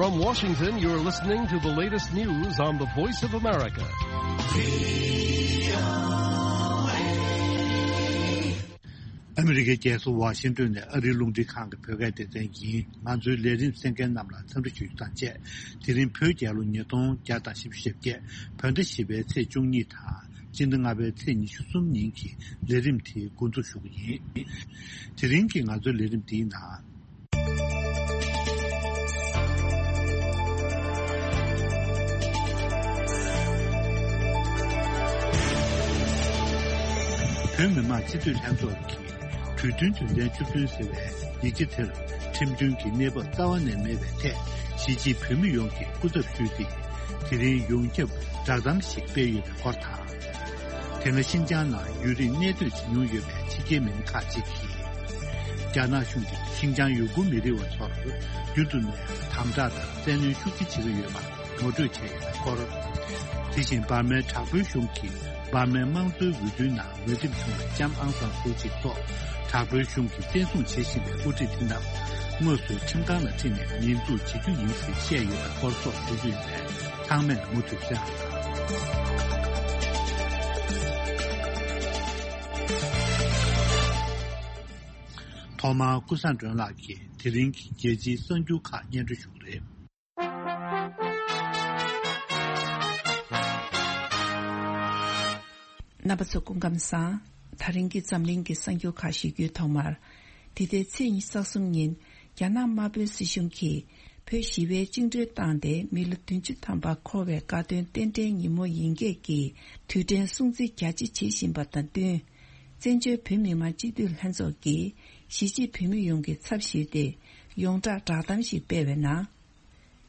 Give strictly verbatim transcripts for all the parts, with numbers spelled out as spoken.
From Washington, you're listening to the latest news on the Voice of America. ཨ་མི་རི་ཀའི་རྒྱལ་ས་ཝ་ཤིང་ཏོན་ནས་ཨ་རིའི་རླུང་འཕྲིན་ཁང་གི་བོད་སྐད་སྡེ་ཚན་ཡིན། ང་ཚོའི་ལས་རིམ་གསན་མཁན་རྣམས་ལ་འཚམས་འདྲི་ཞུ་རྒྱུ་དང་བཅས། དེ་རིང་བོད་རྒྱལ་ལོ་ཉིས་སྟོང་བརྒྱ་དང་བཞི་བཅུ་ཞེ་བརྒྱད། བོད་ཟླ་བཞི་པའི་ཚེས་བཅུ་གཉིས་དང་། སྤྱི་ཟླ་ལྔ་པའི་ཚེས་ཉི་ཤུ་གསུམ་ཉིན་གྱི་ལས་རིམ་དེ་འགོ་འཛུགས་ཞུ་གི་ཡིན། དེ་རིང་གི་ང་ཚོའི་ལས་རིམ་འདིའི་ནང་། བོད་མི་མང་སྤྱི་འཐུས་ལྷན་ཚོགས་ཀྱི་གྲོས་མཐུན་དོན་ཚན་བཅུ་བདུན་ཟེར་བའི་ཡིག་ཆ་དེར་ཁྲིམས་མཐུན་གྱི་གནས་བབ་རྩ་བ་ནས་མེད་པའི་ཐད་གཞིས་བྱེས་བོད་མི་ཡོངས་ཀྱིས་སྐུ་ཚབ་ཞུས་ཏེ། དེ་རིང་ཡོངས་ཁྱབ་བསྒྲགས་གཏམ་ཞིག་སྤེལ་ཡོད་པའི་སྐོར་དང་། དེ་སྔ་ཤིན་ཅང་ནང་ཡུན་རིང་གནས་སྡོད་བྱེད་མྱོང་ཡོད་པའི་ཕྱི་རྒྱལ་མི་སྣ་ཁག་ཅིག་གིས། རྒྱ་ནག་གཞུང་གིས་ཤིན་ཅང་ཡུ་གུར་མི་རིགས་པ་ཚོར་རྒྱུན་དུ་ནས་དམ་དྲག་དང་བཙན་གནོན་ཤུགས་ཆེ་བྱེད་ཀྱི་ཡོད་པ་ངོ་སྤྲོད་བྱས་ཡོད་པའི་སྐོར། དེ་བཞིན་འབར་མའི་དྲག་པོའི་གཞུང་གིས་འབར་མའི་དམངས་གཙོའི་འོས་བསྡུའི་ནང་འོས་འདེམས་བྱུང་བའི་ལྕམ་ཨང་སང་སུའུ་ཅི་སོགས་དྲག་པོའི་གཞུང་གིས་བཙན་བཟུང་བྱེད་བཞིན་པའི་དབུ་ཁྲིད་དེ་རྣམས་དངོས་སུ་ཁྲིམས་ཁང་ལ་ཁྲིད་ནས་ཉེས་འཛུགས་བྱེད་རྒྱུ་ཡིན་ཞེས་བཤད་ཡོད་པའི་སྐོར་སོགས་ཞུ་རྒྱུ་ཡིན་པས། ཚང་མས་མུ་མཐུད་གསན་རོགས་གནང་། ཐོག་མར་ཀུན་བཟང་སྒྲོན་ལགས་ཀྱིས་དེ་རིང་གི་རྒྱལ་སྤྱིའི་གསར་འགྱུར་ཁག་སྙན་སྒྲོན་ཞུ་གི་རེད། རྣམ་པ་ཚོ་སྐུ་ཁམས་བཟང་། ད་རིང་གི་འཛམ་གླིང་གི་གསར་འགྱུར་ཁག་ཞུ་རྒྱུའི་ཐོག་མར། འདི་ཟླའི་ཚེས་ཉི་ཤུ་རྩ་གསུམ་ཉིན། རྒྱ་ནག་དམར་པོའི་སྲིད་གཞུང་གིས་བོད་ཞི་བའི་བཅིངས་འགྲོལ་བཏང་སྟེ་མི་ལོ་བདུན་ཅུ་ཐམ་པ་འཁོར་བའི་དགའ་སྟོན་རྟེན་འབྲེལ་ཉིན་མོ་ཡིན་སྐད་ཀྱི་དུས་དྲན་སྲུང་བརྩི་རྒྱ་ཆེ་བྱེད་བཞིན་པ་དང་བསྟུན། བཙན་བྱོལ་བོད་མི་མང་སྤྱི་འཐུས་ལྷན་ཚོགས་ཀྱིས་གཞིས་བྱེས་བོད་མི་ཡོངས་ཀྱི་ཚབ་ཞུས་ཏེ་ཡོངས་བསྒྲགས་བསྒྲགས་གཏམ་ཞིག་སྤེལ་བའི་ནང་།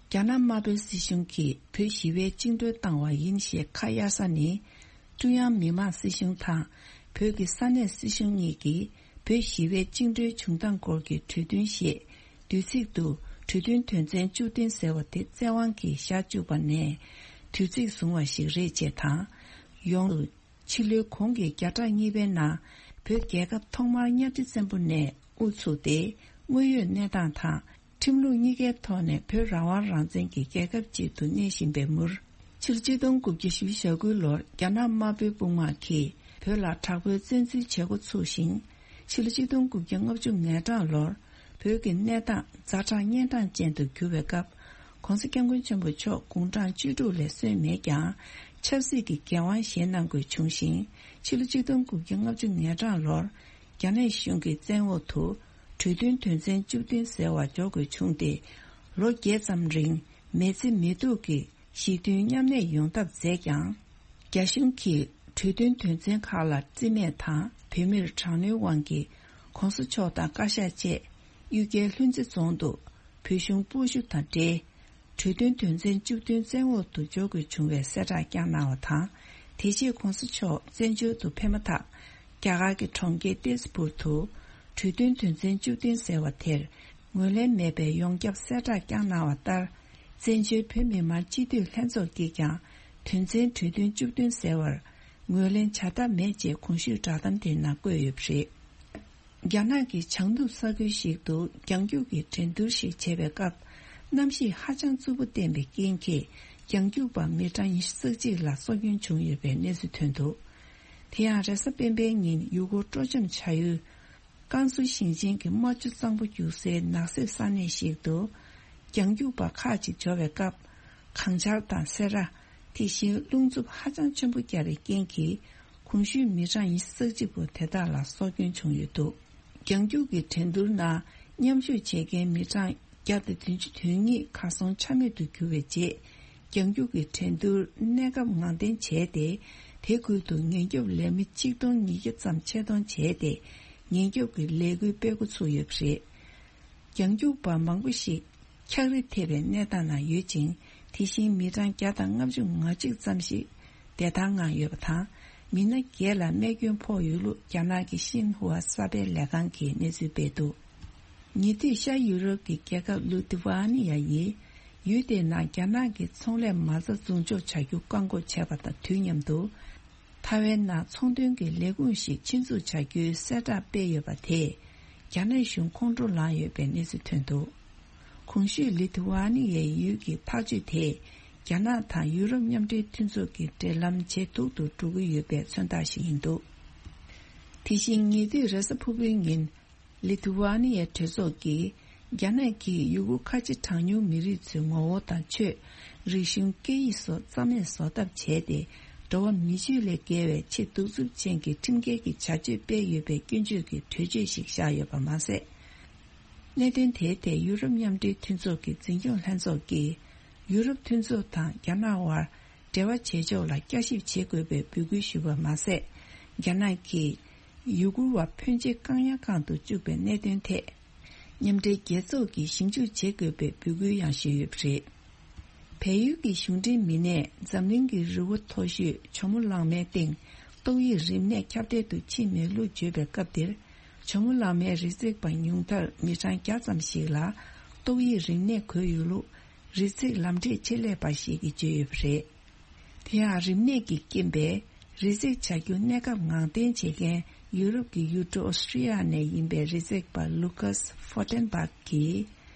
རྒྱ་ནག་དམར་པོའི་སྲིད་གཞུང་གིས་བོད་ཞི་བའི་བཅིངས་འགྲོལ་བཏང་བ་ཡིན་ཞེས་ཁ་གཡར་ས་ནི། ཀྲུང་དབྱང་མི་དམངས་སྲིད་གཞུང་དང་བོད་ཀྱི་ས་གནས་སྲིད་གཞུང་གཉིས་ཀྱིས་བོད་ཞི་བའི་བཅིངས་འགྲོལ་བྱུང་སྟངས་སྐོར་གྱི་གྲོས་མཐུན་ཞེས་བསྡུས་ཚིག་ཏུ་གྲོས་མཐུན་དོན་ཚན་བཅུ་བདུན་ཟེར་བ་དེ་བཙན་དབང་གིས་བཞག་བཅུག་པ་ནས་དུས་ཚིགས་བཟུང་བ་ཞིག་རེད་ཅེས་དང་། ཡོངས་སུ། ཕྱི་ལོའི་གོང་གི་བརྒྱ་ཕྲག་གཉིས་པའི་ནང་བོད་རྒྱལ་ཁབ་ཐོག་མར་གཉའ་ཁྲི་བཙན་པོ་ནས་དབུ་ཚུགས་ཏེ་དངོས་ཡོད་གནས་སྟངས་དང་ཁྲིམས་ལུགས་གཉིས་ཀའི་ཐོག་ནས་བོད་རང་དབང་རང་བཙན་གྱི་རྒྱལ་ཁབ་ཅིག་ཏུ་གནས་བཞིན་པའི་མུར། ཕྱི་ལོ་ཆིག་སྟོང་དགུ་བརྒྱ་བཞི་བཅུ་ཞེ་དགུ་ལོར་རྒྱ་ནག་དམར་པོའི་དཔུང་དམག་གིས་བོད་ལ་དྲག་པོའི་བཙན་འཛུལ་བྱེད་འགོ་ཚུགས་ཤིང་། ཕྱི་ལོ་ཆིག་སྟོང་དགུ་བརྒྱ་ལྔ་བཅུ་ང་གྲངས་ལོར། བོད་ཀྱི་གནས་སྟངས་ཛ་དྲག་གཉན་འཕྲང་ཅན་དུ་གྱུར་བའི་སྐབས། ༸གོང་ས་༸སྐྱབས་མགོན་ཆེན་པོ་མཆོག་དགུང་གྲངས་བཅུ་དྲུག་ལས་སོན་མེད་ཀྱང་། ཆབ་སྲིད་ཀྱི་འགན་དབང་བཞེས་གནང་དགོས་བྱུང་ཞིང་། ཕྱི་ལོ་ཆིག་སྟོང་དགུ་བརྒྱ་ལྔ་བཅུ་ང་གྲངས་ལོར། རྒྱ་ནག་གཞུང་གི་བཙན་འོག་ཏུ། གྲོས་མཐུན་དོན་ཚན་བཅུ་བདུན་ཟེར་བ་འཇོག་དགོས་བྱུང་སྟེ། ལོ་བརྒྱད་ཙམ་རིང་མི་ཚེ་མི་སྡུག་གི་ཞི་མཐུན་མཉམ་གནས་ཡོང་ཐབས་མཛད་ཀྱང་། རྒྱ་གཞུང་གིས་གྲོས་མཐུན་དོན་ཚན་ཁག་ལ་རྩིས་མེད་དང་བོད་མིར་དྲག་གནོན་དབང་གིས་༸གོང་ས་མཆོག་དང་བཀའ་ཤག་བཅས་གཡུལ་རྒྱལ་ལྷུན་རྩེ་རྫོང་དུ་བོད་གཞུང་སྤོ་བཞུད་དང་འབྲེལ། གྲོས་མཐུན་དོན་ཚན་བཅུ་བདུན་བཙན་འོག་ཏུ་འཇོག་དགོས་བྱུང་བའི་གསལ་བསྒྲགས་བསྐྱངས་གནང་བ་དང་། དེ་རྗེས་༸གོང་ས་མཆོག་བཙན་བྱོལ་དུ་ཕེབས་མ་ཐག་རྒྱ་གར་གྱི་གྲོང་ཁྱེར་ཏེས་པུར་དུ་གྲོས་མཐུན་དོན་ཚན་བཅུ་བདུན་ཟེར་བ་དེར་ངོས་ལེན་མེད་པའི་ཡོངས་ཁྱབ་གསལ་བསྒྲགས་བསྐྱངས་གནང་བ་ལྟར། བཙན་བྱོལ་བོད་མི་མང་སྤྱི་འཐུས་ལྷན་ཚོགས་ཀྱིས་ཀྱང་དོན་ཚན་གྲོས་མཐུན་བཅུ་བདུན་ཟེར་བར་ངོས་ལེན་བྱ་ཐབས་མེད་ཅེས་གོང་ཞུས་བསྒྲགས་གཏམ་དེའི་ནང་བཀོད་ཡོད་པ་རེད། རྒྱ་ནག་གི་བྱང་ནུབ་ས་ཁུལ་ཞིག་ཏུ་རྒྱང་རྒྱུག་གི་འགྲན་བསྡུར་ཞིག་བྱེད་པའི་སྐབས། གནམ་གཤིས་ཧ་ཅང་རྩུབ་པོ་བསྟན་པའི་རྐྱེན་གྱིས། རྒྱང་རྒྱུག་པ་མི་གྲངས་ཉི་ཤུ་རྩ་གཅིག་ལ་སྲོག་སྐྱོན་བྱུང་ཡོད་པའི་གནས་ཚུལ་ཐོན་འདུག་དེ་ཡང་རེས་གཟའ་སྤེན་པའི་ཉིན་ཡུལ་སྐོར་སྤྲོ་འཆམ་བྱ་ཡུལ། ཀན་སུའུ་ཞིང་ཆེན་གྱི་རྨ་ཆུ་གཙང་པོ་རྒྱུག་སའི་ནགས་གསེབ་ས་གནས་ཤིག་ཏུ། རྒྱང་རྒྱུག་པ་ཁག་ཅིག་འབྱོར་བའི་སྐབས། གངས་ཆར་དང་སེར་བ། དེ་བཞིན་རླུང་འཚུབ་ཧ་ཅང་ཆེན་པོ་བརྒྱབ་པའི་རྐྱེན་གྱིས། གོང་ཞུས་མི་གྲངས་ཉི་ཤུ་རྩ་གཅིག་པོ་དེ་དག་ལ་སྲོག་སྐྱོན་བྱུང་ཡོད་འདུག་རྒྱང་རྒྱུག་གི་འགྲན་བསྡུར་ནང་མཉམ་ཞུགས་བྱེད་མཁན་མི་གྲངས་བརྒྱ་དང་བདུན་ཅུ་དོན་གཉིས་གར་སོང་ཆ་མེད་དུ་གྱུར་བའི་རྗེས། རྒྱང་རྒྱུག་གི་འགྲན་བསྡུར་གནས་སྐབས་ངང་འཐེན་བྱས་ཏེ། དེ་ཁུལ་དུ་ཉེན་སྐྱོབ་ལས་མི་ཆིག་སྟོང་ཉིས་བརྒྱ་ཙམ་ཆེད་གཏོང་བྱས་ཏེ། ཉེན་སྐྱོབ་ཀྱི་ལས་འགུལ་སྤེལ་འགོ་ཚུགས་ཡོད་པ་རེད། རྒྱང་རྒྱུག་པ་མང་པོ་ཞིག་འཁྱགས་རི་ཐེབས་པའི་གནས་སྟངས་ནང་ཡོད་ཅིང་། དེ་བཞིན་མི་གྲངས་བརྒྱ་དང་ལྔ་བཅུ་ང་གཅིག་ཙམ་ཞིག་བདེ་ཐང་ངང་ཡོད་པ་དང་། མི་སྣ་བརྒྱད་ལ་རྨས་སྐྱོན་ཕོག་ཡོད་ལུགས་རྒྱ་ནག་གི་ཤིན་ཧྭ་གསར་སྤེལ་ལས་ཁང་གིས་གནས་ཚུལ་སྤེལ་འདུག་ཉེ་དུས་ཤར་ཡུ་རོབ་ཀྱི་རྒྱལ་ཁབ་ལུ་ཐི་ཝ་ནི་ཡ་ཡིས་ཡུལ་དེའི་ནང་རྒྱ་ནག་གི་ཚོང་ལས་མ་རྩ་འཛུགས་འཇོག་བྱ་རྒྱུ་བཀག་འགོག་བྱས་པ་དང་དུས་མཉམ་དུ། ཐའེ་ཝན་ནང་ཚོང་དོན་གྱི་ལས་ཁུངས་ཤིག་ཆེད་འཛུགས་བྱ་རྒྱུའི་གསལ་བསྒྲགས་སྤེལ་ཡོད་པ་དེས་རྒྱ་ནག་གཞུང་ཁོང་ཁྲོ་ལངས་ཡོད་པའི་གནས་ཚུལ་ཐོན་འདུག་གོང་ཞུས་ལི་ཐུ་ཝ་ནི་ཡའི་ཡུལ་གྱི་ཐག་གཅོད་དེས་རྒྱ་ནག་དང་ཡུ་རོབ་མཉམ་འབྲེལ་མཐུན་ཚོགས་ཀྱི་འབྲེལ་ལམ་ཇེ་སྡུག་ཏུ་འགྲོ་གི་ཡོད་པའི་མཚོན་རྟགས་ཤིག་ཡིན་འདུག། དེ་བཞིན་ཉེ་དུས་རེས་གཟའ་ཕུར་བུའི་ཉིན། ལི་ཐུ་ཝ་ནི་ཡའི་གྲོས་ཚོགས་ཀྱིས་རྒྱ་ནག་གིས་ཡུ་གུར་ཁ་ཆེ་གྲངས་ཉུང་མི་རིགས་ཚོའི་ངོ་བོ་དང་ཆོས། རིག་གཞུང་། སྐད་ཡིག་སོགས་རྩ་མེད་བཟོ་ཐབས་བྱས་ཏེ། འགྲོ་བ་མི་སྤྱོད་ལས་བརྒལ་བའི་ཆེས་གདུག་རྩུབ་ཅན་གྱི་ཁྲིམས་འགལ་གྱི་བྱ་སྤྱོད་སྤེལ་ཡོད་པའི་སྐྱོན་བརྗོད་ཀྱི་གྲོས་ཆོད་ཞིག་བཞག་ཡོད་པ་མ་ཟད། གནད་དོན་དེའི་ཐད་ཡུ་རོབ་མཉམ་འབྲེལ་མཐུན་ཚོགས་ཀྱི་འཛིན་སྐྱོང་ལྷན་ཚོགས་ཀྱིས་ཡུ་རོབ་མཐུན་ཚོགས་དང་རྒྱ་ནག་དབར་འབྲེལ་བ་བྱེད་ཕྱོགས་ལ་བསྐྱར་ཞིབ་བྱེད་དགོས་པའི་འབོད་སྐུལ་ཞུས་པ་མ་ཟད། རྒྱ་ནག་གིས་ཡུ་གུར་བ་ཕོན་ཆེ་བཀག་ཉར་ཁང་དུ་བཅུག་པའི་གནད་དོན་ཐད། མཉམ་འབྲེལ་རྒྱལ་ཚོགས་ཀྱིས་ཞིབ་འཇུག་བྱེད་དགོས་པའི་འབོད་སྐུལ་ཡང་ཞུས་ཡོད་པ་རེད། བལ་ཡུལ་གྱི་གཞུང་འབྲེལ་མི་སྣས་འཛམ་གླིང་གི་རི་བོ་མཐོ་ཤོས་ཇོ་མོ་གླང་མའི་སྟེང་ཏོག་དབྱིབས་རིམས་ནད་ཁྱབ་གདལ་དུ་ཕྱིན་མེད་ལུགས་བརྗོད་པའི་སྐབས་དེར། ཇོ་མོ་གླང་མའི་རི་འཛེག་པ་ཉུང་མཐར་མི་གྲངས་བརྒྱ་ཙམ་ཞིག་ལ་ཏོག་དབྱིབས་རིམས་ནད་འགོས་ཡོད་ལུགས་རི་འཛེག་ལམ་འབྲས་ཆེད་ལས་པ་ཞིག་གིས་བརྗོད་ཡོད་པ་རེད། དེ་ཡང་རིམས་ནད་ཀྱི་རྐྱེན་པས་རི་འཛེག་བྱ་རྒྱུ་གནས་སྐབས་ངང་འཐེན་བྱེད་མཁན་ཡུ་རོབ་ཀྱི་ཡུལ་གྲུ་ཨོ་སི་ཀྲི་ཡ་ནས་ཡིན་པའི་རི་འཛེག་པ་ལུ་ཀཱས་ཧྥོ་ཏན་བྷག་གིས།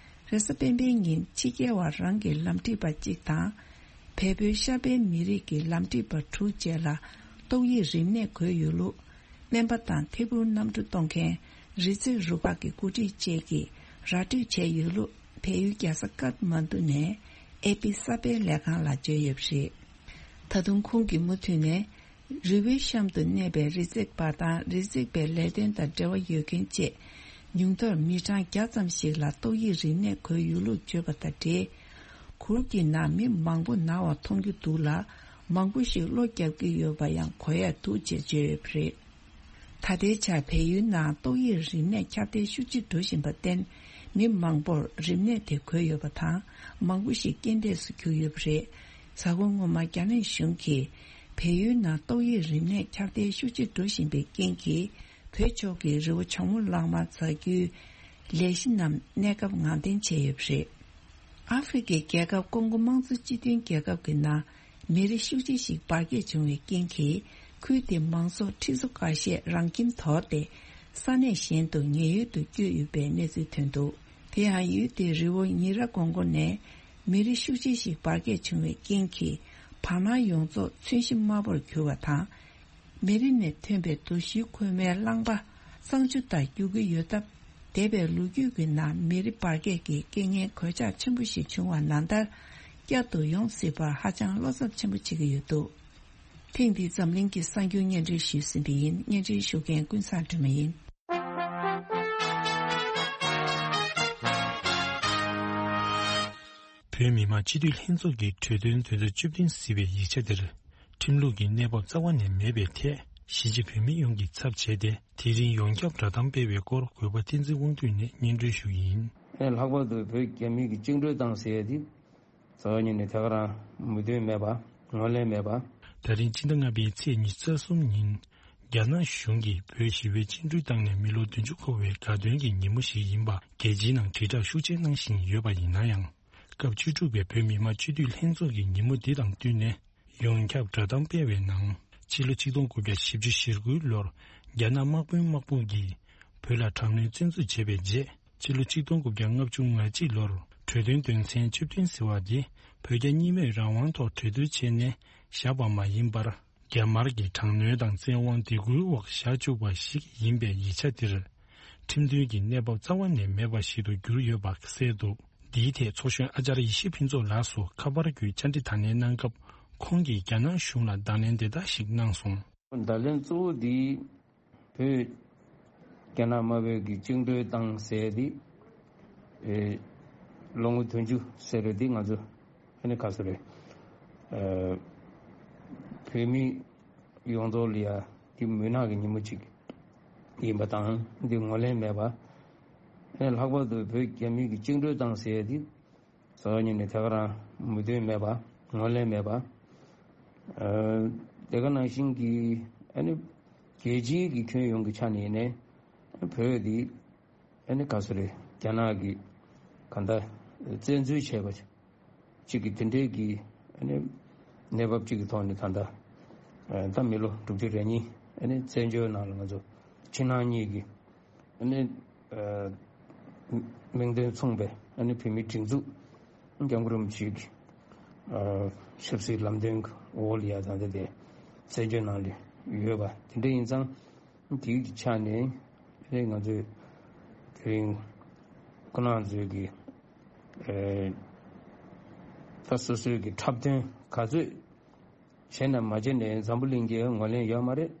རེས་གཟའ་སྤེན་པའི་ཉིན་ཕྱི་རྒྱལ་བ་རང་གི་ལམ་ཁྲིད་པ་གཅིག་དང་། བལ་པོའི་ཤར་པའི་མི་རིགས་ཀྱི་ལམ་ཁྲིད་པ་དྲུག་བཅས་ལ་ཏོག་དབྱིབས་རིམས་ནད་འགོས་ཡོད་ལུགས། སྨན་པ་དང་ཐད་འཕུར་གནམ་གྲུ་གཏོང་མཁན་རི་འཛེག་རུ་ཁག་གི་འགོ་ཁྲིད་བཅས་ཀྱིས་ར་སྤྲོད་བྱས་ཡོད་ལུགས་བལ་ཡུལ་རྒྱལ་ས་ཀཏ་མན་དུ་ནས་ཨེ་པི་གསར་སྤེལ་ལས་ཁང་ལ་བརྗོད་ཡོད་པ་རེད། ད་དུང་ཁོང་གིས་མུ་མཐུད་ནས། རི་བོའི་གཤམ་དུ་གནས་པའི་རི་འཛེག་པ་དང་རི་འཛེག་པའི་ལས་དོན་དང་འབྲེལ་བ་ཡོད་མཁན་བཅས་ཉུང་མཐར་མི་གྲངས་བརྒྱ་ཙམ་ཞིག་ལ་ཏོག་དབྱིབས་རིམས་ནད་འགོས་ཡོད་ལུགས་བརྗོད་པ་དང་འབྲེལ། གུར་གྱི་ནང་མི་མང་པོ་ན་བ་མཐོང་རྒྱུ་འདུག་ལ། མང་པོ་ཞིག་གློ་བརྒྱབ་ཀྱི་ཡོད་པ་ཡང་གོ་ཡ་འདུག་ཅེས་བརྗོད་ཡོད་པ་རེད། ད་ལྟའི་ཆར་བལ་ཡུལ་ནང་ཏོག་དབྱིབས་རིམས་ནད་ཁྱབ་གདལ་ཤུགས་ཆེ་འགྲོ་བཞིན་པར་བརྟེན། མི་མང་པོར་རིམས་ནད་དེ་འགོས་ཡོད་པ་དང་། མང་པོ་ཞིག་རྐྱེན་འདས་སུ་གྱུར་ཡོད་པ་རེད། གཟའ་འཁོར་སྔོན་མ་རྒྱ་ནག་གཞུང་གིས་བལ་ཡུལ་ནང་ཏོག་དབྱིབས་རིམས་ནད་ཁྱབ་གདལ་ཤུགས་ཆེ་འགྲོ་བཞིན་པའི་རྐྱེན་གྱིས། བོད་ཕྱོགས་ཀྱི་རི་བོ་ཇོ་མོ་གླང་མ་འཛེག་རྒྱུའི་ལས་གཞི་རྣམས་གནས་སྐབས་ངང་འཐེན་བྱས་ཡོད་པ་རེད། ཨ་ཧྥེ་རི་ཁའི་རྒྱལ་ཁབ་ཀོང་གོ་དམངས་གཙོ་སྤྱི་མཐུན་རྒྱལ་ཁབ་ཀྱི་ནང་མི་རེ་ཤུགས་ཆེ་ཞིག་འབར་གས་བྱུང་བའི་རྐྱེན་གྱིས། ཁུལ་དེའི་མང་ཚོགས་ཁྲི་ཚོ་ཁ་ཤས་རང་ཁྱིམ་དོར་ཏེ། ས་གནས་གཞན་དུ་ཉེན་གཡོལ་དུ་བསྐྱོད་ཡོད་པའི་གནས་ཚུལ་ཐོན་འདུག། དེ་ཡང་ཡུལ་དེའི་རི་བོ་ཉི་ར་ཀོང་གོ་ནས་མི་རེ་ཤུགས་ཆེ་ཞིག་འབར་གས་བྱུང་བའི་རྐྱེན་གྱིས། བར་སྣང་ཡོངས་རྫོགས་མཚོན་གཤིས་དམར་པོར་གྱུར་བ་དང་། མེ་རི་ནས་ཐོན་པའི་རྡོ་ཞུན་ཁོལ་མའི་རླངས་པ་གཙང་ཆུ་ལྟར་རྒྱུག་གི་ཡོད་སྟབས། འདས་པའི་ལོ་རྒྱུས་ཀྱི་ནང་མེ་རི་འབར་གས་ཀྱི་རྐྱེན་ངན་གོད་ཆག་ཆེན་པོ་ཞིག་བྱུང་བ་ནང་ལྟར། བསྐྱར་དུ་ཡོང་སྲིད་པར་ཧ་ཅང་བློ་འཚབ་ཆེན་པོ་བྱེད་ཀྱི་ཡོད་འདུག། ཐེངས་འདིའི་འཛམ་གླིང་གི་གསར་འགྱུར་སྙན་སྒྲོན་ཞུས་ཟིན་པ་ཡིན། སྙན་སྒྲོན་ཞུ་མཁན་ཀུན་བཟང་སྒྲོལ་མ་ཡིན། བོད་མི་མང་སྤྱི་འཐུས་ལྷན་ཚོགས་ཀྱི་གྲོས་དོན་དོན་ཚན་བཅུ་བདུན་ཟེར་བའི་ཡིག་ཆ་འདིར། ཁྲིམས་ལུགས་ཀྱི་གནས་བབ་རྩ་བ་ནས་མེད་པའི་ཐད། གཞིས་བྱེས་བོད་མི་ཡོངས་ཀྱི་ཚབ་བྱས་ཏེ། དེ་རིང་ཡོངས་ཁྱབ་བསྒྲགས་གཏམ་སྤེལ་བའི་སྐོར་གུས་པ་བསྟན་འཛིན་དབང་འདུས་ནས་སྙན་སྒྲོན་ཞུ་གི་ཡིན། ལྷག་པར་དུ་བོད་རྒྱ་མི་གི་བཅིངས་འགྲོལ་བཏང་ཟེར་ཡ་དེ། རྩ་བ་ཉིད་ནས་དེ་ག་རང་མོས་མཐུན་མེད་པ། ངོས་ལེན་མེད་པ། ད་རིང་སྤྱི་ཟླ་ལྔ་པའི་ཚེས་ཉི་ཤུ་རྩ་གསུམ་ཉིན། རྒྱ་ནག་གཞུང་གིས་བོད་ཞི་བའི་བཅིངས་འགྲོལ་བཏང་ནས་མི་ལོ་བདུན་ཅུ་འཁོར་བའི་དགའ་སྟོན་གྱི་ཉིན་མོ་ཞིག་ཡིན་པ། རྒྱལ་སྤྱིའི་ནང་དྲིལ་བསྒྲགས་ཤུགས་ཆེ་གནང་བཞིན་ཡོད་པ་ཡིན་ན་ཡང་། སྐབས་བཅུ་དྲུག་པའི་བོད་མི་མང་སྤྱི་འཐུས་ལྷན་ཚོགས་ཀྱི་ཉིན་མོ་འདི་དང་བསྟུན་ནས། ཡོངས་ཁྱབ་བསྒྲགས་གཏམ་སྤེལ་བའི་ནང་། ཕྱི་ལོ་ཆིག་སྟོང་དགུ་བརྒྱ་བཞི་བཅུ་ཞེ་དགུའི་ལོར། རྒྱ་ནག་དམག་དཔོན་དམག་དཔུང་གིས། བོད་ལ་དྲག་གནོན་བཙན་འཛུལ་བྱས་པའི་རྗེས། ཕྱི་ལོ་ཆིག་སྟོང་དགུ་བརྒྱ་ལྔ་བཅུ་ང་གཅིག་ལོར། གྲོས་དོན་དོན་ཚན་བཅུ་བདུན་ཟེར་བ་འདི། བོད་རྒྱ་གཉིས་མོས་རང་དབང་ཐོག་གྲོས་བསྡུར་བྱས་ནས། བཞག་པ་མ་ཡིན་པར། རྒྱ་དམར་གྱི་དྲག་གནོན་དང་བཙན་དབང་སྡིགས་སྐུལ་འོག་བཞག་བཅུག་པ་ཞིག་ཡིན་པའི་ཡིག་ཆ་འདིར། ཁྲིམས་མཐུན་གྱི་གནས་བབ་རྩ་བ་ནས་མེད་པ་ཞིག་ཏུ་གྱུར་ཡོད་པ་གསལ་འདུག། འདིའི་ཐད་ཚོགས་གཞོན་ཨ་ཅར་ཡེ་ཤེས་ཕུན་ཚོགས་ལགས་སུ་ཁ་པར་བརྒྱུད་བཅར་འདྲི་དང་ལེན་གནང་སྐབས། ཁོང་གིས་རྒྱ་ནག་གཞུང་ལ་དང་ལེན་འདི་ལྟར་ཞིག་གནང་སོང་། བརྡ་ལན་གཙོ་བོ་འདི་བོད་རྒྱ་ནག་དམར་པོའི་གི་བཅིངས་འགྲོལ་བཏང་ཟེར་འདི། ཨེ། ལོ་ངོ་བདུན་ཅུ་ཟེར་རེད། འདི་ང་ཚོ་ཨ་ནི་ག་ཚོད་རེད། ཨ། བོད་མི་ཡོངས་རྫོགས་ལ་ཡ་འདི་མུན་ནག་གི་ཉིན་མོ་གཅིག་ཡིན་པ་དང་། འདི་ངོས་ལེན་མེད་པ། ཨ་ནི་ལྷག་པར་དུ་བོད་རྒྱ་མི་གི་བཅིངས་འགྲོལ་བཏང་ཟེར་འདི། རྩ་བ་ཉིད་ནས་དེ་ག་རང་མོས་མཐུན་མེད་པ། ངོས་ལེན་མེད་པ། ཨ། དེ་ག་ནང་བཞིན་གྱི་ཨ་ནི་རྒྱལ་སྤྱིའི་གི་ཁྱོན་ཡོངས་ཀྱི་ཆ་ནས་ཡིན་ནའི་བོད་འདི་ཨ་ནི་ག་ཚོད་རེད། རྒྱ་ནག་གིས་གང་ལྟར་བཙན་འཛུལ་བྱས་པ་གཅིག་གི་དེ་འདྲའི་གི་ཨ་ནི་གནས་བབ་གཅིག་གི་ཐོག་ནས་ད་ལྟ་ད་མི་ལོ་དྲུག་ཅུ་རེ་གཉིས་ཨ་ནི་བཙན་བྱོལ་ནང་ལ་ང་ཚོ་ཕྱི་ནང་གཉིས་ཀྱི་ཨ་ནི་མིང་དོན་མཚུངས་པའི་ ཨ་ནི་བོད་མིའི་སྒྲིག་འཛུགས་སྐྱབས་མགོན་རིན་པོ་ཆེ་གི་ཨ་ཆབ་སྲིད་ལམ་སྟོན་གྱི་འོག་ལ་ཡ་ད་ལྟ་དེ་གསན་བརྗོད་གནང་ལས་ཡོད་པ་དེ་འདྲ་ཡིན་ཙང་དེའི་ཆ་ནས་ཨ་ནི་ང་ཚོས་དེ་རིང་ཁོང་རྣམ་ཚོས་ཀྱི་ཨ་ད་སོ་སོའི་གི་འཁྲབ་སྟོན་ག་ཚོད་བྱས་ན་མ་བྱས་ནས་འཛམ་བུ་གླིང་གིས་ངོས་ལེན་ཡོད་མ་རེད།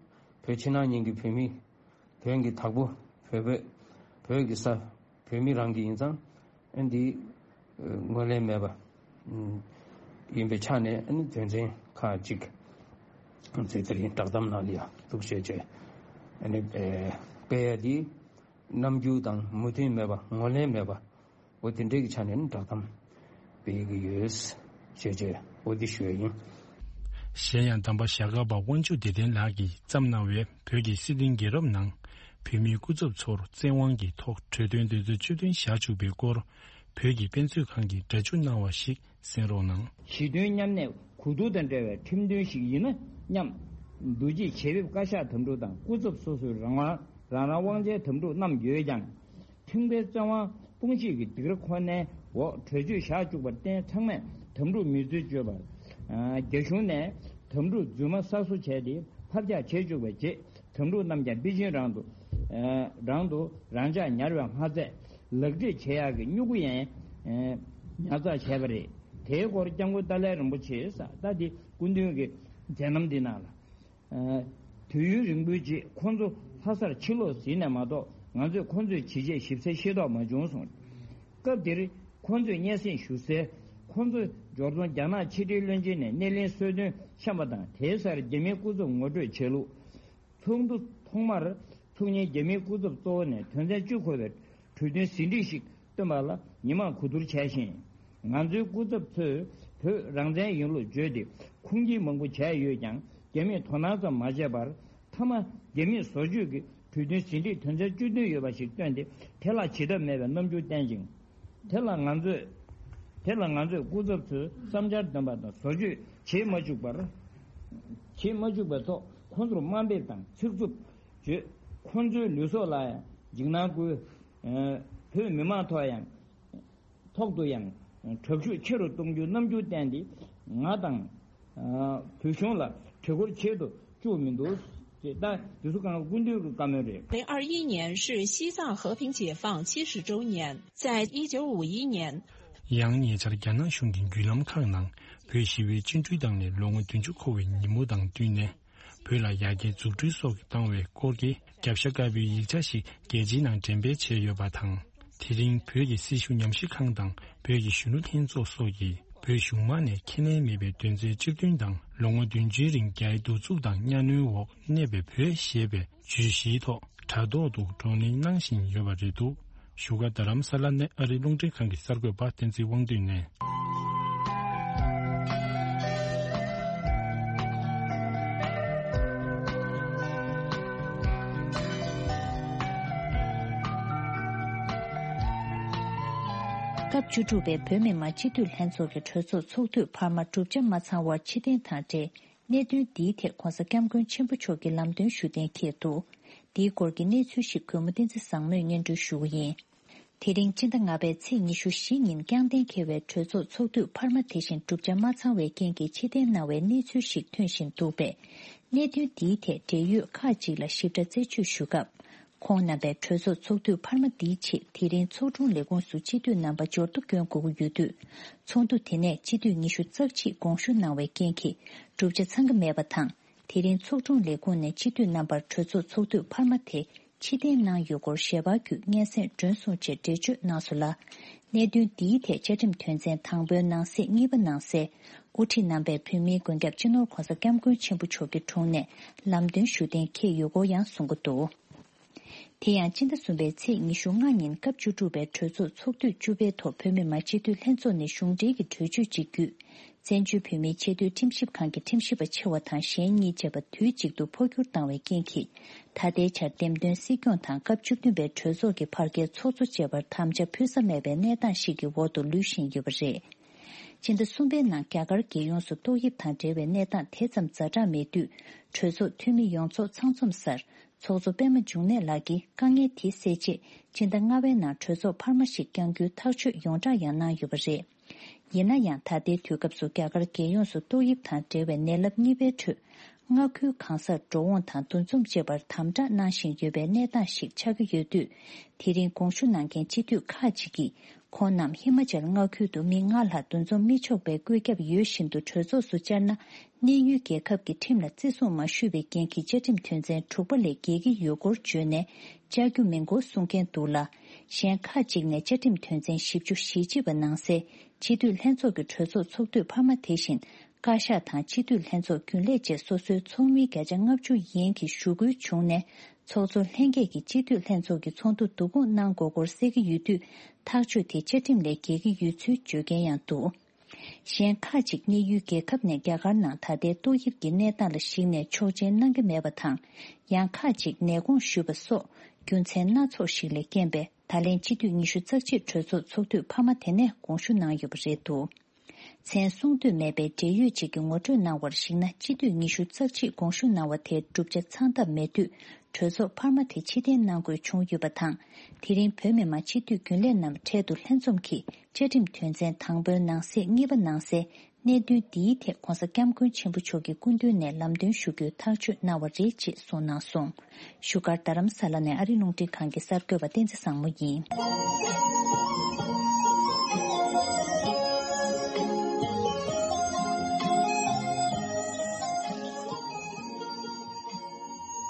བོད་ཕྱི་ནང་གཉིས་ཀྱི་བོད་མི། བོད་ཀྱི་བདག་པོ། བོད་བོད་བོད་ཀྱི་ས། བོད་མི་རང་གི་ཡིན་ཙང་། ཨ་འདི་ངོས་ལེན་མེད་པ་ཡིན་པའི་ཆ་ནས། ཨ་ནི་དོན་ཚན་ཁག་ཅིག་ཚིག་དེ་རིང་བསྒྲགས་གཏམ་ནང་ལ་ཡང་འདུག་བཤད་བྱས། ཨ་ནི་སྤེལ་ཡ་འདི་རྣམ་འགྱུར་དང་མོས་མཐུན་མེད་པ། ངོས་ལེན་མེད་པ། འོ་དེ་འདྲའི་གི་ཆ་ནས་ནི་བསྒྲགས་གཏམ་སྤེལ་གི་ཡོད། ཞེས་བྱས་འོ་འདི་ཞུ་ཡ་ཡིན། གཞན་ཡང་། གདམས་པ་ཞྭ་སྒབ་པ་དབང་ཕྱུག་བདེ་ལྡན་ལགས་ཀྱིས་བརྩམས་གནང་བའི་བོད་ཀྱི་སྲིད་དོན་རྒྱལ་རབས་ནང་། བོད་མིའི་སྐུ་ཚབ་ཚོར་བཙན་དབང་གི་ཐོག་གྲོས་དོན་དོན་ཚན་བཅུ་བདུན་བཞག་བཅུག་པའི་སྐོར། བོད་ཀྱི་དཔེ་མཛོད་ཁང་གིས་སྒྲ་འཇུག་གནང་བ་ཞིག་གསན་རོགས་གནང་། ཞི་མཐུན་མཉམ་གནས་གོ་བསྡུར་དང་འབྲེལ་བའི་ཁྲིམས་མཐུན་ཞིག་ཡིན་ན་སྙམ། འདུ་བྱེད་བྱེད་འབེབས་བཀའ་ཤག་དམ་ཕྲུག་དང་སྐུ་ཚབ་སོ་སོའི་རང་དབང་རང་རང་དབང་ཆའི་དམ་ཕྲུག་རྣམས་ཡོད་ཀྱང་། ཁྲིམས་འགལ་བཙན་དབང་དཔུང་ཤེད་ཀྱི་སྡིགས་ར་ཁོ་ནའི་འོག་གྲོས་ཆོད་བཞག་བཅུག་པར་བརྟེན། ཚང་མས་དམ་ཕྲུག་མི་བརྩི་བཅོས་པར། རྒྱ་གཞུང་ནས་དམ་ཕྲུག་རྫུན་མ་གསར་བཟོ་བྱས་ཏེ་ཕབ་རྒྱག་བྱེད་བཅུག་པའི་རྗེས། དམ་ཕྲུག་རྣམས་ཀྱང་པེ་ཅིན་རང་དུ། རང་དུ་རང་འཇགས་ཉར་བས་མ་ཚད། ལག་འབྲེལ་བྱེད་ཡག་གི་སྨྱུ་གུ་ཡང་ཉར་ཚགས་བྱས་པ་རེད། དེའི་སྐོར་སྐྱབས་མགོན་ཏཱ་ལའི་རིན་པོ་ཆེས། ད་འདི་སྐུ་མདུན་གྱི་མཛད་རྣམ་འདི་ནང་ལ། དུས་ཡུན་རིང་པོའི་རྗེས་ཁོང་ཚོ་ལྷ་སར་ཕྱིར་ལོག་ཟིན་ནས་མ་གཏོགས། ང་ཚོས་ཁོང་ཚོའི་ཇི་བྱས་ཞིབ་གསལ་ཤེས་རྟོགས་མ་བྱུང་གསུངས། སྐབས་དེར་ཁོང་ཚོས་སྙན་སེང་ཞུ་སའི། ཁོང་ཚོ་འབྱོར་ཚོང་རྒྱ་ནག་ཕྱི་འབྲེལ་བློན་ཆེན་ནས་སྣེ་ལེན་གསོལ་སྟོན་བཤམས་པ་དང་། དེའི་སར་རྒྱ་མིའི་སྐུ་ཚབ་ངོ་སྤྲོད་བྱས་ལུགས། ཚོགས་འདུ་ཐོག་མར་ཚོགས་མཁན་རྒྱ་མིའི་སྐུ་ཚབ་གཙོ་བོ་ནས་དོན་ཚན་བཅུ་འཁོད་པའི་གྲོས་མཐུན་ཟིན་བྲིས་ཤིག་བཏོན་པ་ལ་ཉི་མ་གོ་བསྡུར་བྱས་ཤིང་། ང་ཚོའི་སྐུ་ཚབ་ཚོས་བོད་རང་བཙན་ཡིན་ལུགས་བརྗོད་དེ་ཁུངས་སྐྱེལ་མང་པོ་བྱས་ཡོད་ཀྱང་། རྒྱ་མིས་དོ་སྣང་ཙམ་མ་བྱས་པར། མཐའ་མ་རྒྱ་མིས་བཟོ་བཅོས་ཀྱི་གྲོས་མཐུན་ཟིན་བྲིས་དོན་ཚན་བཅུ་བདུན་ཡོད་པ་ཞིག་བཏོན་ཏེ། དེ་ལ་བྱེད་ཐབས་མེད་པའི་རྣམ་འགྱུར་བསྟན་ཅིང་། དེ་ལ་ང་ཚོས། དེ་ལ་ང་ཚོས་སྐུ་ཚབ་ཚོའི་བསམ་འཆར་འདོན་པ་དང་བཟོ་བཅོས་བྱེད་མ་བཅུག་པར། བྱེད་མ་བཅུག་པའི་ཐོག་ཁོང་ཚོར་དམའ་འབེབས་དང་ཚིག་རྩུབ་བརྗོད། ཁོང་ཚོའི་ལུས་སྲོག་ལ་ཡང་འཇིགས་སྣང་བསྐུལ། བོད་མི་མང་ཐོག་ཡང་། ཐོག་ཏུ་ཡང་དྲག་ཤུགས་ཆེ་རུ་གཏོང་རྒྱུའི་རྣམ་འགྱུར་བསྟན་ཏེ། ང་དང་། བོད་གཞུང་ལ་དྲི་སྐོར་བྱེད་དུ་བཅུག་མི་འདུག་ཅེས། ད་འདི་ཚོ་གང་ག་སྐུ་མདུན་གྱི་བཀའ་མོལ་རེད། 二零二一年是西藏和平解放七十周年，在一九五一年， ཡང་ཉེ་ཆར་རྒྱ་ནག་གཞུང་གི་བརྒྱུད་ལམ་ཁག་ནང་བོད་ཞི་བའི་བཅིངས་འགྲོལ་བཏང་ནས་ལོ་ངོ་བདུན་ཅུ་འཁོར་བའི་ཉིན་མོ་དང་བསྟུན་ནས། བོད་ལ་ཡར་རྒྱས་འཛུགས་སྐྲུན་སོགས་ཀྱི་བཏང་བའི་སྐོར་གྱི་རྒྱབ་ཤ་དཀར་པོའི་ཡིག་ཆ་ཞིག་རྒྱལ་སྤྱིའི་ནང་འགྲེམས་སྤེལ་བྱས་ཡོད་པ་དང་། དེ་རིང་བོད་ཀྱི་སྲི་ཞུ་ཉམས་ཞིབ་ཁང་དང་བོད་ཀྱི་གཞོན་ནུ་ལྷན་ཚོགས་སོགས་ཀྱིས་བོད་གཞུང་མང་ནས་ཁས་ལེན་མེད་པའི་དོན་ཚན་བཅུ་བདུན་དང་། ལོ་ངོ་བདུན་ཅུའི་རིང་རྒྱའི་གདུག་རྩུབ་དང་གཉའ་གནོན་འོག་གནས་པའི་བོད་ཞེས་པའི་བརྗོད་གཞིའི་ཐོག་དྲ་ཐོག་ཏུ་བགྲོ་གླེང་གནང་བཞིན་ཡོད་པ་རེད་འདུག་བཞུགས་སྒར་རྡ་རམ་ས་ལ་ནས་ཨ་རིའི་རླུང་འཕྲིན་ཁང་གི་གསར་འགོད་པ་བསྟན་འཛིན་དབང་འདུས་ནས། སྐབས་བཅུ་དྲུག་པའི་བོད་མི་མང་སྤྱི་འཐུས་ལྷན་ཚོགས་ཀྱི་གྲོས་ཚོགས་ཚོགས་དུས་འཕར་མ་གྲུབ་ཆ་མ་ཚང་བར་ཕྱིར་འཐེན་དང་འབྲེལ། གནད་དོན་འདིའི་ཐད་༧གོང་ས་༧སྐྱབས་མགོན་ཆེན་པོ་མཆོག་གིས་ལམ་སྟོན་ཞུ་གཏན་འཁེལ་འདུག་འདིའི་སྐོར་གྱི་གནས་ཚུལ་ཞིག་གུས་མོ་བསྟན་འཛིན་བཟང་མོས་སྙན་སྒྲོན་ཞུ་གི་ཡིན། དེ་རིང་སྤྱི་ཟླ་ལྔ་པའི་ཚེས་ཉི་ཤུ་བཞི་ཉིན་བསྐྱངས་གཏན་འཁེལ་བའི་གྲོས་ཚོགས་ཚོགས་དུས་འཕར་མ་དེ་བཞིན་གྲུབ་ཆ་མ་ཚང་བའི་རྐྱེན་གྱིས་ཕྱིར་འཐེན་གནང་བའི་གནས་ཚུལ་ཞིག་ཐོན་བཞིན་འདུག་པས། གནད་དོན་འདིའི་ཐད་འབྲེལ་ཡོད་ཁག་ཅིག་ལ་ཞིབ་ཕྲ་རྩད་གཅོད་ཞུ་སྐབས། ཁོང་རྣམ་པས་གྲོས་ཚོགས་ཚོགས་དུས་འཕར་མ་འདིའི་ཆེད་དེ་རིང་ཚོགས་དྲུང་ལས་ཁུངས་སུ་སྤྱི་འཐུས་རྣམ་པ་འབྱོར་ཐོ་བསྐྱོན་དགོས་ཀྱི་ཡོད་དུས། ཚོགས་འདུ་དེ་ནས་སྤྱི་འཐུས་ཉི་ཤུ་རྩ་གཅིག་དགོངས་ཞུ་གནང་བའི་རྐྱེན་གྱིས་གྲུབ་ཆ་ཚང་གི་མེད་པ་དང་། དེ་རིང་ཚོགས་དྲུང་ལས་ཁུངས་ནས་སྤྱི་འཐུས་རྣམ་པར་གྲོས་ཚོགས་ཚོགས་དུས་འཕར་མ་དེ་ཕྱིར་འཐེན་གནང་ཡོད་སྐོར་ཞལ་པར་བརྒྱུད་སྙན་སེང་སྒྲོན་སོང་ཅེས་འགྲེལ་བརྗོད་གནང་སོང་ལ། གནད་དོན་འདིའི་ཐད་བཅའ་ཁྲིམས་དོན་ཚན་དང་པོའི་ནང་གསེས་གཉིས་པ་ནང་གསལ། དབུ་ཁྲིད་རྣམ་པས་བོད་མིའི་མགོན་སྐྱབས་སྤྱི་ནོར་༧གོང་ས་༧སྐྱབས་མགོན་ཆེན་པོ་མཆོག་གི་དྲུང་ནས་ལམ་སྟོན་ཞུ་གཏན་འཁེལ་ཡོད་སྐོར་ཡང་གསུང་གི་འདུག་དེ་ཡང་སྤྱི་ཟླ་གསུམ་པའི་ཚེས་ཉི་ཤུ་ལྔ་ཉིན་སྐབས་བཅུ་དྲུག་པའི་གྲོས་ཚོགས་ཚོགས་དུས་བཅུ་པའི་ཐོག་བོད་མི་མང་སྤྱི་འཐུས་ལྷན་ཚོགས་ནས་གཞུང་འབྲེལ་གྱི་གྲོས་ཆོད་ཅིག་བརྒྱུད། བཙན་བྱོལ་བོད་མིའི་ཆེས་མཐོའི་ཁྲིམས་ཞིབ་ཁང་གི་ཁྲིམས་ཞིབ་པ་ཆེ་བ་དང་གཞན་གཉིས་བཅས་པ་དུས་གཅིག་ཏུ་འཕོ་འགྱུར་བཏང་བའི་རྐྱེན་གྱིས། ད་ལྟའི་ཆར་འདེམས་ཐོན་སྲིད་སྐྱོང་དང་སྐབས་བཅུ་བདུན་པའི་གྲོས་ཚོགས་ཀྱི་ཕར་སྐྱེལ་ཚོགས་གཙོ་བཅས་པར་དམ་བཅའ་ཕུལ་ས་མེད་པའི་གནས་སྟངས་ཤིག་གི་འོག་ཏུ་ལུས་བཞིན་ཡོད་པ་རེད། ཕྱི་ཟླ་གསུམ་པའི་ནང་རྒྱ་གར་རྒྱལ་ཡོངས་སུ་ཏོག་དབྱིབས་དང་འབྲེལ་བའི་གནས་སྟངས་དེ་ཙམ་ཛ་དྲག་མེད་དུས། གྲོས་ཚོགས་འཐུས་མི་ཡོངས་ཚོགས་ཚང་འཛོམས་སར་ཚོགས་གཙོ་པད་མ་འབྱུང་གནས་ལགས་ཀྱིས་དཀའ་ངལ་དེ་སེལ་ཆེད། ཕྱི་ཟླ་ལྔ་པའི་ནང་གྲོས་ཚོགས་འཕར་མ་ཞིག་བསྐྱང་རྒྱུའི་ཐག་གཅོད་ཡོངས་བསྒྲགས་ཡང་གནང་ཡོད་པ་རེད། ཡིན་ན་ཡང་། ད་ལྟའི་དུས་སྐབས་སུ་རྒྱ་གར་རྒྱལ་ཡོངས་སུ་ཏོག་དབྱིབས་དང་འབྲེལ་བའི་ནད་རླབས་གཉིས་པའི་ཁྲོད། མངའ་ཁུལ་གང་སར་འགྲོ་འོང་དང་འདུ་འཛོམས་བྱེད་པར་དམ་དྲག་གནང་བཞིན་ཡོད་པའི་གནས་སྟངས་ཤིག་ཆགས་ཀྱི་ཡོད་དུས། དེ་རིང་དགོངས་ཞུ་གནང་མཁན་སྤྱི་འཐུས་ཁག་ཅིག་གིས། ཁོང་རྣམས་ཧི་མ་ཅལ་མངའ་ཁུལ་དུ་མི་ལྔ་ལྷག་འདུ་འཛོམས་མི་ཆོག་པའི་བཀོད་ཁྱབ་ཡོད་བཞིན་དུ་གྲོས་ཚོགས་སུ་བཅར་ན། གནས་ཡུལ་རྒྱལ་ཁབ་ཀྱི་ཁྲིམས་ལ་བརྩི་སྲུང་མ་ཞུས་པའི་རྐྱེན་གྱིས་བཅའ་ཁྲིམས་དོན་ཚན་དྲུག་པ་ལས་འགལ་གྱི་ཡོད་སྐོར་བརྗོད་ནས། བཅར་རྒྱུ་མིན་སྐོར་གསུང་མཁན་འདུག་ལ། གཞན་ཁག་ཅིག་ནས་བཅའ་ཁྲིམས་དོན་ཚན་བཞི་བཅུ་ཞེ་གཅིག་པ་ནང་གསལ། སྤྱི་འཐུས་ལྷན་ཚོགས་ཀྱི་གྲོས་ཚོགས་ཚོགས་དུས་འཕར་མ་དེ་བཞིན། བཀའ་ཤག་དང་སྤྱི་འཐུས་ལྷན་ཚོགས་རྒྱུན་ལས་བཅས་སོ་སོའི་ཚོགས་མི་བརྒྱ་ཆ་ལྔ་བཅུ་ཡན་གྱི་ཞུ་སྐུལ་བྱུང་ནས། ཚོགས་གཙོ་ལྷན་རྒྱས་ཀྱིས་སྤྱི་འཐུས་ལྷན་ཚོགས་ཀྱི་ཚོགས་འདུ་བསྡུ་སྐོང་གནང་དགོས་སྐོར་གསལ་གྱི་ཡོད་དུས། ཐག་གཅོད་དེ་བཅའ་ཁྲིམས་ལས་འགལ་གྱི་ཡོད་ཚུལ་བརྗོད་མཁན་ཡང་འདུག་གཞན་ཁག་ཅིག་གནས་ཡུལ་རྒྱལ་ཁབ་ནས་རྒྱ་གར་ནང་ད་ལྟའི་ཏོག་དབྱིབས་ཀྱི་གནས་སྟངས་ལ་གཞིགས་ནས་ཆོག་མཆན་གནང་གི་མེད་པ་དང་། ཡང་ཁག་ཅིག་ནད་དགོངས་ཞུས་པ་སོགས་རྒྱུ་མཚན་སྣ་ཚོགས་ཤིག་ལས་རྐྱེན་པས། ད་ལན་སྤྱི་འཐུས་ཉི་ཤུ་རྩ་གཅིག་གྲོས་ཚོགས་ཚོགས་དུས་འཕར་མ་དེ་ནས་དགོངས་ཞུ་གནང་ཡོད་པ་རེད་འདུག་མཚན་གསུང་འདོད་མེད་པའི་འབྲེལ་ཡོད་ཅིག་གིས་ངོ་སྤྲོད་གནང་བར་གཞིགས་ན། སྤྱི་འཐུས་ཉི་ཤུ་རྩ་གཅིག་དགོངས་ཞུ་གནང་བ་དེ་བསྒྲུབ་བྱ་ཚང་ཐབས་མེད་དུས། གྲོས་ཚོགས་འཕར་མ་དེ་ཕྱིར་འཐེན་གནང་དགོས་བྱུང་ཡོད་པ་དང་། དེ་རིང་བོད་མི་མང་སྤྱི་འཐུས་རྒྱུན་ལས་རྣམས་འཕྲལ་དུ་ལྷན་འཛོམས་ཀྱིས་བཅའ་ཁྲིམས་དོན་ཚན་དང་པོའི་ནང་གསེས་གཉིས་པ་ནང་གསལ། གནད་དོན་འདིའི་ཐད་༧གོང་ས་༧སྐྱབས་མགོན་ཆེན་པོ་མཆོག་གི་སྐུ་མདུན་ནས་ལམ་སྟོན་ཞུ་རྒྱུའི་ཐག་གཅོད་གནང་བ་རེད་ཅེས་གསུངས་གནང་སོང་། བཞུགས་སྒར་རྡ་རམ་ས་ལ་ནས་ཨ་རིའི་རླུང་འཕྲིན་ཁང་གི་གསར་འགོད་པ་བསྟན་འཛིན་བཟང་མོ་ཡིན།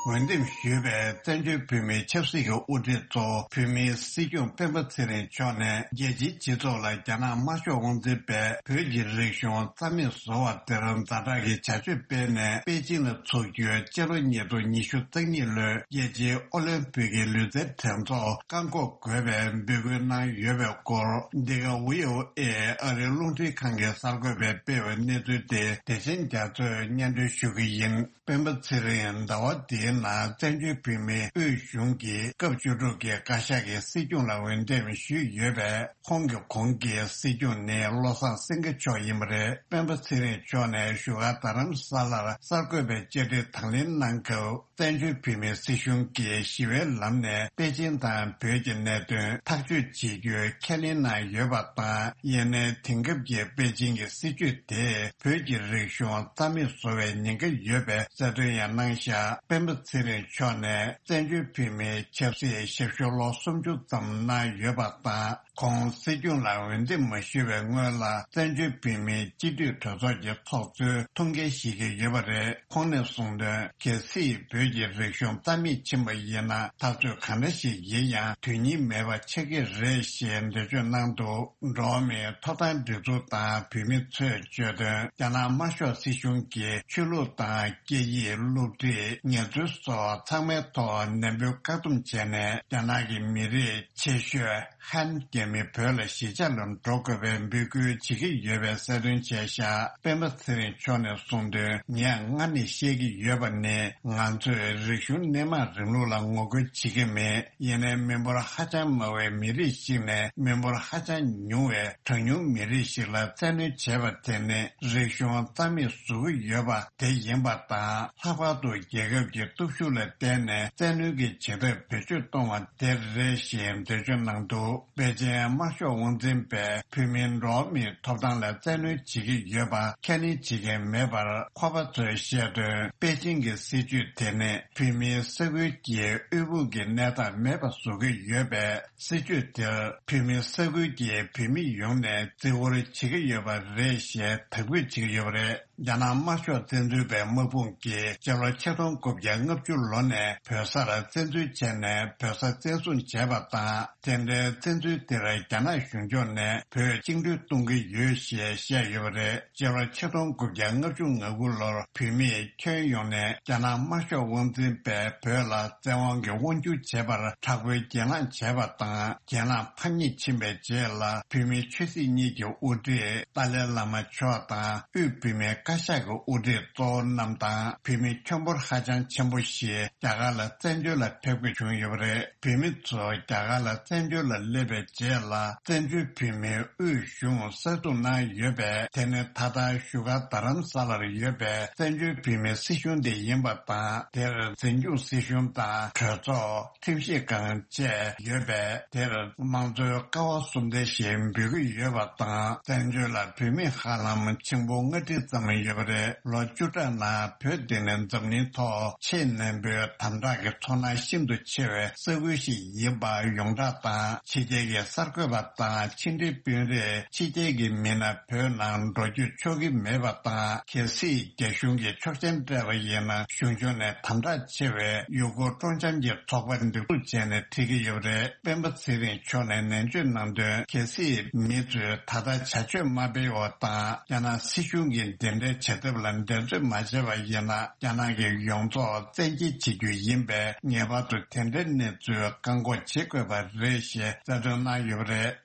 འོས་འདེམས་ཞུས་པའི་བཙན་བྱོལ་བོད་མིའི་ཆབ་སྲིད་ཀྱི་དབུ་ཁྲིད་ཚོ་བོད་མིའི་སྲིད་སྐྱོང་སྤེན་པ་ཚེ་རིང་མཆོག་ནས་རྒྱལ་སྤྱིའི་སྤྱི་ཚོགས་ལ་རྒྱ་ནག་དམར་ཤོག་དབང་འཛིན་པས་བོད་ཀྱི་རིག་གཞུང་རྩ་མེད་བཟོ་བ་དེར་ཛ་དྲག་གི་བྱ་སྤྱོད་སྤེལ་ནས། པེ་ཅིང་ལ་འཚོགས་རྒྱུའི་སྤྱི་ལོ་ཉིས་སྟོང་ཉི་ཤུ་རྩ་གཉིས་ལོའི་རྒྱལ་སྤྱིའི་ཨོ་ལིམ་པིག་གི་ལུས་རྩལ་འགྲན་ཚོགས་བཀག་འགོག་དགོས་པའི་འབོད་སྐུལ་གནང་ཡོད་པའི་སྐོར། འདི་ག་ཝི་ཨོ་ཨེ་ཨ་རིའི་རླུང་འཕྲིན་ཁང་གི་གསར་འགོད་པས་སྤེལ་བའི་གནས་ཚུལ་དེ་བདེ་ཆེན་རྒྱ་མཚོས་སྙན་སྒྲོན་ཞུ་གི་ཡིན། སྤེན་པ་ཚེ་རིང་ཟླ་བ་འདིའི་ནང་བཙན་བྱོལ་བོད་མིའི་དབུས་གཞུང་གི་སྐབས་བཅུ་དྲུག་གི་བཀའ་ཤག་གི་སྲིད་སྐྱོང་ལ་འོས་འདེམས་ཞུས་ཡོད་པས། ཁོང་གི་གོང་གི་སྲིད་སྐྱོང་ནི་བློ་བཟང་སེང་གེ་མཆོག་ཡིན་པ་རེད། སྤེན་པ་ཚེ་རིང་མཆོག་ནས་བཞུགས་སྒར་རྡ་རམ་ས་ལར་གསར་འགོད་པའི་བཅར་འདྲི་དང་ལེན་གནང་སྐབས། བཙན་བྱོལ་བོད་མིའི་སྲིད་གཞུང་གིས་ཞི་བའི་ལམ་ནས་པེ་ཅིང་དང་བོད་ཀྱི་གནད་དོན་ཐག་གཅོད་བྱེད་རྒྱུའི་ཁས་ལེན་གནང་ཡོད་པ་དང་། ཡིན་ནའི་དེང་སྐབས་ཀྱི་པེ་ཅིང་གི་སྲིད་བྱུས་དེས་བོད་ཀྱི་རིག་གཞུང་རྩ་མེད་བཟོ་བའི་ཉེན་ཁ་ཡོད་པའི་གསལ་སྟོན་ཡང་གནང་བཞག་སྤེན་པ་ཚེ་རིང་མཆོག་ནས་བཙན་བྱོལ་བོད་མིའི་ཆབ་སྲིད་ཞབས་ཞུ་ལོ་སུམ་ཅུ་ཙམ་གནང་ཡོད་པ་དང་། ཁོང་སྲིད་སྐྱོང་ལ་འོས་འདེམས་མ་ཞུས་པའི་སྔོན་ལ། བཙན་བྱོལ་བོད་མིའི་སྤྱི་འཐུས་གྲོས་ཚོགས་ཀྱི་ཚོགས་གཙོའི་ཐུགས་འགན་བཞེས་ཀྱི་ཡོད་པ་རེད། ཁོང་ནས་གསུངས་དོན། གལ་སྲིད་བོད་ཀྱི་རིག་གཞུང་རྩ་མེད་ཕྱིན་པ་ཡིན་ན། འཐབ་རྩོད་གང་འདྲ་ཞིག་ཡིན་ཡང་། དོན་སྙིང་མེད་པ་ཆགས་ཀྱི་རེད་ཞེས་འགྲེལ་བརྗོད་གནང་འདུག་འགྲོ་བ་མིའི་ཐོབ་ཐང་སྒྲིག་འཛུགས་དང་བོད་མི་ཚོས་བརྗོད་དོན། རྒྱ་ནག་དམར་ཤོག་སྲིད་གཞུང་གིས་ཆོས་ལུགས་དང་སྐད་ཡིག་སློབ་ཁྲིད། ངལ་རྩོལ་སོགས་ཚང་མའི་ཐོག་ནན་པོའི་བཀག་སྡོམ་བྱས་ནས། རྒྱ་ནག་གི་མི་རིགས་ཆེ་ཤོས་ཧན་རྒྱ་མི་བོད་ལ་གཞིས་ཆགས་ལ་འགྲོ་དགོས་པའི་འབོད་སྐུལ་བྱེད་ཀྱི་ཡོད་པའི་གསལ་སྟོན་བྱས་བཞག་སྤེན་པ་ཚེ་རིང་མཆོག་ནས་གསུངས་དོན། ངས་སྔར་ནས་བཤད་ཀྱི་ཡོད་པ་ནི། ང་ཚོས་རིག་གཞུང་སྣེ་མང་རིང་ལུགས་ལ་ངོ་རྒོལ་བྱེད་ཀྱི་མེད། ཡིན་ནའི་མི་འབོར་ཧ་ཅང་དམའ་བའི་མི་རིགས་ཤིག་ནས་མི་འབོར་ཧ་ཅང་ཉུང་བའི་གྲངས་ཉུང་མི་རིགས་ཤིག་ལ་བཙན་གནོན་བྱས་པ་དེ་ནི་རིག་གཞུང་རྩ་མེད་བཟོ་གི་ཡོད་པ་དེ་ཡིན་པ་དང་། ལྷག་པར་དུ་རྒྱལ་ཁབ་ཀྱི་སྟོབས་ཤུགས་ལ་བརྟེན་ནས་བཙན་གནོན་གྱི་བྱེད་ཐབས་བེད་སྤྱོད་གཏོང་བ་དེ་རེད་ཞེས་འགྲེལ་བརྗོད་གནང་འདུག་པེ་ཅིན་དམར་ཤོག་དབང་འཛིན་པས་བོད་མིའི་འགྲོ་བ་མིའི་ཐོབ་ཐང་ལ་བཙན་གནོན་བྱེད་ཀྱི་ཡོད་པ་ཁས་ལེན་བྱེད་མཁན་མེད་པར། ཁོ་པ་ཚོས་བཤད་དོན། པེ་ཅིང་གི་སྲིད་བྱུས་དེ་ནི་བོད་མིའི་ས་ཁུལ་གྱི་དབུལ་ཕོངས་ཀྱི་གནས་སྟངས་མེད་པ་བཟོ་གི་ཡོད་པས། སྲིད་བྱུས་དེར་བོད་མིའི་ས་ཁུལ་གྱི་བོད་མི་ཡོངས་ནས་བརྩི་བཀུར་བྱེད་ཀྱི་ཡོད་པ་རེད་ཞེས་དག་འབུད་བྱེད་ཀྱི་ཡོད་པ་རེད། རྒྱ་ནག་དམར་ཤོག་བཙན་འཛུལ་པའི་དམག་དཔུང་གིས་སྤྱི་ལོ་ཆིག་སྟོང་དགུ་བརྒྱ་ལྔ་བཅུ་ལོ་ནས་བོད་སར་བཙན་འཛུལ་བྱས་ནས་བོད་ས་བཙན་བཟུང་བྱས་པ་དང་། དེ་འདྲའི་བཙན་འཛུལ་དེར་རྒྱ་ནག་གཞུང་ཕྱོགས་ནས་བོད་བཅིངས་འགྲོལ་གཏོང་གི་ཡོད་ཞེས་བཤད་ཡོད་པ་རེད། སྤྱི་ལོ་ཆིག་སྟོང་དགུ་བརྒྱ་ལྔ་བཅུ་ང་དགུ་ལོར་བོད་མིས་ཁྱོན་ཡོངས་ནས་རྒྱ་ནག་དམར་ཤོག་དབང་འཛིན་པས་བོད་ལ་བཙན་དབང་གིས་དབང་བསྒྱུར་བྱས་པར་དྲག་པོའི་གྱེན་ལངས་བྱས་པ་དང་། གྱེན་ལངས་ཕམ་ཉེས་ཕྱིན་པའི་རྗེས་ལ། བོད་མིའི་ཆོས་སྲིད་གཉིས་ཀྱི་དབུ་ཁྲིད་ཏཱ་ལའི་བླ་མ་མཆོག་དང་དབུས་བོད་མིའི་ བཀའ་ཤག་གི་དབུ་ཁྲིད་གཙོ་བོ་རྣམས་དང་བོད་མི་ཁྱོན་འབོར་ཧ་ཅང་ཆེན་པོ་ཞིག་རྒྱ་གར་ལ་བཙན་བྱོལ་ལ་ཕེབས་དགོས་བྱུང་ཡོད་པ་རེད། བོད་མི་ཚོ་རྒྱ་གར་ལ་བཙན་བྱོལ་ལ་སླེབས་པའི་རྗེས་ལ་བཙན་བྱོལ་བོད་མིའི་དབུས་གཞུང་གསར་འཛུགས་གནང་ཡོད་པས། དེ་ནི་ད་ལྟ་བཞུགས་སྒར་རྡ་རམ་ས་ལར་ཡོད་པའི་བཙན་བྱོལ་བོད་མིའི་སྲིད་གཞུང་དེ་ཡིན་པ་དང་། དེར་འཛིན་སྐྱོང་སྲིད་གཞུང་དང་གྲོས་ཚོགས། ཁྲིམས་ཞིབ་ཁང་བཅས་ཡོད་པས། དེར་དམངས་གཙོའི་ཀ་བ་གསུམ་ལྡན་ཞེས་འབོད་ཀྱི་ཡོད་པ་དང་། བཙན་བྱོལ་ལ་བོད་མི་ཧ་ལམ་ཆིག་འབུམ་ལྔ་ཁྲི་ཙམ་ཡོད་པ་རེད། ལོ་བཅུ་ཕྲག་ནང་བོད་འདི་ནི་འཛམ་གླིང་ཐོག་ཆེས་ནན་པོའི་དམ་དྲག་གི་ཚོར་སྣང་ཤིན་ཏུ་ཆེ་བའི་ས་ཁུལ་ཞིག་ཡིན་པ་ཡོངས་གྲགས་དང་། ཕྱི་རྒྱལ་གྱི་གསར་འགོད་པ་དང་ཕྱི་འབྲེལ་དཔོན་རིགས་ཕྱི་རྒྱལ་གྱི་མི་སྣ་བོད་ནང་འགྲོ་རྒྱུ་ཆོག་གི་མེད་པ་དང་། གལ་སྲིད་རྒྱ་གཞུང་གིས་ཆོག་མཆན་སྤྲད་པ་ཡིན་ན། གཞུང་ཕྱོགས་ནས་དམ་དྲག་ཆེ་བའི་ཡུལ་སྐོར་སྤྲོ་འཆམ་གྱི་ཚོགས་པ་འདེགས་འཛུགས་བྱས་ནས་འཁྲིད་ཀྱི་ཡོད་པ་རེད། སྤེན་པ་ཚེ་རིང་མཆོག་ནས་ནན་བརྗོད་གནང་དོན། གལ་སྲིད་མི་ཚོས་ད་ལྟ་བྱ་སྤྱོད་མ་སྤེལ་བ་དང་། རྒྱ་ནག་སྲིད་གཞུང་གིས་འདི་འདྲའི་བྱ་ཐབས་ལ་འགྲན་རྩོད་མ་བྱས་པ་ཡིན་ན། རྒྱ་ནག་གི་ཡོངས་རྫོགས་བཙན་འགེལ་བྱེད་རྒྱུ་ཡིན་པས། ངེས་པར་དུ་དེ་འདྲའི་གནས་ཚུལ་བཀག་འགོག་བྱེད་དགོས་པ་རེད་ཞེས་རྩ་དོན་གནང་ཡོད་པ་རེད།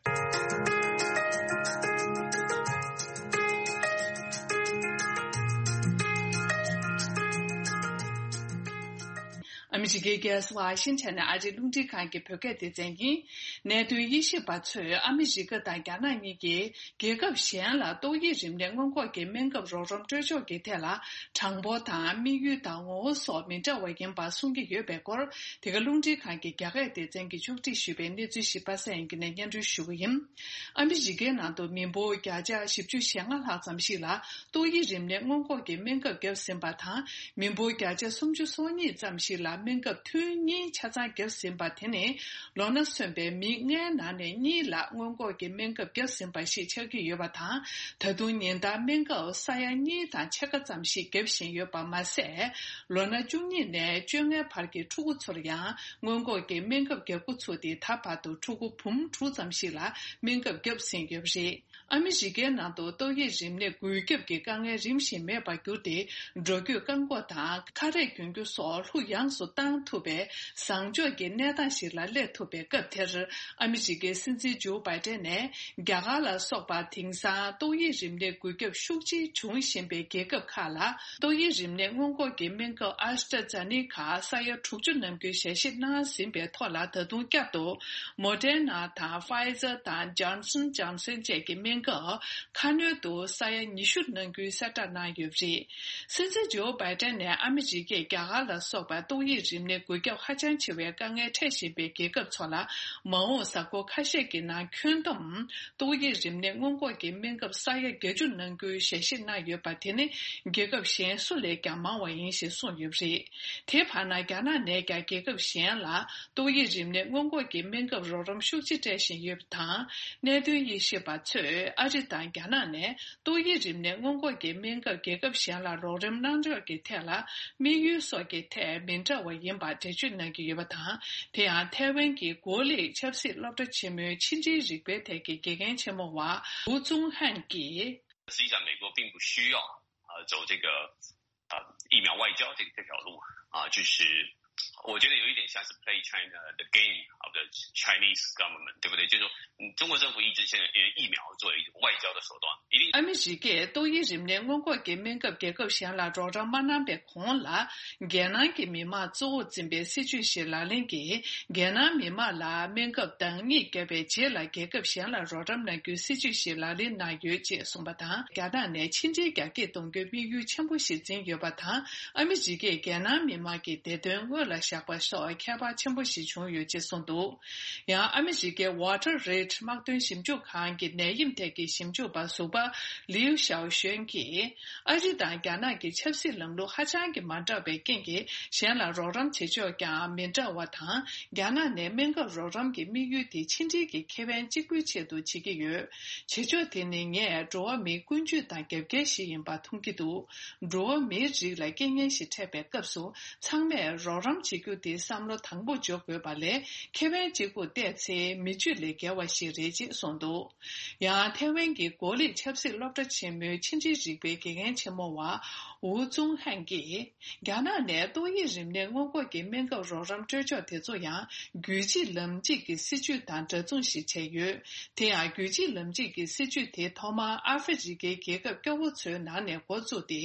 ཨ་མི་རི་ཀའི་རྒྱལ་ས་ཝ་ཤིང་ཊོན་ནས་ཨ་རིའི་རླུང་འཕྲིན་ཁང་གི་བོད་སྐད་སྡེ་ཚན་ཡིན། གནད་དོན་དབྱེ་ཞིབ་པ་ཚོས་ཨ་མི་རི་ཀ་དང་རྒྱ་ནག་གཉིས་ཀྱིས་རྒྱལ་ཁབ་གཞན་ལ་ཏོག་དབྱིབས་རིམས་ནད་སྔོན་འགོག་གི་སྨན་ཁབ་རོགས་རམ་སྤྲོད་ཕྱོགས་ཀྱི་ཐད་ལ་གྲངས་འབོར་དང་དམིགས་ཡུལ་དང་ངོ་བོ་སོགས་མི་འདྲ་བ་ཡིན་པ་གསུང་གི་ཡོད་པའི་སྐོར། འདི་ག་རླུང་འཕྲིན་ཁང་གི་རྒྱ་སྐད་སྡེ་ཚན་གྱིས་ཕྱོགས་སྒྲིག་ཞུས་པའི་གནས་ཚུལ་ཞིབ་པ་གསན་ཡིན་གྱི་ནས་སྙན་སྒྲོན་ཞུ་གི་ཡིན། ཨ་མི་རི་ཀའི་ནང་དུ་མི་འབོར་བརྒྱ་ཆ་བཞི་བཅུ་ཞེ་ལྔ་ལྷག་ཙམ་ཞིག་ལ་ཏོག་དབྱིབས་རིམས་ནད་སྔོན་འགོག་གི་སྨན་ཁབ་བརྒྱབ་ཟིན་པ་དང་། མི་འབོར་བརྒྱ་ཆ་སུམ་ཅུ་སོ་གཉིས་ཙམ་ཞིག་ལ་སྨན་ཁབ་ཐུན་གཉིས་ཆ་ཚང་བརྒྱབ་ཟིན་པ། དེ་ནི་ལོ་ན་སོན་པའི་མི་ལྔའི་ནང་ནས་གཉིས་ལ་སྔོན་འགོག་གི་སྨན་ཁབ་བརྒྱབ་ཟིན་པ་ཞིག་ཆགས་ཀྱི་ཡོད་པ་དང་། ད་དུང་ཉིན་ལྟར་སྨན་ཁབ་ས་ཡ་གཉིས་དང་ཕྱེད་ཀ་ཙམ་ཞིག་བརྒྱབ་བཞིན་ཡོད་པ་མ་ཟད། ལོ་ན་བཅུ་གཉིས་ནས་བཅོ་ལྔའི་བར་གྱི་ཕྲུ་གུ་ཚོར་ཡང་སྔོན་འགོག་གི་སྨན་ཁབ་བརྒྱབ་འགོ་ཚུགས་ཏེ། ད་བར་དུ་ཕྲུ་གུ་འབུམ་དྲུག་ཙམ་ཞིག་ལ་སྨན་ཁབ་བརྒྱབ་ཟིན་ཡོད་པ་རེད། ཨ་མི་རི་ཀའི་ནང་དུ་ཏོག་དབྱིབས་རིམས་ནད་འགོས་ཁྱབ་ཀྱི་དཀའ་ངལ་རིམ་བཞིན་མེད་པར་གྱུར་ཏེ། འགྲོ་སྐྱོད་བཀག་འགོག་དང་ཁ་རས་གྱོན་རྒྱུ་སོགས་ལྷུག་ཡངས་སུ་བཏང་ཐུབ་པའི་བཟང་ཕྱོགས་ཀྱི་གནས་སྟངས་ཤིག་ལ་སླེབས་ཐུབ་པའི་སྐབས་དེར། ཨ་མི་རི་ཀའི་སྲིད་འཛིན་ཇོ་བྷའི་ཏན་ནས། རྒྱ་གར་ལ་སོགས་པ་དེང་སང་ཏོག་དབྱིབས་རིམས་ནད་འགོས་ཁྱབ་ཤུགས་ཆེ་འབྱུང་བཞིན་པའི་རྒྱལ་ཁབ་ཁག་ལ། ཏོག་དབྱིབས་རིམས་ནད་སྔོན་འགོག་གི་སྨན་ཁབ་ཨ་སི་ཏྲ་ཛ་ནི་ཀ་ས་ཡ་དྲུག་ཅུ་ནང་ཁུལ་ཞལ་བཞེས་གནང་ཟིན་པའི་ཐོག་ལ། ད་དུང་བསྐྱར་དུ་མོ་ཌེར་ན་དང་ཕ་ཡི་ཛར་དང་ཇོན་སན་ཇོན་སན་བཅས་ཀྱི་སྨན་ཁབ་ཁ་སྣོན་དུ་ས་ཡ་ཉི་ཤུ་ནང་ཁུལ་གསལ་བསྒྲགས་གནང་ཡོད་པ་རེད། སྲིད་འཛིན་ཇོ་བྷའི་ཏན་ནས་ཨ་མི་རི་ཀས་རྒྱ་གར་ལ་སོགས་པ་ཏོག་དབྱིབས་རིམས་ནད་འགོས་ཁྱབ་ཧ་ཅང་ཆེ་བའི་དཀའ་ངལ་འཕྲད་བཞིན་པའི་རྒྱལ་ཁབ་ཚོ་ལ། མ་འོངས་གཟའ་འཁོར་ཁ་ཤས་ཀྱི་ནང་ཁྱོན་བསྡོམས་ཏོག་དབྱིབས་རིམས་ནད་སྔོན་འགོག་གི་སྨན་ཁབ་ས་ཡ་བརྒྱད་ཅུ་ནང་ཁུལ་ཞལ་བཞེས་གནང་ཡོད་པ། དེ་ནི་རྒྱལ་ཁབ་གཞན་སུ་ལས་ཀྱང་མང་བ་ཡིན་ཞེས་གསུངས་ཡོད་པ་རེད། དེའི་བར་ན། རྒྱ་ནག་ནས་ཀྱང་རྒྱལ་ཁབ་གཞན་ལ་ཏོག་དབྱིབས་རིམས་ནད་སྔོན་འགོག་གི་སྨན་ཁབ་རོགས་རམ་ཤུགས་ཆེ་སྤྲད་བཞིན་ཡོད་པ་དང་། གནད་དོན་དབྱེ་ཞིབ་པ་ཚོས་ཨ་རི་དང་རྒྱ་ནག་ནས་ཏོག་དབྱིབས་རིམས་ནད་སྔོན་འགོག་གི་སྨན་ཁབ་རྒྱལ་ཁབ་གཞན་ལ་རོགས་རམ་གནང་ཕྱོགས་ཀྱི་ཐད་ལ། དམིགས་ཡུལ་སོགས་ཀྱི་ཐད་མི་འདྲ་བ་ཡིན་པར་འགྲེལ་བརྗོད་གནང་གི་ཡོད་པ་དང་། དེ་ཡང་ཐའེ་ཝན་གྱི་གོ་ལིག་ཆབ་སྲིད་སློབ་གྲྭ་ཆེན་མོའི་ཕྱི་འབྲེལ་རིག་པའི་ཐད་ཀྱི་དགེ་རྒན་ཆེན་མོ་བ་ཧུའུ་ཙུང་ཧན་གྱིས། 实际上，美国并不需要呃走这个呃疫苗外交这这条路啊，就是我觉得有一点像是 play China the game of the Chinese government，对不对？就是说，嗯，中国政府一直现在用疫苗作为一种外交的手段，一定。 ཨ་མི་རི་ཀས་ཏོག་དབྱིབས་རིམས་ནད་སྔོན་འགོག་གི་སྨན་ཁབ་རྒྱལ་ཁབ་གཞན་ལ་རོགས་རམ་མ་གནང་པའི་གོང་ལ། རྒྱལ་ནང་གི་མི་དམངས་གཙོ་བོར་འཛིན་པའི་སྲིད་ཇུས་ཤིག་ལག་ལེན་གྱིས། རྒྱལ་ནང་མི་དམངས་ལ་སྨན་ཁབ་འདང་ངེས་བརྒྱབ་པའི་རྗེས་ལ། རྒྱལ་ཁབ་གཞན་ལ་རོགས་རམ་གནང་རྒྱུའི་སྲིད་ཇུས་ཤིག་ལག་ལེན་གནང་ཡོད་ཅེས་གསུངས་པ་དང་། རྒྱ་ནག་ནས་ཕྱི་འབྲེལ་རྒྱ་སྐྱེད་གཏོང་རྒྱུའི་དམིགས་ཡུལ་ཆེན་པོ་ཞིག་འཛིན་ཡོད་པ་དང་། ཨ་མི་རི་ཀས་རྒྱལ་ནང་མི་དམངས་ཀྱི་བདེ་དོན་སྔོན་ལ་བཞག་པ་སོགས་ཁྱད་པར་ཆེན་པོ་ཞིག་བྱུང་ཡོད་ཅེས་གསུངས་འདུག། ཡང་ཨ་མི་རི་ཀའི་Water Rate དམག་དོན་ཞིབ་འཇུག་ཁང་གི་ནད་ཡམས་ཐད་ཀྱི་ཞིབ་འཇུག་པ་ཟུར་པ་ལིའུ་ཞའོ་ཞོན་གྱིས། ཨ་རི་དང་རྒྱ་ནག་གི་ཆབ་སྲིད་ལམ་ལུགས་ཧ་ཅང་གི་མ་འདྲ་བའི་རྐྱེན་གྱིས། གཞན་ལ་རོགས་རམ་བྱེད་ཕྱོགས་ཀྱང་མི་འདྲ་བ་དང་། རྒྱ་ནག་ནས་སྨན་ཁབ་རོགས་རམ་གྱི་དམིགས་ཡུལ་དེ་ཕྱི་འབྲེལ་གྱི་ཁེ་ཕན་གཅིག་པུའི་ཆེད་དུ་བྱེད་ཀྱི་ཡོད། བྱེད་ཕྱོགས་དེ་ནི་ངས་འགྲོ་བ་མིའི་ཀུན་སྤྱོད་དང་རྒྱབ་འགལ་ཞིག་ཡིན་པ་མཐོང་གི་འདུག། འགྲོ་བ་མིའི་རིགས་ལ་རྐྱེན་ངན་ཞིག་འཕྲད་པའི་སྐབས་སུ། ཚང་མས་རོགས་རམ་བྱེད། རྒྱུ་དེ་བསམ་བློ་དང་པོ་འཇོག་དགོས་པ་ལས། ཁེ་ཕན་གཅིག་པུར་བལྟས་ཚེ་མི་སྤྱོད་ལས་བརྒལ་བ་ཞིག་རེད་ཅེས་གསུངས་འདུག། ཡང་ཐའེ་ཝན་གྱི་གོ་ལིག་ཆབ་སྲིད་སློབ་གྲྭ་ཆེན་མོའི་ཕྱི་འབྲེལ་རིག་པའི་དགེ་རྒན་ཆེན་མོ་བ་ཝུ་ཙུང་ཧན་གྱིས། རྒྱ་ནག་ནས་ཏོག་དབྱིབས་རིམས་ནད་སྔོན་འགོག་གི་སྨན་ཁབ་རོགས་རམ་སྤྲོད་ཕྱོགས་དེ་ཚོ་ཡང་། རྒྱུད་གཅིག་ལམ་གཅིག་གི་སྲིད་ཇུས་དང་འདྲ་མཚུངས་ཤིག་བྱས་ཡོད། དེ་ཡང་རྒྱུད་གཅིག་ལམ་གཅིག་གི་སྲིད་ཇུས་དེ་ཐོག་མར་ཨ་ཧྥེ་རི་ཁའི་རྒྱལ་ཁབ་སྐྱོ་བོ་ཚོའི་ནང་ནས་འགོ་བཙུགས་ཏེ།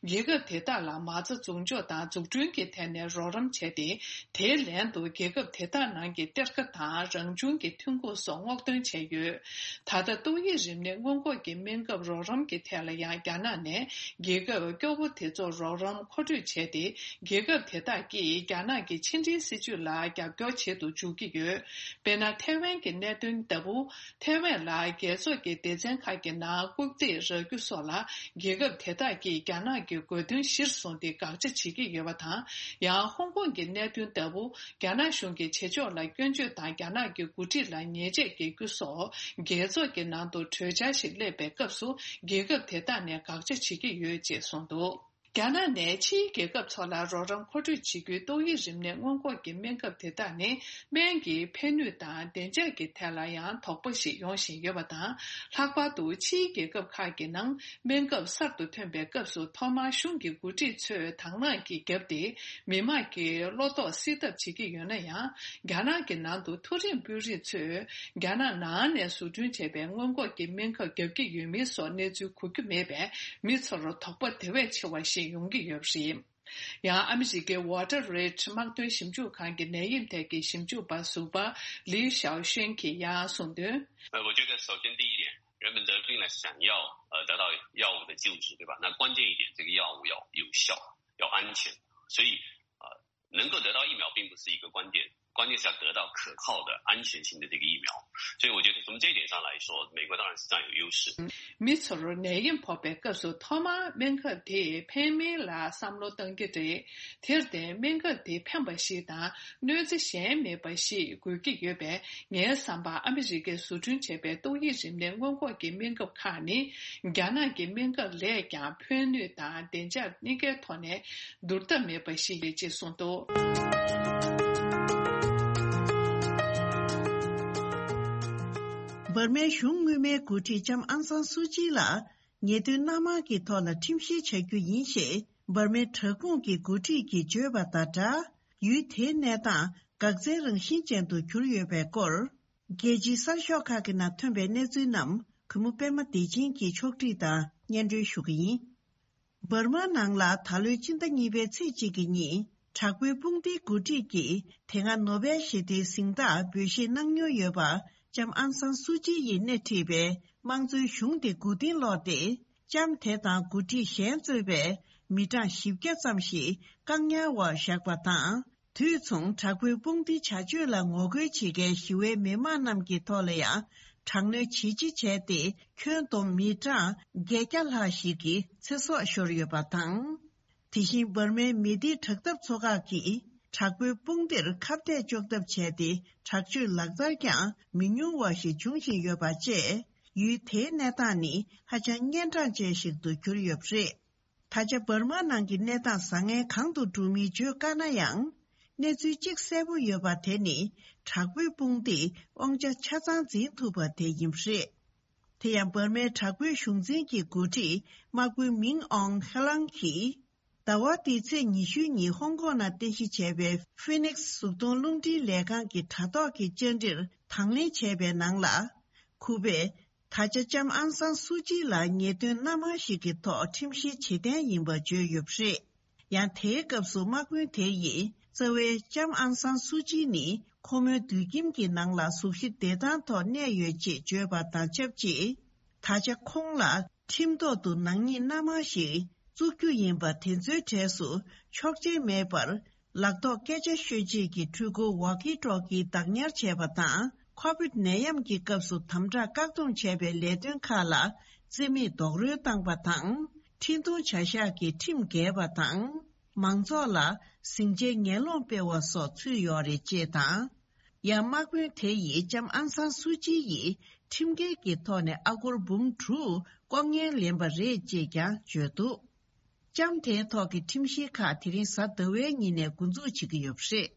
རྒྱལ་ཁབ་དེ་དག་ལ་མ་རྩ་འཛུགས་འཇོག་དང་འཛུགས་སྐྲུན་གྱི་ཐད་ནས་རོགས་རམ་བྱས་ཏེ། དེའི་ལན་དུ་རྒྱལ་ཁབ་དེ་དག་ནང་གི་གཏེར་ཁ་དང་རང་བྱུང་གི་ཐོན་ཁུངས་སོགས་སྔོག་འདོན་བྱས་ཡོད། ད་ལྟ་ཏོག་དབྱིབས་རིམས་ནད་སྔོན་འགོག་གི་སྨན་ཁབ་རོགས་རམ་གྱི་ཐད་ལ་ཡང་རྒྱ་ནག་ནས་རྒྱལ་ཁབ་སྐྱོ་བོ་དེ་ཚོར་རོགས་རམ་མཁོ་སྤྲོད་བྱས་ཏེ། རྒྱལ་ཁབ་དེ་དག་གིས་རྒྱ་ནག་གི་ཕྱི་འབྲེལ་སྲིད་ཇུས་ལ་རྒྱབ་སྐྱོར་བྱེད་དུ་འཇུག་གི་ཡོད། དཔེར་ན། ཐའེ་ཝན་གྱི་གནད་དོན་ལྟ་བུ། ཐའེ་ཝན་ལ་རྒྱལ་ཚོགས་ཀྱི་སྡེ་ཚན་ཁག་གི་ནང་རྐུབ་སྟེགས་རག་རྒྱུ་སོགས་ལ། རྒྱལ་ཁབ་དེ་དག་གིས་རྒྱ་ནག་གི་དགོས་འདུན་གཞིར་བཟུང་སྟེ་དགག་བྱ་བྱེད་ཀྱི་ཡོད་པ་དང་། ཡང་ཧོང་ཀོང་གི་གནད་དོན་ལྟ་བུ། རྒྱ་ནག་གཞུང་གི་བྱེད་ཕྱོགས་ལ་སྐྱོན་བརྗོད་དང་། རྒྱ་ནག་གི་འགོ་ཁྲིད་ལ་ཉེས་ཆད་འགེལ་རྒྱུ་སོགས། རྒྱལ་ཚོགས་ཀྱི་ནང་དུ་གྲོས་འཆར་ཞིག་སླེབས་པའི་སྐབས་སུ། རྒྱལ་ཁབ་དེ་དག་ནས་དགག་བྱ་བྱེད་ཀྱི་ཡོད་ཅེས་གསུངས་འདུག། རྒྱ་ནག་ནས་ཕྱིའི་རྒྱལ་ཁབ་ཚོ་ལ་རོགས་རམ་མཁོ་སྤྲོད་བྱེད་རྒྱུའི་ཏོག་དབྱིབས་རིམས་ནད་སྔོན་འགོག་གི་སྨན་ཁབ་དེ་དག་ནི། སྨན་གྱི་ཕན་ནུས་དང་བདེ་འཇགས་ཀྱི་ཐད་ལ་ཡང་དོགས་པ་ཞིག་ཡོང་བཞིན་ཡོད་པ་དང་། ལྷག་པར་དུ་ཕྱིའི་རྒྱལ་ཁབ་ཁག་གི་ནང་སྨན་ཁབ་གསར་དུ་ཐོན་པའི་སྐབས་སུ། ཐོག་མར་གཞུང་གི་འགོ་ཁྲིད་ཚོས་དང་བླངས་ཀྱིས་བརྒྱབ་སྟེ། མི་དམངས་ཀྱི་བློ་དོགས་སེལ་ཐབས་བྱེད་ཀྱི་ཡོད་ན་ཡང་། རྒྱ་ནག་གི་ནང་དུ་མཐོ་རིམ་དཔོན་རིགས་ཚོས། རྒྱ་ནག་ནང་ནས་བཟོ་སྐྲུན་བྱས་པའི་སྔོན་འགོག་གི་སྨན་ཁབ་བརྒྱབ་ཀྱི་ཡོད་མེད་སོགས་གནས་ཚུལ་གོ་རྒྱུ་མེད་པས། མི་ཚོར་དོགས་པ་དེ་བས་ཆེ་བ་ཞིག་ཡོང་གི་ཡོད་པ་རེད། ཡང་ཨ་མི་རི་ཀའི་Water Reed་དམག་དོན་ཞིབ་འཇུག་ཁང་གི་ནད་ཡམས་ཐད་ཀྱི་ཞིབ་འཇུག་པ་ཟུར་པ་ལི་ཞའོ་ཤོན་གྱིས་ཡང་གསུངས་དོན། 呃，我觉得首先第一点，人们得病了想要呃得到药物的救治，对吧？那关键一点，这个药物要有效，要安全。所以呃，能够得到疫苗并不是一个关键，关键是要得到可靠的、安全性的这个疫苗。所以我觉得从这一点上来说，美国当然是占有优势。 མི་ཚོར་ནད་ཡམས་ཕོག་པའི་སྐབས་སུ་ཐོག་མར་སྨན་ཁབ་དེས་ཕན་མིན་ལ་བསམ་བློ་གཏང་གི་རེད། དེར་བརྟེན་སྨན་ཁབ་དེ་ཕན་པ་ཞིག་དང་གནོད་འཚེ་གཞན་མེད་པ་ཞིག་དགོས་ཀྱི་ཡོད་པས། ངའི་བསམ་པར་ཨ་མི་རི་ཀས་བཟོ་སྐྲུན་བྱས་པའི་ཏོག་དབྱིབས་རིམས་ནད་སྔོན་འགོག་གི་སྨན་ཁབ་ཁག་ནི། རྒྱ་ནག་གི་སྨན་ཁབ་ལས་ཀྱང་ཕན་ནུས་དང་བདེ་འཇགས་གཉིས་ཀའི་ཐོག་ནས་བསྡུར་ཐབས་མེད་པ་ཞིག་ཡིན་ཅེས་གསུངས་འདུག། འབར་མའི་གཞུང་སྔོན་མའི་འགོ་ཁྲིད་ལྕམ་ཨང་སང་སུའུ་ཅི་ལ་ཉེས་དོན་སྣ་མང་གི་ཐོག་ལ་ཁྲིམས་བཤེར་བྱ་རྒྱུ་ཡིན་ཞེས་འབར་མའི་དྲག་དཔུང་གི་འགོ་ཁྲིད་ཀྱིས་བརྗོད་པ་དང་སྦྲགས། ཡུལ་དེའི་གནས་སྟངས་འགག་རྩའི་རང་བཞིན་ཅན་དུ་གྱུར་ཡོད་པའི་སྐོར། རྒྱལ་སྤྱིའི་གསར་ཤོག་ཁག་གི་ནང་ཐོན་པའི་གནས་ཚུལ་རྣམས་གུས་མོ་པད་མ་བདེ་ཆེན་གྱིས་ཕྱོགས་སྒྲིག་དང་སྙན་སྒྲོན་ཞུ་གི་ཡིན། འབར་མ་ནང་ལ་ད་ལོའི་སྤྱི་ཟླ་གཉིས་པའི་ཚེས་གཅིག་གི་ཉིན་དྲག་པོའི་དཔུང་སྡེའི་འགོ་ཁྲིད་ཀྱིས་དེ་སྔ་ནོ་བེལ་ཞི་བདེའི་གཟེངས་རྟགས་འབུལ་བཞེས་གནང་མྱོང་ཡོད་པ་ལྕམ་ཨང་སང་སུའུ་ཅི་ཡིས་སྣེ་ཁྲིད་པའི་དམངས་གཙོའི་གཞུང་དེ་མགོ་རྟིང་སློག་སྟེ། ལྕམ་དེ་དང་འགོ་ཁྲིད་གཞན་གཙོས་པའི་མི་གྲངས་བཞི་བརྒྱ་ཙམ་ཞིག་བཀག་ཉར་འོག་བཞག་པ་དང་། དུས་མཚུངས་དྲག་པོའི་དཔུང་སྡེའི་བྱ་སྤྱོད་ལ་ངོ་རྒོལ་བྱེད་མཁན་ཞི་བའི་མི་མང་རྣམས་ཀྱི་ཐོག་ལ་ཡང་དྲག་གནོན་ཇེ་ཆེ་བྱས་ཏེ། ཁྱོན་བསྡོམས་མི་གྲངས་བརྒྱད་བརྒྱ་ལྷག་ཞིག་གི་ཚེ་སྲོག་ཤོར་ཡོད་པ་དང་། དེ་བཞིན་འབར་མའི་མི་སྡེའི་དྲག་འཐབ་ཚོགས་ཁག་གིས་དྲག་པོའི་དཔུང་སྡེར་ཁ་གཏད་གཅོག་ཐབས་བྱས་ཏེ། དྲག་སྤྱོད་ལག་བསྟར་ཀྱང་མི་ཉུང་བ་ཞིག་འབྱུང་བཞིན་ཡོད་པ་བཅས། ཡུལ་དེའི་གནས་སྟངས་ནི་ཧ་ཅང་གཉན་འཕྲང་ཅན་ཞིག་ཏུ་གྱུར་ཡོད་པ་རེད། ད་ཆ་འབར་མ་ནང་གི་གནས་སྟངས་བཟང་ངན་གང་དུ་འགྲོ་མིན་བརྗོད་དཀའ་ན་ཡང་། གནས་ཚུལ་གཅིག་གསལ་པོ་ཡོད་པ་དེ་ནི། དྲག་པོའི་དཔུང་སྡེས་དབང་ཆ་ཆ་ཚང་འཛིན་ཐུབ་པ་དེ་ཡིན་པ་རེད། དེ་ཡང་འབར་མའི་དྲག་པོའི་གཞུང་འཛིན་གྱི་འགོ་ཁྲིད་དམག་དཔོན་མིང་ཨོང་ཧེ་ལང་གིས། ཟླ་བ་འདིའི་ཚེས་ཉི་ཤུའི་ཉིན་ཧོང་ཀོང་ནང་རྟེན་གཞི་བྱས་པའི་ཧྥི་ནིག་སི་གཟུགས་མཐོང་རླུང་འཕྲིན་ལས་ཁང་གི་དྲ་ཐོག་གི་བཅར་འདྲིར་དང་ལེན་བྱས་པའི་ནང་ལ། ཁུ་པས། ད་ཆ་ལྕམ་ཨང་སང་སུའུ་ཅི་ལ་ཉེས་དོན་སྣ་མང་ཞིག་གི་ཐོག་ཁྲིམས་བཤེར་བྱེད་གཏན་ཡིན་པ་བརྗོད་ཡོད་པ་རེད། ཡང་དེའི་སྐབས་སུ་དམག་དཔོན་དེ་ཡིས་རྩ་བའི་ལྕམ་ཨང་སང་སུའུ་ཅི་ནི་ཁོ་མོའི་སྡོད་ཁྱིམ་གྱི་ནང་ལ་གཟུགས་གཞི་བདེ་ཐང་ཐོག་གནས་ཡོད་ཅེས་བརྗོད་པ་དང་ཆབས་ཅིག། ད་ཆ་ཁོང་ལ་ཁྲིམས་ཐོག་ཏུ་ནག་ཉེས་སྣ་མང་ཞིག་བཙུགས་རྒྱུ་ཡིན་པ་དེ་ཚོའི་གྲས་སུ་ཆོག་མཆན་མེད་པར། ལག་ཐོགས་སྐད་ཆ་ཤོད་ཆེད་ཀྱི་འཕྲུལ་འཁོར་ཝོག་ཀི་ཊོག་ཀི་བདག་ཉར་བྱས་པ་དང་། ཁོ་བིད་ནད་ཡམས་ཀྱི་སྐབས་སུ་དམ་དྲག་བཀག་སྡོམ་བྱས་པའི་ལས་དོན་ཁག་ལ་རྩིས་མེད་རྡོག་རོལ་བཏང་པ་དང་། འཕྲིན་གཏོང་བྱ་གཞག་གི་ཁྲིམས་འགལ་བ་དང་། མང་ཚོགས་ལ་ཟིང་ཆའི་ངན་སློང་སྤེལ་བ་སོགས་ཚུད་ཡོད་རེད་ཅེས་དང་། ཡང་དམག་དཔོན་དེ་ཡིས་ལྕམ་ཨང་སང་སུའུ་ཅི་ཡིས་ཁྲིམས་འགལ་གྱི་ཐོག་ནས་ཨ་སྒོར་འབུམ་དྲུག་ལྐོག་རྔན་ལེན་པ་རེད་ཅེས་ཀྱང་བརྗོད་འདུག། ལྕམ་དེའི་ཐོག་གི་ཁྲིམས་གཞིའི་ཁག་དེ་རིང་གཟའ་ཟླ་བའི་ཉིན་ནས་འགོ་འཛུགས་བྱེད་ཀྱི་ཡོད་པ་རེད།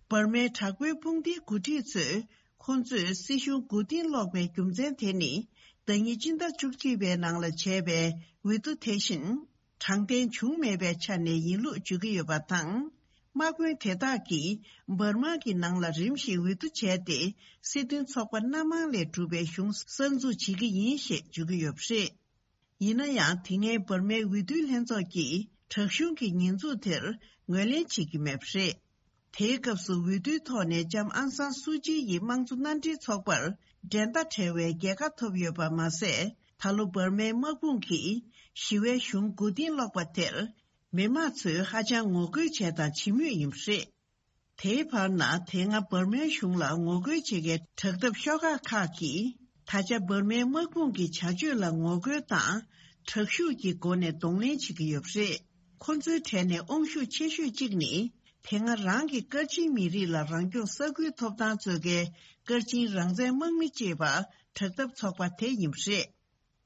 འབར་མའི་དྲག་པོའི་དཔུང་སྡེའི་འགོ་ཁྲིད་ཚོས་ཁོང་ཚོས་སྲིད་གཞུང་མགོ་རྟིང་སློག་པའི་རྒྱུ་མཚན་དེ་ནི། ཟླ་ཉིན་སྤྱི་ཟླ་བཅུ་གཅིག་པའི་ནང་ལ་བྱས་པའི་འོས་བསྡུ་དེ་བཞིན་དྲང་བདེན་བྱུང་མེད་པའི་ཆ་ནས་ཡིན་ལུགས་བརྗོད་ཀྱི་ཡོད་པ་དང་། དམག་དཔོན་དེ་དག་གིས་འབར་མ་གི་ནང་ལ་རིམ་བཞིན་འོས་བསྡུ་བྱས་ཏེ། སྲིད་དོན་ཚོགས་པ་སྣ་མང་ལས་གྲུབ་པའི་གཞུང་གསར་འཛུགས་བྱེད་ཀྱི་ཡིན་ཞེས་བརྗོད་ཀྱི་ཡོད་པ་རེད། ཡིན་ན་ཡང་། དེ་སྔའི་འབར་མའི་འོས་བསྡུའི་ལྷན་ཚོགས་ཀྱིས་དྲག་གཞུང་གི་ཉེས་འཛུགས་དེར་ངོས་ལེན་བྱེད་ཀྱི་མེད་པ་རེད། དེའི་སྐབས་སུ་འོས་བསྡུའི་ཐོག་ནས་ལྕམ་ཨང་སང་སུའུ་ཅི་ཡི་དམངས་གཙོ་མནའ་འབྲེལ་ཚོགས་པར་འགྲན་ཟླ་བྲལ་བའི་རྒྱལ་ཁ་ཐོབ་ཡོད་པ་མ་ཟད། ད་ལོ་འབར་མའི་དམག་དཔུང་གིས་ཞི་བའི་གཞུང་མགོ་རྟིང་སློག་པ་དེར། མི་མང་ཚོས་ཧ་ཅང་ངོ་རྒོལ་བྱས་དང་བྱེད་མུས་ཡིན་པ་རེད། དེའི་བར་ན། དེ་སྔ་འབར་མའི་གཞུང་ལ་ངོ་རྒོལ་བྱེད་མཁན་དྲག་འཐབ་ཤོག་ཁག་ཁག་གིས། ད་ཆ་འབར་མའི་དམག་དཔུང་གི་བྱ་སྤྱོད་ལ་ངོ་རྒོལ་དང་། དྲག་ཤུགས་ཀྱི་སྒོ་ནས་གདོང་ལེན་བྱེད་ཀྱི་ཡོད་པ་རེད། ཁོ་ཚོའི་གྲས་ནས་དབང་ཤུགས་ཆེ་ཤོས་གཅིག་ནི། དེ་སྔ་རང་གི་སྐར་ཆེན་མི་རིགས་ལ་རང་སྐྱོང་ས་ཁུལ་ཐོབ་ཐང་རྩོད་མཁན་སྐར་ཆེན་རང་བཙན་དམག་མི་ཅེས་པ་དྲག་འཐབ་ཚོགས་པ་དེ་ཡིན་པ་རེད།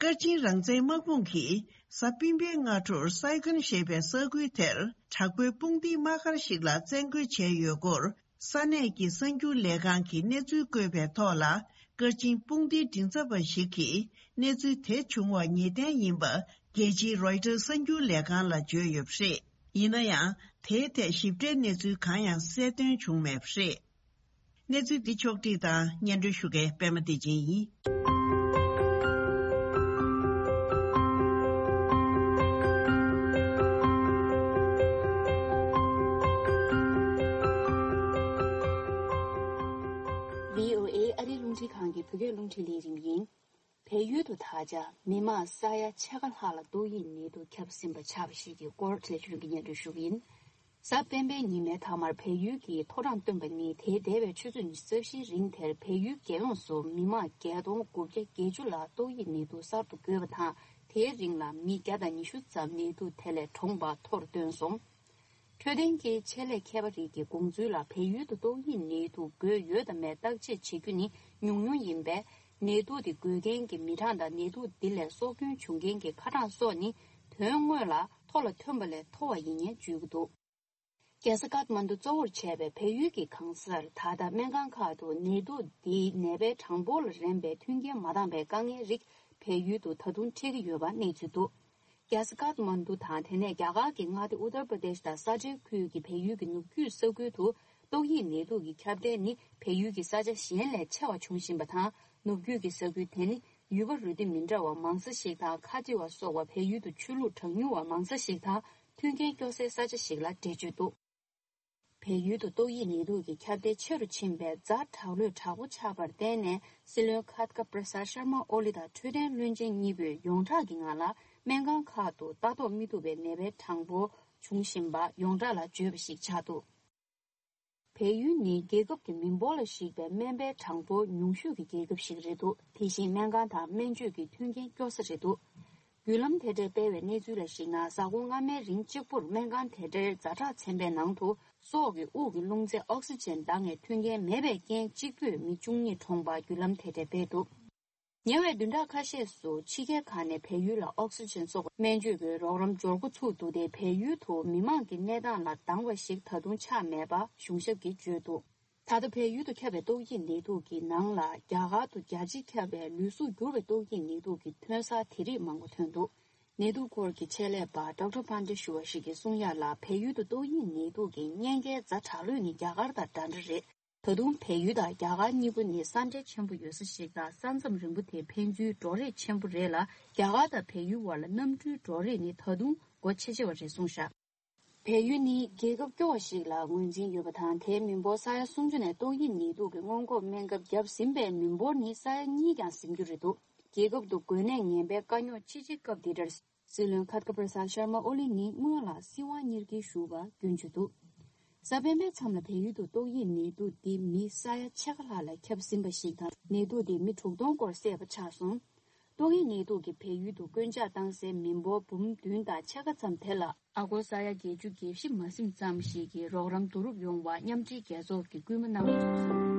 སྐར་ཆེན་རང་བཙན་དམག་དཔུང་གིས་གཟའ་སྤེན་པའི་སྔ་དྲོར་སའི་ཀོན་ཞེས་པའི་ས་ཁུལ་དེར་དྲག་པོའི་དཔུང་སྡེའི་དམག་སྒར་ཞིག་ལ་བཙན་རྒོལ་བྱས་ཡོད་སྐོར། ས་གནས་ཀྱི་གསར་འགྱུར་ལས་ཁང་གིས་གནས་ཚུལ་བཀོད་པའི་ཐོག་ལ། སྐར་ཆེན་དཔུང་སྡེའི་མགྲིན་ཚབ་པ་ཞིག་གིས་གནས་ཚུལ་དེ་བྱུང་བ་ངེས་གཏན་ཡིན་པ་རྒྱལ་སྤྱིའི་རོའི་ཊར་གསར་འགྱུར་ལས་ཁང་ལ་བརྗོད་ཡོད་པ་རེད། ཡིན་ན་ཡང་། དེའི་ཐད་ཞིབ་ཕྲའི་གནས་ཚུལ་གང་ཡང་གསལ་སྟོན་བྱུང་མེད་པ་རེད། གནས་ཚུལ་འདི་ཕྱོགས་བསྒྲིགས་དང་སྙན་སྒྲོན་ཞུ་མཁན་པད་མ་བདེ་ཆེན་ཡིན། བྷི་ཨོ་ཨེ་ཨ་རིའི་རླུང་འཕྲིན་ཁང་གི་བོད་སྐད་རླུང་འཕྲིན་ལས་རིམ་ཡིན། བལ་ཡུལ་དུ་ད་ཆ་མི་མང་ས་ཡ་ཕྱེད་ཀ་ལྷག་ལ་ཏོག་དབྱིབས་ནད་དུག་ཁྱབ་ཟིན་པ་ཆགས་པ་ཞིག་གི་སྐོར་ལས་ཆུང་གི་སྙན་སྒྲོན་ཞུ་གི་ཡིན། གཟའ་སྤེན་པའི་ཉི་མའི་མཐའ་མར་བལ་ཡུལ་གྱི་ཐོ་རངས་བཏོན་པ་ནི། དེའི་འདས་པའི་ཆུ་ཚོད་ཉི་ཤུ་རྩ་བཞིའི་རིང་དེར་བལ་ཡུལ་རྒྱལ་ཡོངས་སུ་མི་མང་བརྒྱད་སྟོང་དགུ་བརྒྱ་བརྒྱད་ཅུ་ལ་ཏོག་དབྱིབས་ནད་དུག་གསར་དུ་འགོས་པ་དང་། དེའི་རིང་ལ་མི་བརྒྱ་དང་ཉི་ཤུ་ཙམ་ནད་དུག་དེ་ལས་གྲོངས་པ་ཐོར་བཏོན་སོང་། འཕྲོད་བསྟེན་གྱི་ཆེད་ལས་མཁས་པ་རིགས་ཀྱི་དགོངས་ཚུལ་ལ། བལ་ཡུལ་དུ་ཏོག་དབྱིབས་ནད་དུག་འགོས་ཡོད་དམ་མེད་བརྟག་དཔྱད་བྱེད་རྒྱུ་ནི་ཉུང་ཉུང་ཡིན་པས། ནད་དུག་དེ་འགོས་མཁན་གྱི་མི་གྲངས་དང་ནད་དུག་འདི་ལས་སྲོག་སྐྱོན་བྱུང་མཁན་གྱི་ཁ་གྲངས་སོགས་ནི་དོན་དངོས་ལ་མཐོ་ལ་ཐོན་པ་ལས་མཐོ་བ་ཡིན་སྙམ་བརྗོད་ཀྱི་འདུག་རྒྱལ་ས་ཀཏ་མན་ཌུ་གཙོ་བོར་བྱས་པའི་བལ་ཡུལ་གྱི་གང་སར་ད་ལྟ་སྨན་ཁང་ཁག་ཏུ་ནད་དུག་འདིའི་ནད་པའི་གྲངས་འབོར་ལ་རན་པའི་མཐུན་རྐྱེན་མ་འདང་པའི་དཀའ་ངལ་རིགས་བལ་ཡུལ་དུ་ད་དུང་འཕྲད་ཀྱི་ཡོད་པ་གནས་ཚུལ་འདུག་རྒྱལ་ས་ཀཏ་མན་ཌུ་དང་། དེ་ནས་རྒྱ་གར་གྱི་མངའ་སྡེ་ཨུ་ཏར་པྲ་དེཤ་དང་ས་ཁྲའི་ཁུལ་གྱི་བལ་ཡུལ་གྱི་ནུབ་རྒྱུད་ས་ཁུལ་དུ་ཏོག་དབྱིབས་ནད་དུག་གི་ཁྱབ་གདལ་ནི་བལ་ཡུལ་གྱི་ས་ཆ་གཞན་ལས་ཆེ་བ་འབྱུང་བཞིན་པ་དང་། ནུབ་རྒྱུད་ཀྱི་ས་ཁུལ་དེ་ནི་ཡུལ་པ་རུས་སྡེ་མི་འདྲ་བ་མང་ས་ཞིག་དང་། ཁ་ཆེ་བ་སོགས་པ་བལ་ཡུལ་དུ་ཆོས་ལུགས་གྲངས་ཉུང་བ་མང་ས་ཞིག་དང་། མཐུན་རྐྱེན་སྐྱོ་སའི་ས་ཆ་ཞིག་ལ་འགྲེལ་བརྗོད་འདུག་བལ་ཡུལ་དུ་ཏོག་དབྱིབས་ནད་དུག་གི་ཁྱབ་གདལ་ཆེ་རུ་ཕྱིན་པའི་ཛ་དྲག་ལྷོད་དྲག་པོ་ཆགས་པར་བརྟེན་ནས། སྲིད་བློན་ཁ་ཏཀ་པྲ་སཱད་ཤར་མ་ཨོ་ལི་དང་འཕྲོད་བསྟེན་བློན་ཆེན་གཉིས་པོས་ཡོངས་གྲགས་ཀྱི་ངང་ལ་སྨན་ཁང་ཁག་ཏུ་ལྟ་རྟོག་མི་ཐུབ་པའི་ནད་པའི་གྲངས་འབོར་འབྱུང་བཞིན་པ་ཡོངས་གྲགས་ལ་བརྗོད་པ་ཞིག་ཆགས་འདུག་བལ་ཡུལ་ནི་རྒྱལ་ཁབ་ཀྱི་མི་འབོར་ལ་གཞིགས་པའི་སྨན་པའི་གྲངས་འབོར་ཉུང་ཤོས་ཀྱི་རྒྱལ་ཁབ་ཞིག་རེད་འདུག་དེ་བཞིན་སྨན་ཁང་དང་སྨན་བཅོས་ཀྱི་མཐུན་རྐྱེན་སྐྱོ་ས་རེད་འདུག་བརྒྱུད་ལམ་དེ་འདྲས་སྤེལ་བའི་གནས་ཚུལ་ལ་གཞིགས་ན། གཟའ་འཁོར་སྔ་མའི་རིང་གཅིག་པུར་སྨན་ཁང་དེ་འདྲའི་ཛ་དྲག་ཚན་པའི་ནང་དུ་སྲོག་གི་དབུགས་ཀྱི་རླུང་རྫས་ཨོག་སི་ཇན་འདང་ངེས་མཐུན་རྐྱེན་མེད་པའི་རྐྱེན། གཅིག་པུས་མི་བཅུ་གཉིས་གྲོངས་པ་བརྒྱུད་ལམ་དེ་འདྲས་སྤེལ་འདུག་ཉེ་བའི་བདུན་ཕྲག་ཁ་ཤས་སུ་ཕྱི་རྒྱལ་ཁག་ནས་བལ་ཡུལ་ལ་ཨོག་སི་ཇན་སོགས་སྨན་བཅོས་ཀྱི་རོགས་རམ་འབྱོར་འགོ་ཚུགས་འདུག་སྟེ། བལ་ཡུལ་དུ་མི་མང་གི་གནས་སྟངས་ལ་སྡང་བ་ཞིག་ད་དུང་ཆགས་མེད་པ་གཞུང་ཞབས་ཀྱིས་བརྗོད་འདུག་ད་ལྟ་བལ་ཡུལ་དུ་ཁྱབ་པའི་ཏོག་དབྱིབས་ནད་དུག་གི་ནང་ལ། རྒྱ་གར་དུ་རྒྱལ་སྤྱིར་ཁྱབ་པའི་ལུས་གཟུགས་འགྱུར་བའི་ཏོག་དབྱིབས་ནད་དུག་གི་ཐོན་གསར་དེ་རིགས་མང་པོ་ཐོན་འདུག་ནད་དུག་སྐོར་གྱི་ཆེད་ལས་པ་ཌོག་ཊར་པཱན་ཌེ་ཞུ་བ་ཞིག་གིས་གསུང་ཡ་ལ། བལ་ཡུལ་དུ་ཏོག་དབྱིབས་ནད་དུག་གི་གཉན་ཁའི་ཛ་དྲག་ལྷོད་ནི་རྒྱ་གར་དང་འདྲ་འདྲ་རེད། ད་དུང་བལ་ཡུལ་དང་རྒྱ་གར་གཉིས་པོ་ནི་ས་འབྲེལ་ཆེན་པོ་ཡོད་ས་ཞིག་དང་། ས་མཚམས་རིང་པོ་དེ་ཕན་ཚུན་འགྲོ་རེས་ཆེན་པོ་རེད་ལ། རྒྱ་གར་དང་བལ་ཡུལ་བར་ལ་གནམ་གྲུའི་འགྲོ་རེས་ནི་ད་དུང་སྒོ་ཕྱེ་ཕྱེ་བ་རེད་གསུངས་བཞག་བལ་ཡུལ་ནི་རྒྱལ་ཁབ་སྐྱོ་བ་ཞིག་ལ་ངོས་འཛིན་ཡོད་པ་དང་། དེའི་མི་འབོར་ས་ཡ་སུམ་ཅུ་ནས་ཏོག་དབྱིབས་ནད་དུག་གི་སྔོན་འགོག་སྨན་ཁབ་བརྒྱབ་ཟིན་པའི་མི་འབོར་ནི་ས་ཡ་གཉིས་ཀྱང་ཟིན་རྒྱུ་རེད་འདུག་རྒྱལ་ཁབ་ཏུ་འགོས་ནད་ངན་པའི་དཀའ་རྙོག་ཅི་ཆེ་སྐབས་འདི་འདྲར། སྲིད་བློན་ཁ་ཏཀ་པྲ་སཱད་ཤར་མ་ཨོ་ལི་ནི་སྔོན་ལ་སྲིད་དབང་གཉེར་སྐྱོང་ཞུ་བ་རྒྱུན་འཇུ་འདུག་གཟའ་སྤེན་པའི་མཚམས་ལ་བལ་ཡུལ་དུ་ཏོག་དབྱིབས་ནད་དུག་འདི་མི་ས་ཡ་ཕྱེད་ཀ་ལྷག་ལ་ཁྱབ་ཟིན་པ་ཞིག་དང་། ནད་དུག་འདི་མི་དྲུག་སྟོང་སྐོར་བསད་པ་ཆགས་སོང་། ཏོག་དབྱིབས་ནད་དུག་གིས་བལ་ཡུལ་དུ་རྐྱེན་ཆག་བཏང་སའི་མི་འབོར་འབུམ་བདུན་དང་ཕྱེད་ཀ་ཙམ་དེ་ལ། ཨ་སྒོར་ས་ཡ་བརྒྱད་ཅུ་གྱ་བཞི་མ་ཟིན་ཙམ་ཞིག་གི་རོགས་རམ་བསྡུ་རུབ་ཡོང་བ་མཉམ་འབྲེལ་རྒྱལ་ཚོགས་ཀྱིས་སྐུལ་མ་གནང་བ་བྱུང་སོང་།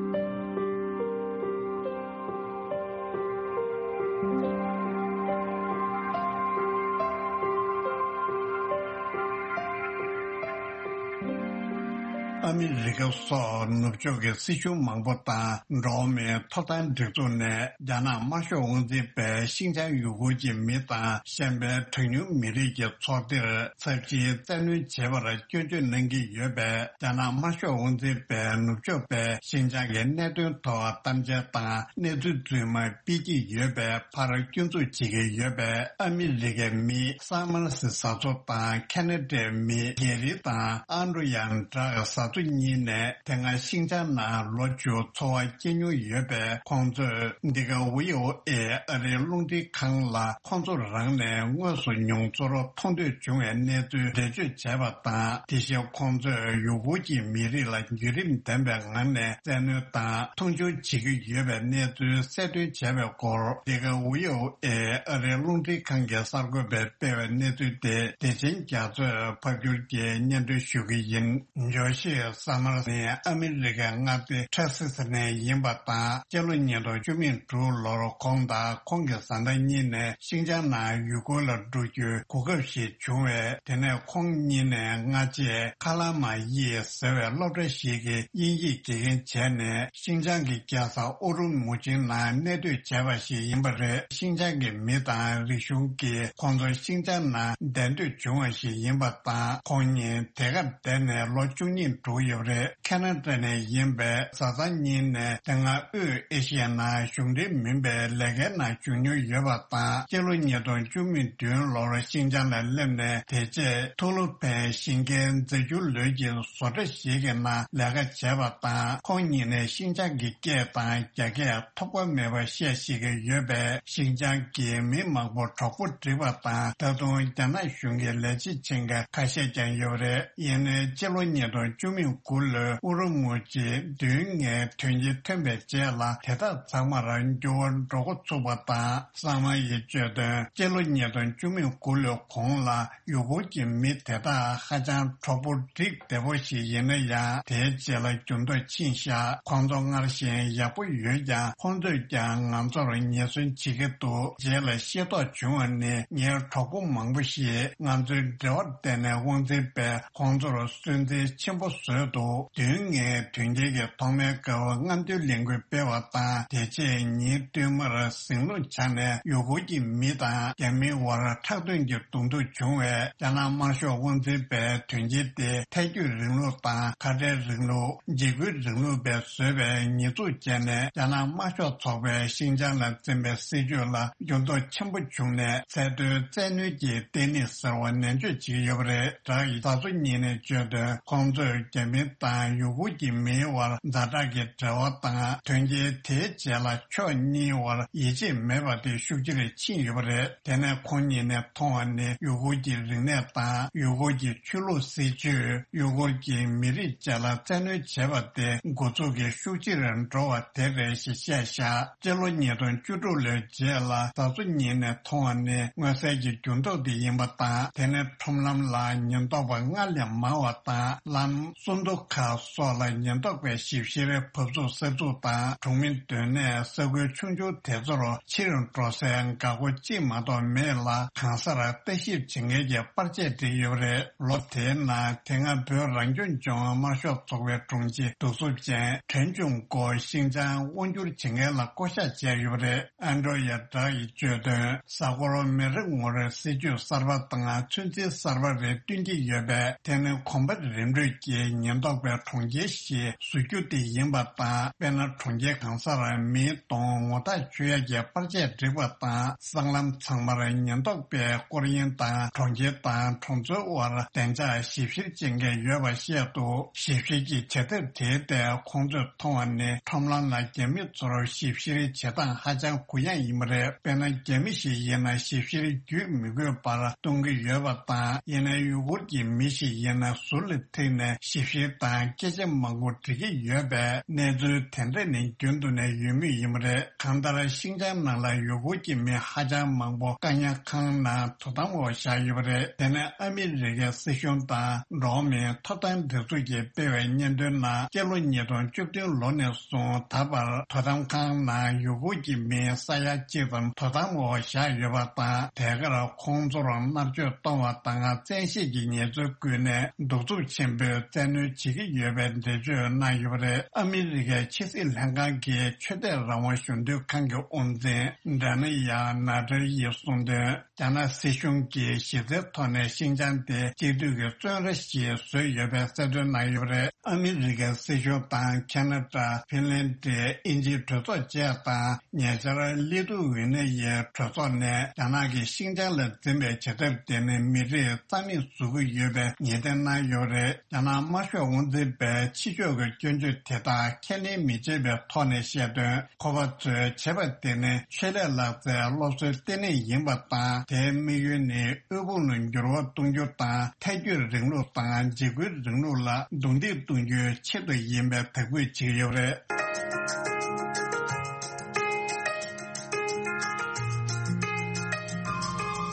ཨ་མི་རི་ཀ་སོགས་ནུབ་ཕྱོགས་ཀྱི་སྲིད་གཞུང་མང་པོ་དང་འགྲོ་བ་མིའི་ཐོབ་ཐང་སྒྲིག་འཛུགས་ནས་རྒྱ་ནག་དམར་ཤོག་དབང་འཛིན་པས་ཤིན་ཅང་ཡུ་གུར་གྱི་མི་དང་གཞན་པའི་གྲངས་ཉུང་མི་རིགས་ཀྱི་ཚོགས་སྡེར་ཚབས་ཆེའི་བཙན་གནོན་བྱེད་པར་སྐྱོན་བརྗོད་གནང་གི་ཡོད་པས། རྒྱ་ནག་དམར་ཤོག་དབང་འཛིན་པས་ནུབ་ཕྱོགས་པས་ཤིན་ཅང་གི་གནད་དོན་ཐོག་གཏམ་འཆལ་དང་གནས་ཚུལ་རྫུན་མ་སྤེལ་གྱི་ཡོད་པའི་ཕར་སྐྱོན་འཛུགས་བྱེད་ཀྱི་ཡོད་པས། ཨ་མི་རི་ཀའི་མི་སམ་མར་སི་བཟའ་ཚོ་དང་ཁེ་ན་ཌའི་མི་གྷེ་རི་དང་ཨན་ཌྲུ་ཡང་བྲག་བཟའ་ཚོ་གཉིས་ནས་དེ་སྔ་ཤིན་ཅང་ནང་ལོ་བཅུ་འཚོ་བ་སྐྱེལ་མྱོང་ཡོད་པས། ཁོང་ཚོས་འདི་ག་ཝི་ཨོ་ཨེ་ཨ་རིའི་རླུང་འཕྲིན་ཁང་ལ་ཁོང་ཚོ་རང་ནས་དངོས་སུ་མྱོང་ཚོར་མཐོང་ཐོས་བྱུང་བའི་གནས་ཚུལ་འགྲེལ་བརྗོད་བྱས་པ་དང་། དེ་བཞིན་ཁོང་ཚོས་ཡུ་གུར་གྱི་མི་རིགས་ལ་བརྒྱུད་རིམ་ལྡན་པའི་ངང་ནས་བཙན་གནོན་དང་མཐོང་ཆུང་བྱེད་ཀྱི་ཡོད་པའི་གནས་ཚུལ་གསལ་སྟོན་བྱས་པའི་སྐོར། འདི་ག་ཝི་ཨོ་ཨེ་ཨ་རིའི་རླུང་འཕྲིན་ཁང་གི་གསར་འགོད་པས་སྤེལ་བའི་གནས་ཚུལ་དེ་བདེ་ཆེན་རྒྱ་མཚོས་ཕབ་སྒྱུར་གྱིས་སྙན་སྒྲོན་ཞུ་གི་ཡིན། ཇོ་ཤི་སམ་མར་ནི་ཨ་མི་རི་ཀའི་མངའ་སྡེ་ཏེག་སཱ་སི་ནས་ཡིན་པ་དང་། སྤྱི་ལོ་ཉིས་སྟོང་བཅུ་མེད་དྲུག་ལོར་ཁོང་དང་ཁོང་གི་བཟའ་ཟླ་གཉིས་ནས་ཤིན་ཅང་ནང་ཡུ་གུར་ལ་འགྲོ་རྒྱུའི་གོ་སྐབས་ཤིག་བྱུང་བས། དེ་ནས་ཁོང་གཉིས་ནས་སྔ་རྗེས་ཁ་ལ་མ་ཡི་ཟེར་བའི་སློབ་གྲྭ་ཞིག་གི་དབྱིན་ཡིག་དགེ་རྒན་བྱས་ནས། ཤིན་ཅང་གི་རྒྱལ་ས་ཨུ་རུ་མུ་ཆིའི་ནང་གནས་སྡོད་བྱས་པ་ཞིག་ཡིན་པ་རེད། ཤིན་ཅང་གི་མི་དང་རིག་གཞུང་གིས་ཁོང་ཚོ་ཤིན་ཅང་ནང་བསྡད་འདོད་བྱུང་བ་ཞིག་ཡིན་པ་དང་། ཁོང་གཉིས་དེ་གར་བསྡད་ནས་ལོ་བཅུ་གཉིས་འགྲོ་ཡོད་པ་རེད། ཁེ་ན་ཌ་ནས་ཡིན་པའི་བཟའ་ཚང་གཉིས་ནས་དེ་སྔ་དབུས་ཨེ་ཤི་ཡའི་ནང་གཞུང་འབྲེལ་མིན་པའི་ལས་ཀའི་ནང་ཞུགས་མྱོང་ཡོད་པ་དང་། སྤྱི་ལོ་ཉིས་སྟོང་བཅུ་མེད་བདུན་ལོར་ཤིན་ཅང་ལ་སླེབས་ནས། དེ་རྗེས་ཐུ་ལུ་ཕན་ཞིང་ཆེན་རྫས་འགྱུར་ལོའི་གི་བཟོ་གྲྭ་ཞིག་གི་ནང་ལས་ཀ་བྱས་པ་དང་། ཁོང་གཉིས་ནས་ཤིན་ཅང་གི་སྐད་དང་རྒྱ་སྐད་ཐོགས་པ་མེད་པར་བཤད་ཤེས་ཀྱི་ཡོད་པས། ཤིན་ཅང་གི་མི་མང་པོ་གྲོགས་པོ་བསྒྲིགས་པ་དང་། ད་དུང་རྒྱ་ནག་གཞུང་གི་ལས་བྱེད་ཆེན་ཁག་ཁ་ཤས་ཀྱང་ཡོད་པ་རེད། ཡིན་ནའི་སྤྱི་ལོ་ཉིས་སྟོང་བཅུ་མེད་དགུ་ལོའི་ཨུ་རུ་མུ་ཆིའི་མདུན་ལྔའི་དོན་རྐྱེན་ཐོན་པའི་རྗེས་ལ། དེ་དག་ཚང་མར་འགྱུར་བ་འགྲོ་འགོ་ཚུགས་པ་དང་། སམ་མར་ཡིས་བརྗོད་དོན། སྤྱི་ལོ་ཉིས་སྟོང་བཅུ་མེད་དགུ་ལོའི་གོང་ལ་ཡུ་གུར་གྱི་མི་དེ་དག་ཧ་ཅང་གྲོགས་པོ་བསྒྲིགས་བདེ་པོ་ཞིག་ཡིན་ན་ཡང་། དེའི་རྗེས་ལ་འགྱུར་ལྡོག་ཕྱིན་བཞག་ཁོང་ཚོ་སྔར་བཞིན་ཡག་པོ་ཡོད་ཀྱང་། ཁོང་ཚོས་ཀྱང་ང་ཚོར་ཉེས་ཟོན་བྱེད་ཀྱི་འདུག་རྗེས་ལ་ཤེས་རྟོགས་བྱུང་བ་ནི། ངའི་གྲོགས་པོ་མང་པོ་ཞིག་ང་ཚོའི་འབྲེལ་བར་བརྟེན་ནས་དབང་འཛིན་པས་ཁོང་ཚོར་སུན་གཙེར་ཆེན་པོ་བཟོས་འདུག་མདུན་ལྔའི་དོན་རྐྱེན་གྱི་ཐོག་མའི་སྐབས་རྔམ་སྟོན་ལས་འགུལ་སྤེལ་བ་དང་། དེ་རྗེས་ཉིན་བསྟུད་མར་ཟིང་ལུགས་ཆགས་ནས་ཡུ་གུར་གྱི་མི་དང་རྒྱ་མིའི་དབར་ཁྲག་དོན་གྱི་གདོང་ཐུག་བྱུང་བས། རྒྱ་ནག་དམར་ཤོག་དབང་འཛིན་པས་དོན་རྐྱེན་དེ་ཐལ་འགྱུར་རིང་ལུགས་དང་ཁ་བྲལ་རིང་ལུགས། འཇིགས་སྐུལ་རིང་ལུགས་པས་བཟོས་པའི་ཉེས་འཛུགས་བྱས་ནས། རྒྱ་ནག་དམར་ཤོག་ཚོགས་པས་ཤིན་ཅང་ལ་འཛིན་པའི་སྲིད་བྱུས་ལ་འགྱུར་ལྡོག་ཆེན་པོ་བྱུང་ནས། ཚད་མཐོའི་བཙན་གནོན་གྱི་ལྟེ་གནས་ཟེར་བ་ནན་བརྗོད་བྱེད་ཀྱི་ཡོད་པ་རེད། བྲག་ཡི་བཟའ་ཚོ་གཉིས་ནས་བརྗོད་དོན། ཁོང་ཚོས་རྒྱ་མི་དང་ཡུ་གུར་གྱི་མིའི་དབར་ཛ་དྲག་གི་འབྲེལ་བ་དང་། དོན་རྐྱེན་དེའི་རྗེས་ལ་ཕྱོགས་གཉིས་དབར་ཡིད་ཆེས་མེད་པ་དེ་ཤུགས་ཆེ་རུ་ཕྱིན་ཡོད་པ་རེད། དེ་ནས་ཁོང་གཉིས་ནས་མཐོང་བ་ནི། ཡུ་གུར་གྱི་རིག་གནས་དང་ཡུ་གུར་གྱི་ཆོས་ལུགས། སྲིད་བྱུས། ཡུ་གུར་གྱི་མི་རིགས་བཅས་ལ་བཙན་གནོན་བྱས་པ་དེ་འགོ་འཛུགས་ཀྱིས་ཤུགས་ཆེ་རུ་འགྲོ་བ་དེ་རེད་ཞེས་བཤད་བཞག་སྤྱི་ལོ་ཉིས་སྟོང་བཅུ་དྲུག་ལོའི་རྗེས་ལ་བཟའ་ཚོ་གཉིས་ནས་མཐོང་བ་ནི་མངོན་གསལ་གྱི་འགྱུར་ལྡོག་དེ་ཡིན་པ་དང་། དེ་ནི་ཁྲོམ་ལམ་ལ་ཉེན་རྟོག་པ་སྔར་ལས་མང་བ་དང་། ལམ་སུན་དུ་ཁ་སོགས་ལ་ཉེན་རྟོག་པས་ཞིབ་བཤེར་བབས་ཚུགས་གསབ་ཚུགས་དང་། གྲོང་མི་སྡོད་གནས་ས་ཁུལ་ཆུང་ཆུང་དེ་ཚོར་ཕྱིར་འགྲོ་སའི་འགག་སྒོ་གཅིག་མ་གཏོགས་མེད་ལ། གང་སར་ལྟ་ཞིབ་བྱེད་མཁན་གྱི་པར་ཆས་བསྒྲིགས་ཡོད་པ་རེད། ལོ་དེའི་ནང་དེ་སྔ་བོད་རང་སྐྱོང་ལྗོངས་དམར་ཤོག་ཚོགས་པའི་དྲུང་ཆེ་གདུག་རྩུབ་ཅན་ཁྲེན་ཆུང་ཀོ་ཤིན་ཅང་དབང་བསྒྱུར་བྱེད་མཁན་ལ་བསྐོ་བཞག་བྱས་ཡོད་པ་རེད། ཨན་ཌྲོ་ཡ་བྲག་ཡིས་བརྗོད་དོན། གཟའ་འཁོར་མི་རེ་ངོ་རེར་སྲིད་ཇུས་གསར་པ་དང་ཚོད་འཛིན་གསར་པ་རེ་བསྟུན་གྱི་ཡོད་པས། དེ་ནི་གོམ་པ་རིམ་བགྲོད་ཀྱིས་ཉེན་རྟོག་པའི་གྲོང་ཁྱེར་ཞིག་བཟོ་རྒྱུ་དེ་ཡིན་པ་དང་། དཔེར་ན། གྲོང་ཁྱེར་གང་སར་མིའི་གདོང་ངོ་ཐག་ཆོད་ཡག་གི་པར་ཆས་བསྒྲིགས་པ་དང་། སྲང་ལམ་ཚང་མར་ཉེན་རྟོག་པའི་སྐོར་གཡེང་དང་། གྲོང་ཁྱེར་དང་གྲོང་ཚོའི་དབར་བདེ་འཇགས་ཞིབ་བཤེར་བྱེད་མཁན་ཡོད་པ་བཤད་འདུག་ཞིབ་བཤེར་གྱི་བྱེད་ཐབས་དེའི་ཐད་ཁོང་ཚོས་མཐོང་བ་ནི། ཁྲོམ་ལམ་ལ་རྒྱ་མི་ཚོར་ཞིབ་བཤེར་བྱེད་སྟངས་ཧ་ཅང་གུ་ཡངས་ཡིན་པ་རེད། དཔེར་ན། རྒྱ་མི་ཞིག་ཡིན་ན་ཞིབ་བཤེར་བརྒྱུད་མི་དགོས་པར་གཏོང་གི་ཡོད་པ་དང་། ཡིན་ནའི་ཡུ་གུར་གྱི་མི་ཞིག་ཡིན་ན་ཟུར་ལ་ཐིག་ནས་ཞིབ་བཤེར་དང་སྐད་ཆ་མང་པོ་འདྲི་གི་ཡོད་པས། གནས་ཚུལ་དེ་འདྲ་ནི་རྒྱུན་དུ་ནས་ཡོད་མུས་ཡིན་པ་རེད། གང་ལྟར། ཤིན་ཅང་ནང་ལ་ཡུ་གུར་གྱི་མི་ཧ་ཅང་མང་པོ་བཀག་ཉར་ཁང་ནང་དོ་དམ་འོག་བཞག་ཡོད་པ་རེད། དེ་ནས་ཨ་མི་རི་ཀའི་སྲིད་གཞུང་དང་འགྲོ་བ་མིའི་ཐོབ་ཐང་སྒྲིག་འཛུགས་ཀྱིས་སྤེལ་བའི་སྙན་ཐོའི་ནང་། སྤྱི་ལོ་ཉིས་སྟོང་བཅུ་བདུན་ལོ་ནས་བཟུང་ད་བར་དོ་དམ་ཁང་ནང་ཡུ་གུར་གྱི་མི་ས་ཡ་གཅིག་ཙམ་དོ་དམ་འོག་བཞག་ཡོད་པ་དང་། དེ་གར་ཁོང་ཚོར་མནར་གཅོད་གཏོང་བ་དང་བཙན་ཤེད་ཀྱི་ཉེས་ཚུལ་བཀོད་ནས་གདུག་རྩུབ་ཆེན་པོས་བཙན་ གནོན་བྱེད་ཀྱི་ཡོད་པའི་འགྲེལ་བརྗོད་གནང་ཡོད་པ་རེད། ཨ་མི་རི་ཀའི་ཕྱི་སྲིད་ལྷན་ཁང་གི་ཆོས་དད་རང་དབང་གཞོན་དུས་ཁང་གི་དབུ་འཛིན་འདྲ་ན་ཡ་ན་ཏྲ་ཡིས་གསུངས་དོན། རྒྱ་ནག་སྲིད་གཞུང་གིས་གཞི་རྩའི་ཐོག་ནས་ཤིན་ཅང་དེ་གཅིག་སྡུད་ཀྱི་བཙོན་ར་ཞིག་བཟོས་ཡོད་པའི་གསལ་སྟོན་གནང་ཡོད་པ་རེད། ཨ་མི་རི་ཀའི་སྲིད་གཞུང་དང་ཁེ་ན་ཌ། ཧྥིན་ལན་ཌི། དབྱིན་ཇིའི་གྲོས་ཚོགས་བཅས་དང་ཉེ་ཆར་ལི་ཐུ་ཝེ་ནི་ཡའི་གྲོས་ཚོགས་ནས་རྒྱ་ནག་གིས་ཤིན་ཅང་ལ་འཛིན་པའི་བྱེད་ཐབས་དེ་ནི་མི་རིགས་རྩ་མེད་བཟོ་གི་ཡོད་པའི་ངེས་གཏན་གནང་ཡོད་རེད། རྒྱ་ནག་དམར་ཤོག་དབང་འཛིན་པས་ཕྱི་ཕྱོགས་ཀྱི་སྐྱོན་བརྗོད་དེ་དག་ཁས་ལེན་མི་བྱེད་པའི་ཐོག་ནས་བཤད་དོན། ཁོ་པ་ཚོས་བྱས་པ་དེ་ནི་ཆེད་ལས་ལག་རྩལ་སློབ་གསོའི་ལྟེ་གནས་ཡིན་པ་དང་། དེའི་དམིགས་ཡུལ་ནི་དབུལ་ཕོངས་ལ་འགྱུར་བ་གཏོང་རྒྱུ་དང་། ཐལ་སྐྱོད་རིང་ལུགས་དང་འཇིགས་སྐུལ་རིང་ལུགས་ལ་རྡུང་རྡེག་གཏོང་རྒྱུའི་ཆེད་དུ་ཡིན་པའི་དག་འབུལ་བྱེད་ཀྱི་ཡོད་པ་རེད།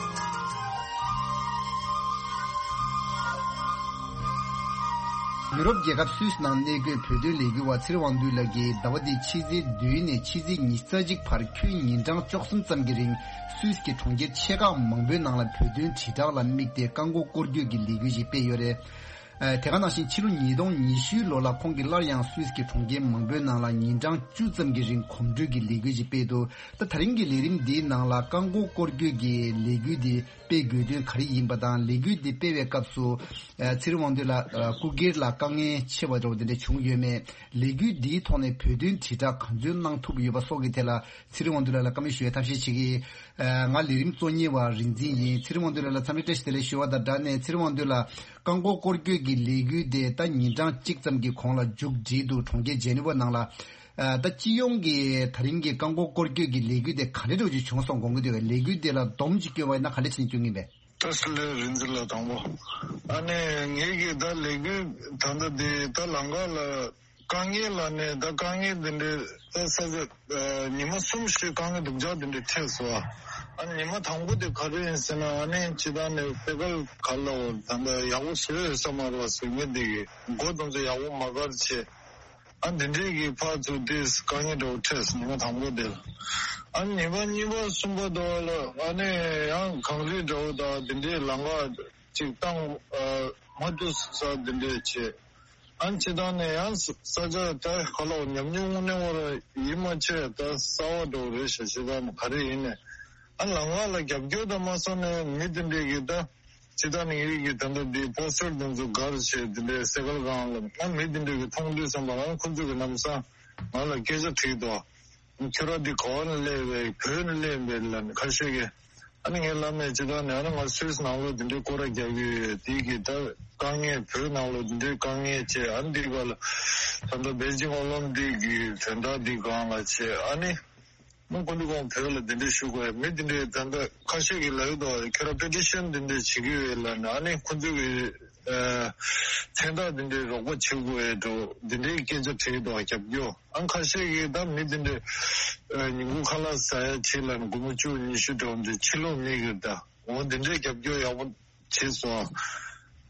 ཡུ་རོབ་རྒྱལ་ཁབ་སུད་སི་ནང་གནས་འཁོད་བོད་དོན་ལས་འགུལ་བ་ཚེ་རིང་དབང་འདུས་ལགས་ཀྱིས་ཟླ་བ་འདིའི་ཕྱི་ཚེས་བདུན་ནས་ཕྱི་ཚེས་ཉི་ཤུ་རྩ་གཅིག་བར་ཁྱོན་ཉིན་གྲངས་བཅུ་གསུམ་ཙམ་གྱི་རིང་སུད་སི་གི་གྲོང་ཁྱེར་ཆེ་ཁག་མང་པོའི་ནང་ལ་བོད་དོན་དྲིལ་བསྒྲགས་ལ་དམིགས་ཏེ་རྐང་འཁོར་སྐོར་སྐྱོད་ཀྱི་ལས་འགུལ་ཞིག་སྤེལ་ཡོད་རེད། ཨ། དེ་ག་ནང་བཞིན་ཕྱི་ལོ་ཉིས་སྟོང་ཉི་ཤུ་ལོ་ལ་ཁོང་གིས་སླར་ཡང་སུད་སི་གི་གྲོང་ཁྱེར་མང་པོའི་ནང་ལ་ཉིན་གྲངས་བཅུ་ཙམ་གྱི་རིང་གོམ་བགྲོད་ཀྱི་ལས་འགུལ་ཞིག་སྤེལ་འདུག་ད་ད་རིང་གི་ལས་རིམ་འདིའི་ནང་ལ་རྐང་འཁོར་སྐོར་སྐྱོད་ཀྱི་ལས་འགུལ་འདི་སྤེལ་དགོས་དོན་ག་རེ་ཡིན་པ་དང་། ལས་འགུལ་འདི་སྤེལ་བའི་སྐབས་སུ། ཨ། ཚེ་རིང་དབང་འདུས་ལགས། ཨ། སྐུ་སྒེར་ལ་དཀའ་ངལ་ཆེ་བ་འདྲ་བོ་དེ་འདྲ་བྱུང་ཡོད་མེད། ལས་འགུལ་འདིའི་ཐོག་ནས་བོད་དོན་དྲིལ་བསྒྲགས་གང་འཚམ་གནང་ཐུབ་ཡོད་པ་སོགས་ཀྱི་ཐད་ལ་ཚེ་རིང་དབང་འདུས་ལགས་ལ་བཀའ་མོལ་ཞུ་བའི་ཐབས་ཤེས་བྱེད་ཀྱི། ཨ། ང་ལས་རིམ་གཙོ་གཉེར་བ་རིག་འཛིན་ཡིན། ཚེ་རིང་དབང་འདུས་ལགས་ལ་འཚམས་འདྲི་བཀྲ་ཤིས་བདེ་ལེགས་ཞུ་བ་དང་སྦྲགས་ནས། ཚེ་རིང་དབང་འདུས་ལགས། རྐང་འཁོར་སྐོར་སྐྱོད་ཀྱི་ལས་འགུལ་དེ་ད་ཉིན་གྲངས་གཅིག་ཙམ་གྱི་གོང་ལ་མཇུག་སྒྲིལ་འདུག་གྲོང་ཁྱེར་ཇེ་ནི་ཝ་ནང་ལ། ཨ། ད་སྤྱི་ཡོངས་ཀྱི་ད་རིང་གི་རྐང་འཁོར་སྐོར་སྐྱོད་ཀྱི་ལས་འགུལ་དེ་ག་འདྲ་འདྲ་བོ་ཅིག་བྱུང་སོང་དགོངས་ཀྱི་འདུག་གས། ལས་འགུལ་དེ་ལ་སྡོམ་ཅིག་བསྐྱོན་པ་ཡིན་ན་ག་འདྲ་བྱས་ནས་བསྐྱོན་གྱི་ཡིན་པས། བཀྲ་ཤིས་བདེ་ལེགས་རིག་འཛིན་ལགས། དང་པོ། ཨ་ནི་ངེད་ཀྱི་ད་ལས་འགུལ་ད་ལྟ་འདི་ད་ལམ་ཁ་ལ་དཀའ་ངལ་ལ་ནས་ད་དཀའ་ངལ་འདི་འདྲའི་ད་ས་ཆ་ཉི་མ་གསུམ་བཞི་དཀའ་ངལ་སྡུག་ཅག་འདི་འདྲའི་འཕྲད་སོང་། ཨ་ནི་ཉི་མ་དང་པོ་དེ་ག་རེ་ཡིན་ཟེར་ན། ཨ་ནི་ཇི་ལྟར་ནས་སེ་གལ་ག་ལ་འོ་ད་ལྟ་ཡག་པོ་བཟོས་ཡོད་ས་མ་རེད་པ་ཟེར་མཁན་འདི་གི་སྒོ་དེ་ཚོ་ཡག་པོ་མ་བཀར་བྱས། ཨ་འདི་འདྲའི་གི་ཕར་ཚུར་དེ་དཀའ་ངལ་འདྲ་བོ་འཕྲད་སོང་། ཉི་མ་དང་པོ་དེ་ལ། ཨ་ཉི་མ་གཉིས་པ་གསུམ་པ་དེ་ལ་ཨ་ནི་ཡང་གངས་རི་འདྲ་བོ་དང་དེ་འདྲའི་ལམ་ཁ་ཅིག་བཏང་། ཨ་མ་ཐུག་ས་དེ་འདྲས་བྱས། ཨ་ཇི་ལྟར་ནས་ཡང་ས་ཆ་ད་ག་ལ་འོ་ཉམས་མྱོང་དངོས་གནས་བར་ཡིད་མ་ཆེས་ད་གསར་པ་འདྲ་བོ་རེད་ཤག་ཇི་ལྟར་ནས་ག་རེ་ཡིན་ནས། ཨ་ལམ་ཁ་ལ་རྒྱབ་སྐྱོར་དང་མ་སོང་ནས་མི་དེ་འདྲས་གི་ད། ཇི་ལྟར་ནས་ངེད་ཀྱི་ད་ལྟ་འདི་པོ་སི་ཊར་དེ་ཚོ་སྒར་བྱས་དེ་འདྲའི་སེ་གལ་སྒང་ལ་ང་མི་དེ་འདྲས་ཀྱི་མཐོང་དུས་ཙམ་པ་ལ་ཁོ་ཚོ་གི་ལམ་སང་ང་ལ་སྐད་ཆ་དྲིས་འདུག་ཁྱོད་རང་འདི་ག་བ་ནས་སླེབས་པས། བོད་ནས་སླེབས་པས་ལབ་ནས་ཁ་ཤས་ཀྱིས། ཨ་ནི་ངས་ལབ་མེད། ཇི་ལྟར་ནས་ཨ་ནི་ང་སུད་སི་ནང་ལོགས་འདི་འདྲའི་སྐོར་ར་རྒྱག་གི་ཡོད། དེ་གི་ད་དཀའ་ངལ་བོད་ནང་ལོགས་འདི་འདྲའི་དཀའ་ངལ་བྱས། ཨ་ནི་འདི་ག་ལ་ད་ལྟ་པེ་ཅིང་ཨོ་ལིམ་པིག་གི་དོན་དག་འདི་སྒང་ལ་བྱས། ཨ་ནི་མི་ཀུན་ཏུ་ཀུན་བོད་ལ་འདི་འདྲའི་ཞུ་དགོས་ཡ་མི་འདི་འདྲའི་ད་ལྟ་ཁ་ཤས་ཀྱིས་ལབ་ཡོད་དོ། ཁྱོད་རང་པེ་ཊི་ཤན་འདི་འདྲའི་བྱེད་ཀྱི་ཡོད་ལབ་ནས། ཨ་ནི་ཁོ་ཚོ་གི་ཨ་མཚན་རྟགས་འདི་འདྲའི་རོགས་པ་བྱེད་དགོས་ཡ་འགྲོ་འདི་འདྲའི་སྐད་ཆ་དྲིས་འདུག་རྒྱབ་སྐྱོར། ཨ་ཁ་ཤས་ཀྱིས་ད་མི་འདི་འདྲའི་ཨ་ཉིན་གུང་ཁ་ལག་ཟ་ཡ་བྱེད་ལབ་ནས་སྒོར་མོ་བཅུ་ཉི་ཤུ་འགྲོ་འདི་ཕྱི་ལོགས་མི་གིས་ད་འོ་འདི་འདྲའི་རྒྱབ་སྐྱོར་ཡག་པོ་བྱས་སོང་།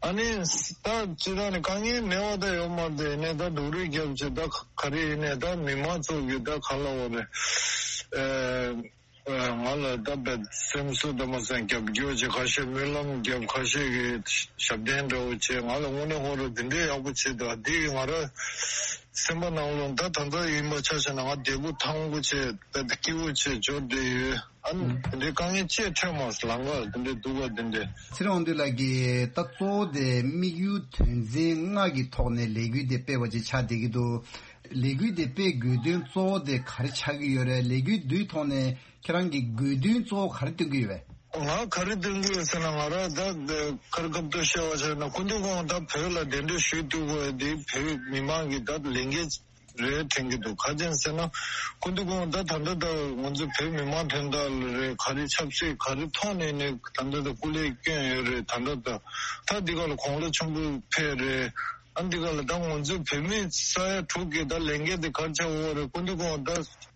ཨ་ནི་ད་སྤྱིར་བཏང་ནས་དཀའ་ངལ་མེད་པ་ད་ཡོད་མ་རེད། ཡིན་ནའི་ད་སྡུག་རུས་རྒྱབ་བྱས་ད་ག་རེ་ཡིན་ནའི་ད་མི་མང་ཚོ་གིས་ད་ག་ལབ་དགོས་རེད། ཨ་ང་ལ་ད་བད་སེམས་གསོ་ད་མ་སེམས་རྒྱབ་སྐྱོར་བྱས། ཁ་ཤས་སྨོན་ལམ་རྒྱབ། ཁ་ཤས་ཀྱིས་ཞབས་བརྟན་འདྲ་བོ་བྱས། ང་ལ་དངོས་གནས་ཁོ་རང་འདི་འདྲའི་ཡག་པོ་བྱས་འདུག་འདི་གིས་ང་རང་སེམས་པ་ནང་ལོགས་ད་ད་ལྟ་ཡིན་པ་ཆ་བཞག་ན་ང་བདེ་པོ་ཐང་པོ་བྱས་ད་སྐྱིད་པོ་བྱས་འབྱོར་བསྡད་ཡོད། ཨ་ནི་ཨུ། དེ་འདྲའི་དཀའ་ངལ་ཅི་ཡང་འཕྲད་མ་སོང་། ལམ་ཁ་དེ་འདྲའི་སྡུག་པ་དེ་འདྲའི། ཚེ་རིང་དབང་འདུས་ལགས་ཀྱིས་ད་གཙོ་བོ་དེ་དམིགས་ཡུལ་དོན་ཚན་ལྔ་གི་ཐོག་ནས་ལས་འགུལ་དེ་སྤེལ་བ་ཅིག་ཆགས་བསྡད་ཀྱི་འདུག་ལས་འགུལ་དེ་སྤེལ་དགོས་དོན་གཙོ་བོ་དེ་ག་རེ་ཆགས་ཀྱི་ཡོད་རེད། ལས་འགུལ་འདིའི་ཐོག་ནས་ཁྱེད་རང་གིས་དགོས་འདུན་གཙོ་བོ་ག་རེ་བཏོན་གྱི་ཡོད་པས། ང་ག་རེ་བཏོན་གྱི་ཡོད་ཟེར་ན། ང་རང་ད་ཁར་སྐབས་ཐོག་བཤད་པ་བྱས་ན་སྐུ་མདུན་ཁོང་ད་བོད་ལ་གདན་འདྲེན་ཞུས་ཐུབ་དགོས་དེ་བོད་མི་མང་གི་ད་ལས་འགན་རེད་དྲན་གྱི་འདུག་ག་ཅི་ཡིན་ཟེར་ན་སྐུ་མདུན་ཁོང་ད་ད་ལྟ་ད་ང་ཚོ་བོད་མི་མང་དོན་དག་ལ་རེད། ག་རེ་ཆབ་སྲིད་ག་རེ་ཐོག་ནས་ནས་ད་ལྟ་ད་སྐུ་ལས་བསྐྱོན་ཡོད་རེད། ད་ལྟ་ད་ད་འདི་ག་ལ་དགུང་ལོ་ཆེན་པོ་ཕེབས་རེད། ཨ་འདི་ག་ལ་ད་ང་ཚོ་བོད་མི་ས་ཡ་དྲུག་གི་ད་ལས་འགན་དེ་ག་རེ་ཆགས་ཡོད་རེད། སྐུ་མདུན་ཁོང་ད་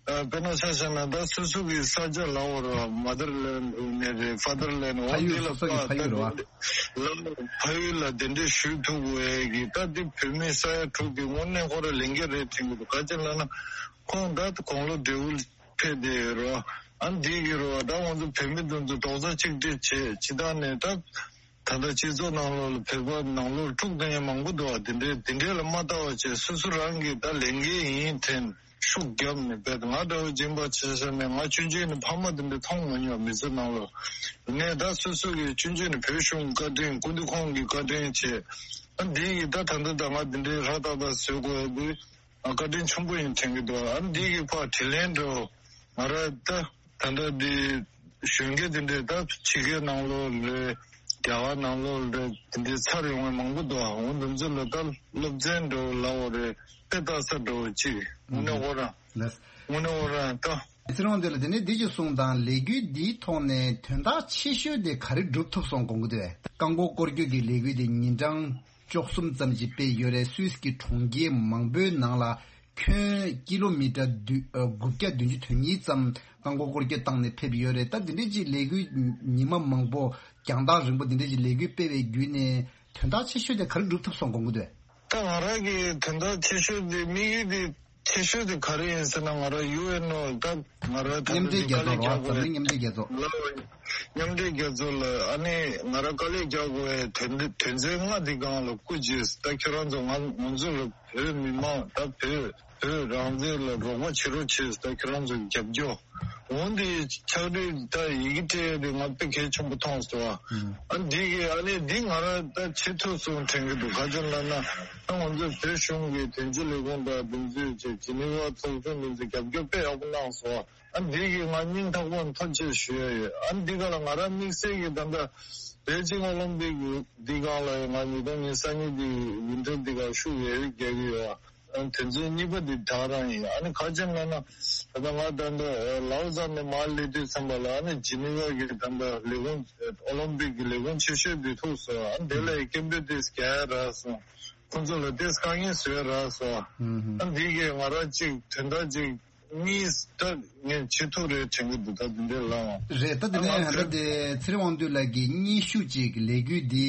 ཨ་དཔེར་ན་ཆ་བཞག་ན་ད་སོ་སོ་གི་ས་ཆ་ལབ་དགོས་རེད། མ་དར་ལེན་ནས་རེད། ཕ་དར་ལེན་ནས་འོ་ཕ་ཡུལ་འདི་ལ་སོ་སོ་གི་ཕ་ཡུལ་རེད་བ། ལ་ཕ་ཡུལ་ལ་གདན་འདྲེན་ཞུ་ཐུབ་དགོས་གི་ད་འདི་བོད་མི་ས་ཡ་དྲུག་གི་དངོས་གནས་ཁོ་རང་ལས་འགན་རེད་དྲན་གྱི་འདུག་ག་ཅི་ལབ་ན་ཁོང་ད་དགུང་ལོ་བགྲེས་པོ་ཕེབས་བསྡད་ཡོད་རེད་བ། ཨ་འདི་གི་རེད་བ། ད་ང་ཚོ་བོད་མི་དེ་ཚོ་རྡོག་རྩ་གཅིག་སྒྲིལ་བྱས་ཇི་ལྟར་ནས་ད། ད་ལྟ་སྤྱི་ཚོགས་ནང་ལོགས་ལ་བོད་པ་ནང་ལོགས་དཀྲུགས་བསྡད་མཁན་མང་པོ་འདུག་བ། དེ་འདྲའི་དེ་འདྲའི་ལ་མ་ལྟ་བ་བྱས། སོ་སོ་རང་གིས་ད་ལས་འགན་ཡིན་དྲན་ཤུགས་བརྒྱབ་ནས་བས། ང་འདྲ་བོ་སྦྱིན་པ་བྱེད་ས་ནས། ང་ཆུང་ཆུང་ནས་ཕ་མ་དེ་འདྲ་མཐོང་མ་མྱོང་། མི་ཚེ་ནང་ལོགས་ནས་ད་སོ་སོ་གིས་ཆུང་ཆུང་ནས་བོད་གཞུང་བཀའ་དྲིན། སྐུ་མདུན་ཁོང་གི་བཀའ་དྲིན་བྱས། ཨ་འདི་ཡིས་ད་ད་ལྟ་ད་ང་དེ་འདྲའི་ཧྲ་ཏག་ཏག་བཟོ་དགོས་ཡ་དེ་ཨ་བཀའ་དྲིན་ཆེན་པོ་ཡིན་དྲན་གྱི་འདུག་ཨ་འདི་གི་ཕར་དྲིན་ལན་འདྲ་བོ་ང་རང་ད་ད་ལྟ་འདི་གཞོན་སྐྱེས་དེ་འདྲས་ད་ཕྱི་རྒྱལ་ནང་ལོགས་རེད། རྒྱ་གར་ནང་ལོགས་རེད། དེ་འདྲས་ཚར་ཡོང་བའི་མང་པོ་འདུག་འོ་འདི་ཚོ་ལ་ད་སློབ་ཚན་འདྲ་བོ་ལབ་དགོས་རེད། དཔེ་ལྟ་ས་འདྲ་བོ་གཅིག་དངོས་གནས་ཁོ་རང་ལགས། དངོས་གནས་ཁོ་རང་ད། ཚེ་རིང་དབང་འདུས་ལགས། དེ་ནས་འདི་ཅིག་གསུངས་དང་། ལས་འགུལ་འདིའི་ཐོག་ནས་དོན་དག་ཆེ་ཤོས་དེ་ག་རེ་སྒྲུབ་ཐུབ་སོང་དགོངས་ཀྱི་འདུག་རྐང་འཁོར་སྐོར་སྐྱོད་ཀྱི་ལས་འགུལ་དེ་ཉིན་གྲངས་བཅུ་གསུམ་ཙམ་ཞིག་སྤེལ་ཡོད་རེད། སུད་སི་གི་གྲོང་ཁྱེར་མང་པོའི་ནང་ལ་ཁྱོན་ཀི་ལོ་མི་ཊར་བདུན་ཨ་དགུ་བརྒྱ་བདུན་ཅུ་དོན་གཉིས་ཙམ་རྐང་འཁོར་སྐོར་སྐྱོད་བཏང་ནས་ཕེབས་ཡོད་རེད། ད་འདི་འདྲའི་ཅིག་ལས་འགུལ་ཉི་མ་མང་པོ་རྒྱང་ཐག་རིང་པོ་འདི་འདྲའི་ཅིག་ལས་འགུལ་སྤེལ་བའི་བརྒྱུད་ནས་དོན་དག་ཆེ་ཤོས་དེ་ག་རེ་སྒྲུབ་ཐུབ་སོང་དགོངས་ཀྱི་འདུག་ད་ང་རང་གི་དོན་དག་ཆེ་ཤོས་དེ་དམིགས་ཡུལ་དེ་ཆེ་ཤོས་དེ་ག་རེ་ཡིན་ཟེར་ན། ང་རང་ཡུ་ཨེན་ཨོ་ད་ང་རང་ད་མཉམ་འབྲེལ་རྒྱལ་ཚོགས་རོགས་འཛམ་གླིང་མཉམ་འབྲེལ་རྒྱལ་ཚོགས། ལ་མཉམ་འབྲེལ་རྒྱལ་ཚོགས་ལ་ཨ་ནི་ང་རང་དཀའ་ལས་རྒྱག་དགོས་པའི་དོན་དོན་ཚན་ལྔ་འདི་སྒང་ལ་སྐུ་མཁྱེན། ད་ཁྱེད་རང་ཚོ་ང་ང་ཚོ་ལ་བོད་མི་མང་ད་བོད་བོད་རང་བཙན་ལ་རོགས་པ་བྱེད་རོགས་བྱེད། ད་ཁྱེད་རང་ཚོ་རྒྱབ་སྐྱོར། འོན་ཏེ་ཕྱག་བྲིས་ད་ཡི་གེ་སྤྲད་དེ་ང་དཔེ་གལ་ཆེན་པོ་མཐོང་སོང་། ཨ་འདི་གི་ཨ་ནི་འདི་ང་རང་ད་བྱེད་ཐུབ་སོང་དྲན་གྱི་འདུག་ག་ཅི་ལབ་ན་ད་ང་ཚོ་བོད་གཞུང་གི་དོན་གཅོད་ལས་ཁུངས་དང་འདི་ཚོས་བྱས། ཇི་ནི་ཝ་ཚོགས་ཆུང་འདི་ཚོས་རྒྱབ་སྐྱོར་དཔེ་ཡག་པོ་གནང་སོང་། ཨ་འདི་གི་ང་སྙིང་ཐག་པ་ནས་ཐུགས་རྗེ་ཆེ་ཞུ་ཡ་ཡོད། ཨ་འདི་ག་ལ་ང་རང་དམིགས་བསལ་གྱི་ད་ལྟ་པེ་ཅིང་ཨོ་ལིམ་པིག་འདི་སྒང་ལ་ང་ཉིས་སྟོང་ཉི་ཤུ་རྩ་གཉིས་འདི་ཝིན་ཊར་འདི་ག་ཤུགས་ཡོད་རྒྱག་གི་ཡོད། ཨ་དོན་ཚན་གཉིས་པ་འདི་ད་རང་ཡིན། ཨ་ནི་ག་ཅི་ལབ་ན་ད་ལྟ་ང་ད་ལྟ་ལའོ་ཙཱ་ནས་མར་སླེབས་དུས་ཙམ་པ་ལ་ཨ་ནི་ཇི་ནི་ཝ་གི་ད་ལྟ་ལས་ཁུངས་ཨོ་ལིམ་པིག་གི་ལས་ཁུངས་ཆེ་ཤོས་འདི་ཐུག་སོང་། ཨ་དེ་ལ་སྐད་འབོད་དེ་རྒྱག་ཡ་རག་སོང་། ཁོང་ཚོ་ལ་དེ་དཀའ་ངལ་བཟོ་ཡ་རག་སོང་། ཨ་འདི་གས་ང་རང་གཅིག་དོན་དག་གཅིག་གཉིས་ད་ངས་བྱེད་ཐུབ་རེད་དྲན་གྱི་འདུག་ད་འདི་འདྲའི་ལབ་ཨ། རེད། ད་དེ་ནས་ད་དེ་ཚེ་རིང་དབང་འདུས་ལགས་ཀྱིས་སྙན་ཞུ་གཅིག་ལས་འགུལ་འདི་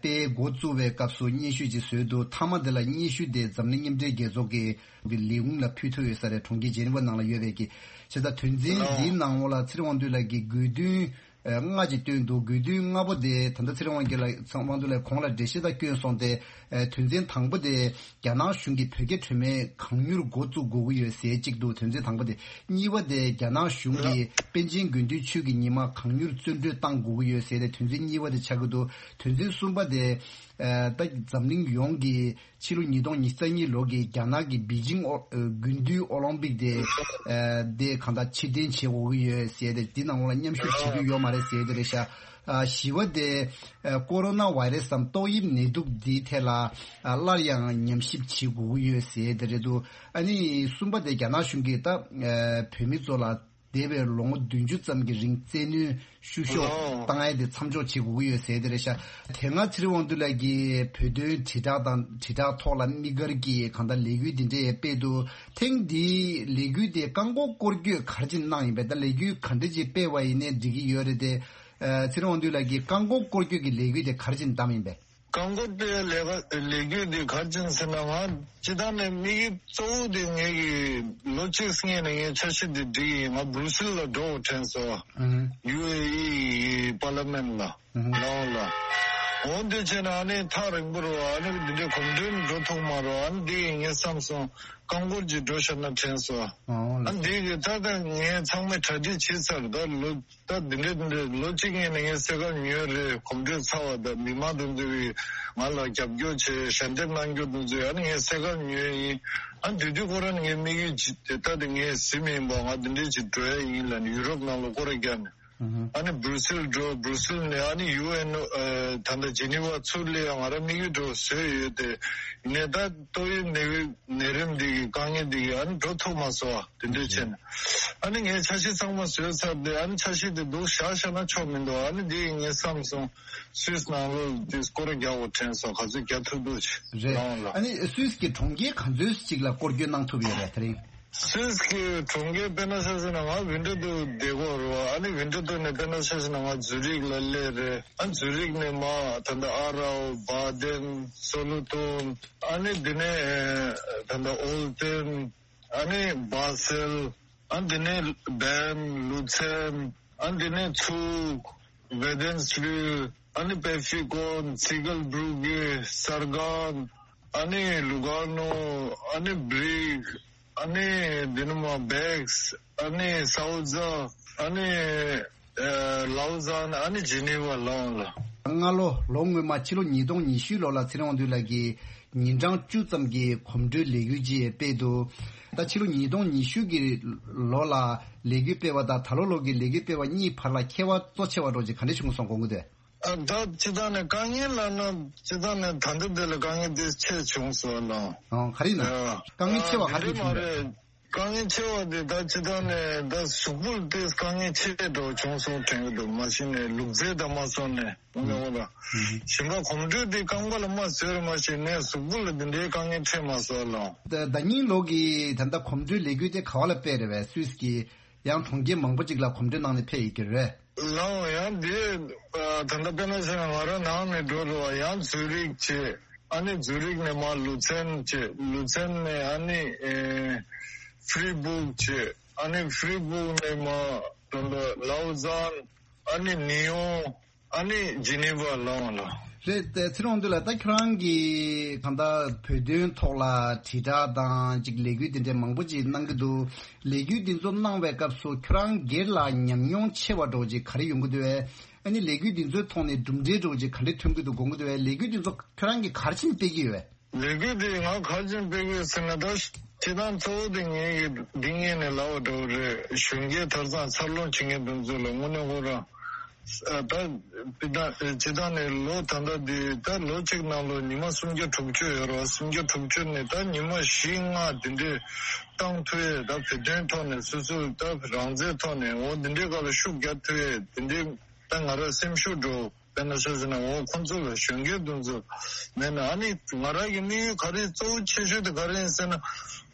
དཔེ་འགོ་བཙུགས་པའི་སྐབས་སུ་སྙན་ཞུ་ཅིག་བཟོས་འདུག་མཐའ་མ་དེ་ལ་སྙན་ཞུ་དེ་འཛམ་གླིང་མཉམ་འབྲེལ་རྒྱལ་ཚོགས་ཀྱི་ལས་ཁུངས་ལ་ཕུལ་ཐུབ་ཡོད་ས་རེད། གྲོང་ཁྱེར་ཇེ་ནི་ཝ་ནང་ལ་ཡོད་པའི་གི། བྱས་ཙང་དོན་ཚན་འདིའི་ནང་ལོགས་ལ་ཚེ་རིང་དབང་འདུས་ལགས་ཀྱིས་དགོས་འདུན་ལྔ་ཅིག་བཏོན་འདུག་དགོས་འདུན་ལྔ་པོ་དེ་ད་ལྟ་ཚེ་རིང་དབང་རྒྱལ་ལགས་ཚེ་རིང་དབང་འདུས་ལགས་གོང་ལ་འགྲེལ་བཤད་ད་བསྐྱོན་སོང་སྟེ། དོན་ཚན་དང་པོ་དེ་རྒྱ་ནག་གཞུང་གིས་བོད་རྒྱ་གྲོས་མོལ་གང་མྱུར་འགོ་བཙུགས་དགོས་ཀྱི་ཡོད་ཟེར་གཅིག་འདུག་དོན་ཚན་དང་པོ་དེ། གཉིས་པ་དེ་རྒྱ་ནག་གཞུང་གིས་པེ་ཅིང་དགུན་དུས་ཆོས་ཀྱི་ཉི་མ་གང་མྱུར་བཙོན་གྲོལ་གཏང་དགོས་ཀྱི་ཡོད་ཟེར་ཏེ་དོན་ཚན་གཉིས་པ་དེ་ཆགས་ཀྱི་འདུག་དོན་ཚན་གསུམ་པ་དེ་ད་འཛམ་གླིང་ཡོངས་ཀྱིས་ཕྱི་ལོ་ཉིས་སྟོང་ཉི་ཤུ་རྩ་གཉིས་ལོ་གི་རྒྱ་ནག་གི་པེ་ཅིང་ཨོ་དགུན་དུས་ཨོ་ལིམ་པིག་དེ་དེ་གང་ལྟར་ཕྱིར་འཐེན་བྱེད་དགོས་ཀྱི་ཡོད་ཟེར་ཏེ་འདི་ནང་ལོགས་ལ་མཉམ་ཞུགས་བྱེད་རྒྱུ་ཡོད་མ་རེད་ཟེར་དེ་རེད་ཤག་བཞི་པ་དེ་ཀོ་རོ་ན་བྷའི་རེ་སི་དང་ཏོག་དབྱིབས་ནད་དུག་འདིའི་ཐད་ལ་སླར་ཡང་ཉམས་ཞིབ་བྱེད་དགོས་ཀྱི་ཡོད་ཟེར་དེ་རེད་འདུག་ཨ་ནི་གསུམ་པ་དེ་རྒྱ་ནག་གཞུང་གིས་ད་བོད་མི་ཚོ་ལ་འདས་པའི་ལོ་ངོ་བདུན་ཅུ་ཙམ་གྱི་རིང་བཙན་གནོན་བཤུ་གཞོག་ཨོ། བཏང་ཡས་དེ་མཚམས་འཇོག་བྱེད་དགོས་ཀྱི་ཡོད་ཟེར་དེ་རེད་ཤག་དེ་སྔ་ཚེ་རིང་དབང་འདུས་ལགས་ཀྱིས་བོད་དོན་དྲིལ་བསྒྲགས་དང་དྲིལ་བསྒྲགས་ཐོག་ལ་དམིགས་བཀར་གྱིས་གང་ལྟར་ལས་འགུལ་འདི་འདྲ་ཡང་སྤེལ་འདུག་དེང་འདིའི་ལས་འགུལ་དེ་རྐང་འཁོར་སྐོར་སྐྱོད་ག་རེ་བྱས་གནང་ཡིན་པས། ད་ལས་འགུལ་ག་འདྲ་ཅིག་སྤེལ་བ་ཡིན་ནའི་འགྲིག་གི་ཡོད་རེད་དེ། ཚེ་རིང་དབང་འདུས་ལགས་ཀྱིས་རྐང་འཁོར་སྐོར་སྐྱོད་ཀྱི་ལས་འགུལ་དེ་ག་རེ་བྱས་བདམས་ཡིན་པས། རྐང་འཁོར་སྤེལ་ལས་ཀ་ལས་འགུལ་འདི་ག་རེ་བྱས་ཟེར་ན། ང་སྤྱིར་བཏང་ནས་དམིགས་ཡུལ་གཙོ་བོ་དེ་ངེད་ཀྱི་ལོ་གཅིག་སྔོན་ནས་ངས་འཆར་གཞི་འདི་སྒྲིག་ཡིན། ང་སྦུ་རུ་སིལ་ལ་འགྲོ་དྲན་སོང་། ཨུ་ཧུ། ཡུ་ཨེ་ཨི་ཡི་པར་ལི་མེན་ལ། ཨུ་ཧུ། ལའོ་ལ། འོ་འདི་བྱས་ན་ཨ་ནི་ཐག་རིང་པོ་རེད་བ། ཨ་ནི་འདི་འདྲའི་གོམ་བགྲོད་འགྲོ་ཐུབ་མ་རེད་བ། ཨ་ནི་འདི་ཡིན་ངས་བསམ་སོང་། རྐང་འཁོར་གྱིས་འགྲོ་བཞག་ན་དྲན་སོང་། ཨོ་ལགས། ཨ་ནི་འདི་གི་ད་ལྟ་ངས་ཚང་མས་གྲ་སྒྲིག་བྱས་ཚར། ད་ལོ་ད་འདི་འདྲའི་འདི་འདྲའི་ལོ་གཅིག་སྔོན་ནས་ངས་སེ་གལ་ཉོས་རེད། གོམ་བགྲོད་ཚར་བ་དང་མི་མང་དེ་ཚོས་ང་ལ་རྒྱབ་སྐྱོར་བྱས། ཞལ་འདེབས་གནང་རྒྱུ་དེ་ཚོས་ཨ་ནི་ངས་སེ་གལ་ཉོས་ཡིན། ཨ་ནི་དེ་དུས་ཁོ་རང་ངའི་དམིགས་ཡུལ་ཅིག་དེ་ད་དེ་ངས་ཟིན་མིན་པ་ང་འདི་འདྲའི་ཅིག་འགྲོ་ཡ་ཡིན་ལབ་ནས་ཡུ་རོབ་ནང་ལ་སྐོར་ར་བརྒྱབ་ནས། ཨ་ནི་སྦུ་རུ་སིལ་འགྲོ། སྦུ་རུ་སིལ་ནས་ཨ་ནི་ཡུ་ཨེན་ཨོ་ད་ལྟ་ཇི་ནི་ཝ་ཚུར་སླེབས་ཡ་ང་རང་དམིགས་ཡུལ་འདྲ་བོ་བཟོས་ཡོད་དེ། ཡིན་ནའི་ད་ཏོག་དབྱིབས་ནད་ནད་རིམས་འདི་གི་དཀའ་ངལ་འདི་གི་ཨ་ནི་འགྲོ་ཐུབ་མ་སོང་བ། དེ་འདྲ་བྱས་ནས་ཨ་ནི་ངས་འཆར་གཞི་ཚང་མ་བཟོས་ཚར་ཏེ། ཨ་ནི་འཆར་གཞི་དེ་འདུག་བཞག་བཞག་ན་ཆོག་མི་འདུག་ཨ་ནི་འདི་ངས་བསམ་སོང་། སུད་སི་ནང་ལོགས་དེ་སྐོར་ར་རྒྱག་དགོས་དྲན་སོང་། ག་ཚོད་རྒྱག་ཐུབ་ཐུབ་བྱས། རེད། ལའོ་ལ། ཨ་ནི་སུད་སི་གི་གྲོང་ཁྱེར་ག་ཚོད་ཅིག་ལ་སྐོར་སྐྱོད་གནང་ཐུབ་ཡོད་རེད་དེ་རིང་། སུད་སི་གི་གྲོང་ཁྱེར་དཔེར་ན་ཆ་བཞག་ན་ང་ཝིན་ཊར་ཏུར་བསྡད་ཀྱི་ཡོད་རེད་བ། ཨ་ནི་ཝིན་ཊར་ཏུར་ནས་དཔེར་ན་ཆ་བཞག་ན་ང་ཛུ་རིག་ལ་སླེབས་རེད། ཨ་ཛུ་རིག་ནས་མར་ད་ལྟ་ཨ་རའོ། བཱ་དེན། སོ་ལུ་ཏུན། ཨ་ནི་དེ་ནས་ད་ལྟ་ཨོལ་ཏེན། ཨ་ནི་བཱ་སེལ། ཨ་དེ་ནས་བེརན། ལུ་ཚན། ཨ་དེ་ནས་ཚུག། ཝེ་དེན་སྦིལ། ཨ་ནི་པེ་ཕི་ཀོ། ཚི་གལ་སྦྲུག་གི་སར་གང་། ཨ་ནི་ལུ་གར་ནོ། ཨ་ནི་སྦྲིག། ཨ་ནི་འདི་ནི་མ་བེགས། ཨ་ནི་སའུ་ཛ། ཨ་ནི་ཨ་ལའུ་ཛན། ཨ་ནི་ཇི་ནི་ཝ་ལོང་ལ། སྔ་ལོ་ལོ་སྔོན་མ་ཕྱི་ལོ་ཉིས་སྟོང་ཉི་ཤུ་ལོ་ལ་ཚེ་རིང་དབང་འདུས་ལགས་ཀྱིས་ཉིན་གྲངས་བཅུ་ཙམ་གྱི་གོམ་བགྲོད་ལས་འགུལ་ཅིག་སྤེལ་འདུག་ད་ཕྱི་ལོ་ཉིས་སྟོང་ཉི་ཤུ་གི་ལོ་ལ་ལས་འགུལ་སྤེལ་བ་དང་ད་ལོ་ལོ་གི་ལས་འགུལ་སྤེལ་བ་གཉིས་བར་ལ་ཁྱད་པར་གཙོ་ཆེ་བ་འདྲ་ཅིག་ག་འདྲ་བྱུང་སོང་དགོངས་ཀྱི་འདུག་ཨ་ད་སྤྱི་བཏང་ནས་དཀའ་ངལ་ལབ་ན་སྤྱི་བཏང་ནས་ད་ལྟ་འདི་ལ་དཀའ་ངལ་འདི་ཆེ་བྱུང་སོང་ལ། ཨོ་ག་རེ་ཡིན་ན། ཨ་དཀའ་ངལ་ཆེ་བ་ག་རེ་འདི་བྱུང་མ་རེད། རེད། དཀའ་ངལ་ཆེ་བ་འདི་ད་སྤྱི་བཏང་ནས་ད་གཟུགས་པོ་ལ་དེ་དཀའ་ངལ་ཆེ་འགྲོ་བྱུང་སོང་དྲན་གྱི་འདུག་མ་གཞི་ནས་ལུགས་རྫས་དང་མ་སོང་ནས་ངོ་ལ་ཞིང་ཁ་གོམ་བགྲོད་འདི་རྐང་པ་ལ་མ་བཟོས་ར་མ་ཞིག་ནས་གཟུགས་པོ་ལ་འདི་འདྲའི་དཀའ་ངལ་འཕྲད་མ་སོང་ལ། ད་ད་ཉིན་ལོ་གི་ད་ལྟ་གོམ་བགྲོད་ལས་འགུལ་དེ་ག་བ་ལ་སྤེལ་རེད་བས། སུད་སི་གི་ཡང་གྲོང་ཁྱེར་མང་པོ་ཅིག་ལ་གོམ་བགྲོད་གནང་ནས་ཕེབས་ཡོད་ཀྱི་རེད། ལའོ་ཡང་འདི་ད་ལྟ་དཔེར་ན་ཆ་ང་རང་ནང་ནས་འགྲོ་རུ་བ་ཡང་ཛུ་རིག་བྱས། ཨ་ནི་ཛུ་རིག་ནས་མར་ལུ་ཚན་བྱས། ལུ་ཚན་ནས་ཨ་ནི་ཨེ་ཧྥི་རི་སྦུག་བྱས། ཨ་ནི་ཧྥི་རི་སྦུག་ནས་མར་ད་ལྟ་ལའོ་ཛན། ཨ་ནི་ནི་ཡོང་། ཨ་ནི་ཇི་ནི་ཝ་ལའོ་ལ། རེད་དེ་ཚེ་རིང་དབང་འདུས་ལགས། ད་ཁྱོད་རང་གིས་གང་ལྟར་བོད་དོན་ཐོག་ལ་དྲིལ་བསྒྲགས་དང་ཅིག་ལས་འགུལ་དེ་འདྲའི་མང་པོ་ཅིག་གནང་གི་འདུག་ལས་འགུལ་འདི་ཚོ་གནང་བའི་སྐབས་སུ་ཁྱོད་རང་སྒེར་ལ་ཉམས་མྱོང་ཆེ་བ་འདྲ་ཅིག་ག་རེ་ཡོང་གི་འདུག་བས། ཨ་ནི་ལས་འགུལ་འདི་ཚོའི་ཐོག་ནས་གྲུབ་འབྲས་འདྲ་ཅིག་ག་འདྲ་ཐོན་གྱི་འདུག་དགོངས་ཀྱི་འདུག་བས། ལས་འགུལ་འདི་ཚོ་ཁྱོད་རང་གིས་ག་རེ་བྱས་ནས་སྤེལ་གྱི་ཡོད་བས། ལས་འགུལ་འདི་ང་ག་རེ་བྱས་ནས་སྤེལ་གྱི་ཡོད་ཟེར་ན། ད་སྤྱིར་བཏང་གཙོ་བོ་དེ་ངེད་ཀྱི་འདི་ངེད་ནས་ལབ་པ་འདྲ་བོ་རེད། གཞོན་སྐྱེས་དེང་སང་འཚར་ལོངས་བྱེད་མཁན་དེ་ཚོ་ལ་དངོས་གནས་ཁོ་རང་ད་སྤྱིར་བཏང་ནས་ལོ་ད་ལྟ་འདི་ད་ལོ་གཅིག་ནང་ལོ་ཉི་མ་སུམ་བརྒྱ་དྲུག་ཅུ་ཡོད་རེད་བ། སུམ་བརྒྱ་དྲུག་ཅུ་ནས་ད་ཉི་མ་བཞི་ལྔ་དེ་འདྲས་བཏང་ཐུབ་ཡས། ད་བོད་དོན་ཐོག་ནས་སོ་སོ་ད་རང་བཙན་ཐོག་ནས་འོ་དེ་འདྲས་སྒང་ལ་ཤུགས་རྒྱག་ཐུབ་ཡས་དེ་འདྲས་ད་ང་རང་སེམས་ཤུགས་འདྲ་བོ། དཔེར་ན་ཆ་བཞག་ན་འོ་ཁོང་ཚོ་ལ་གཞོན་སྐྱེས་དེ་ཚོ་མེད་ན། ཨ་ནི་ང་རང་གི་དམིགས་ཡུལ་ག་རེ་གཙོ་བོ་ཆེ་ཤོས་དེ་ག་རེ་ཡིན་ཟེར་ན།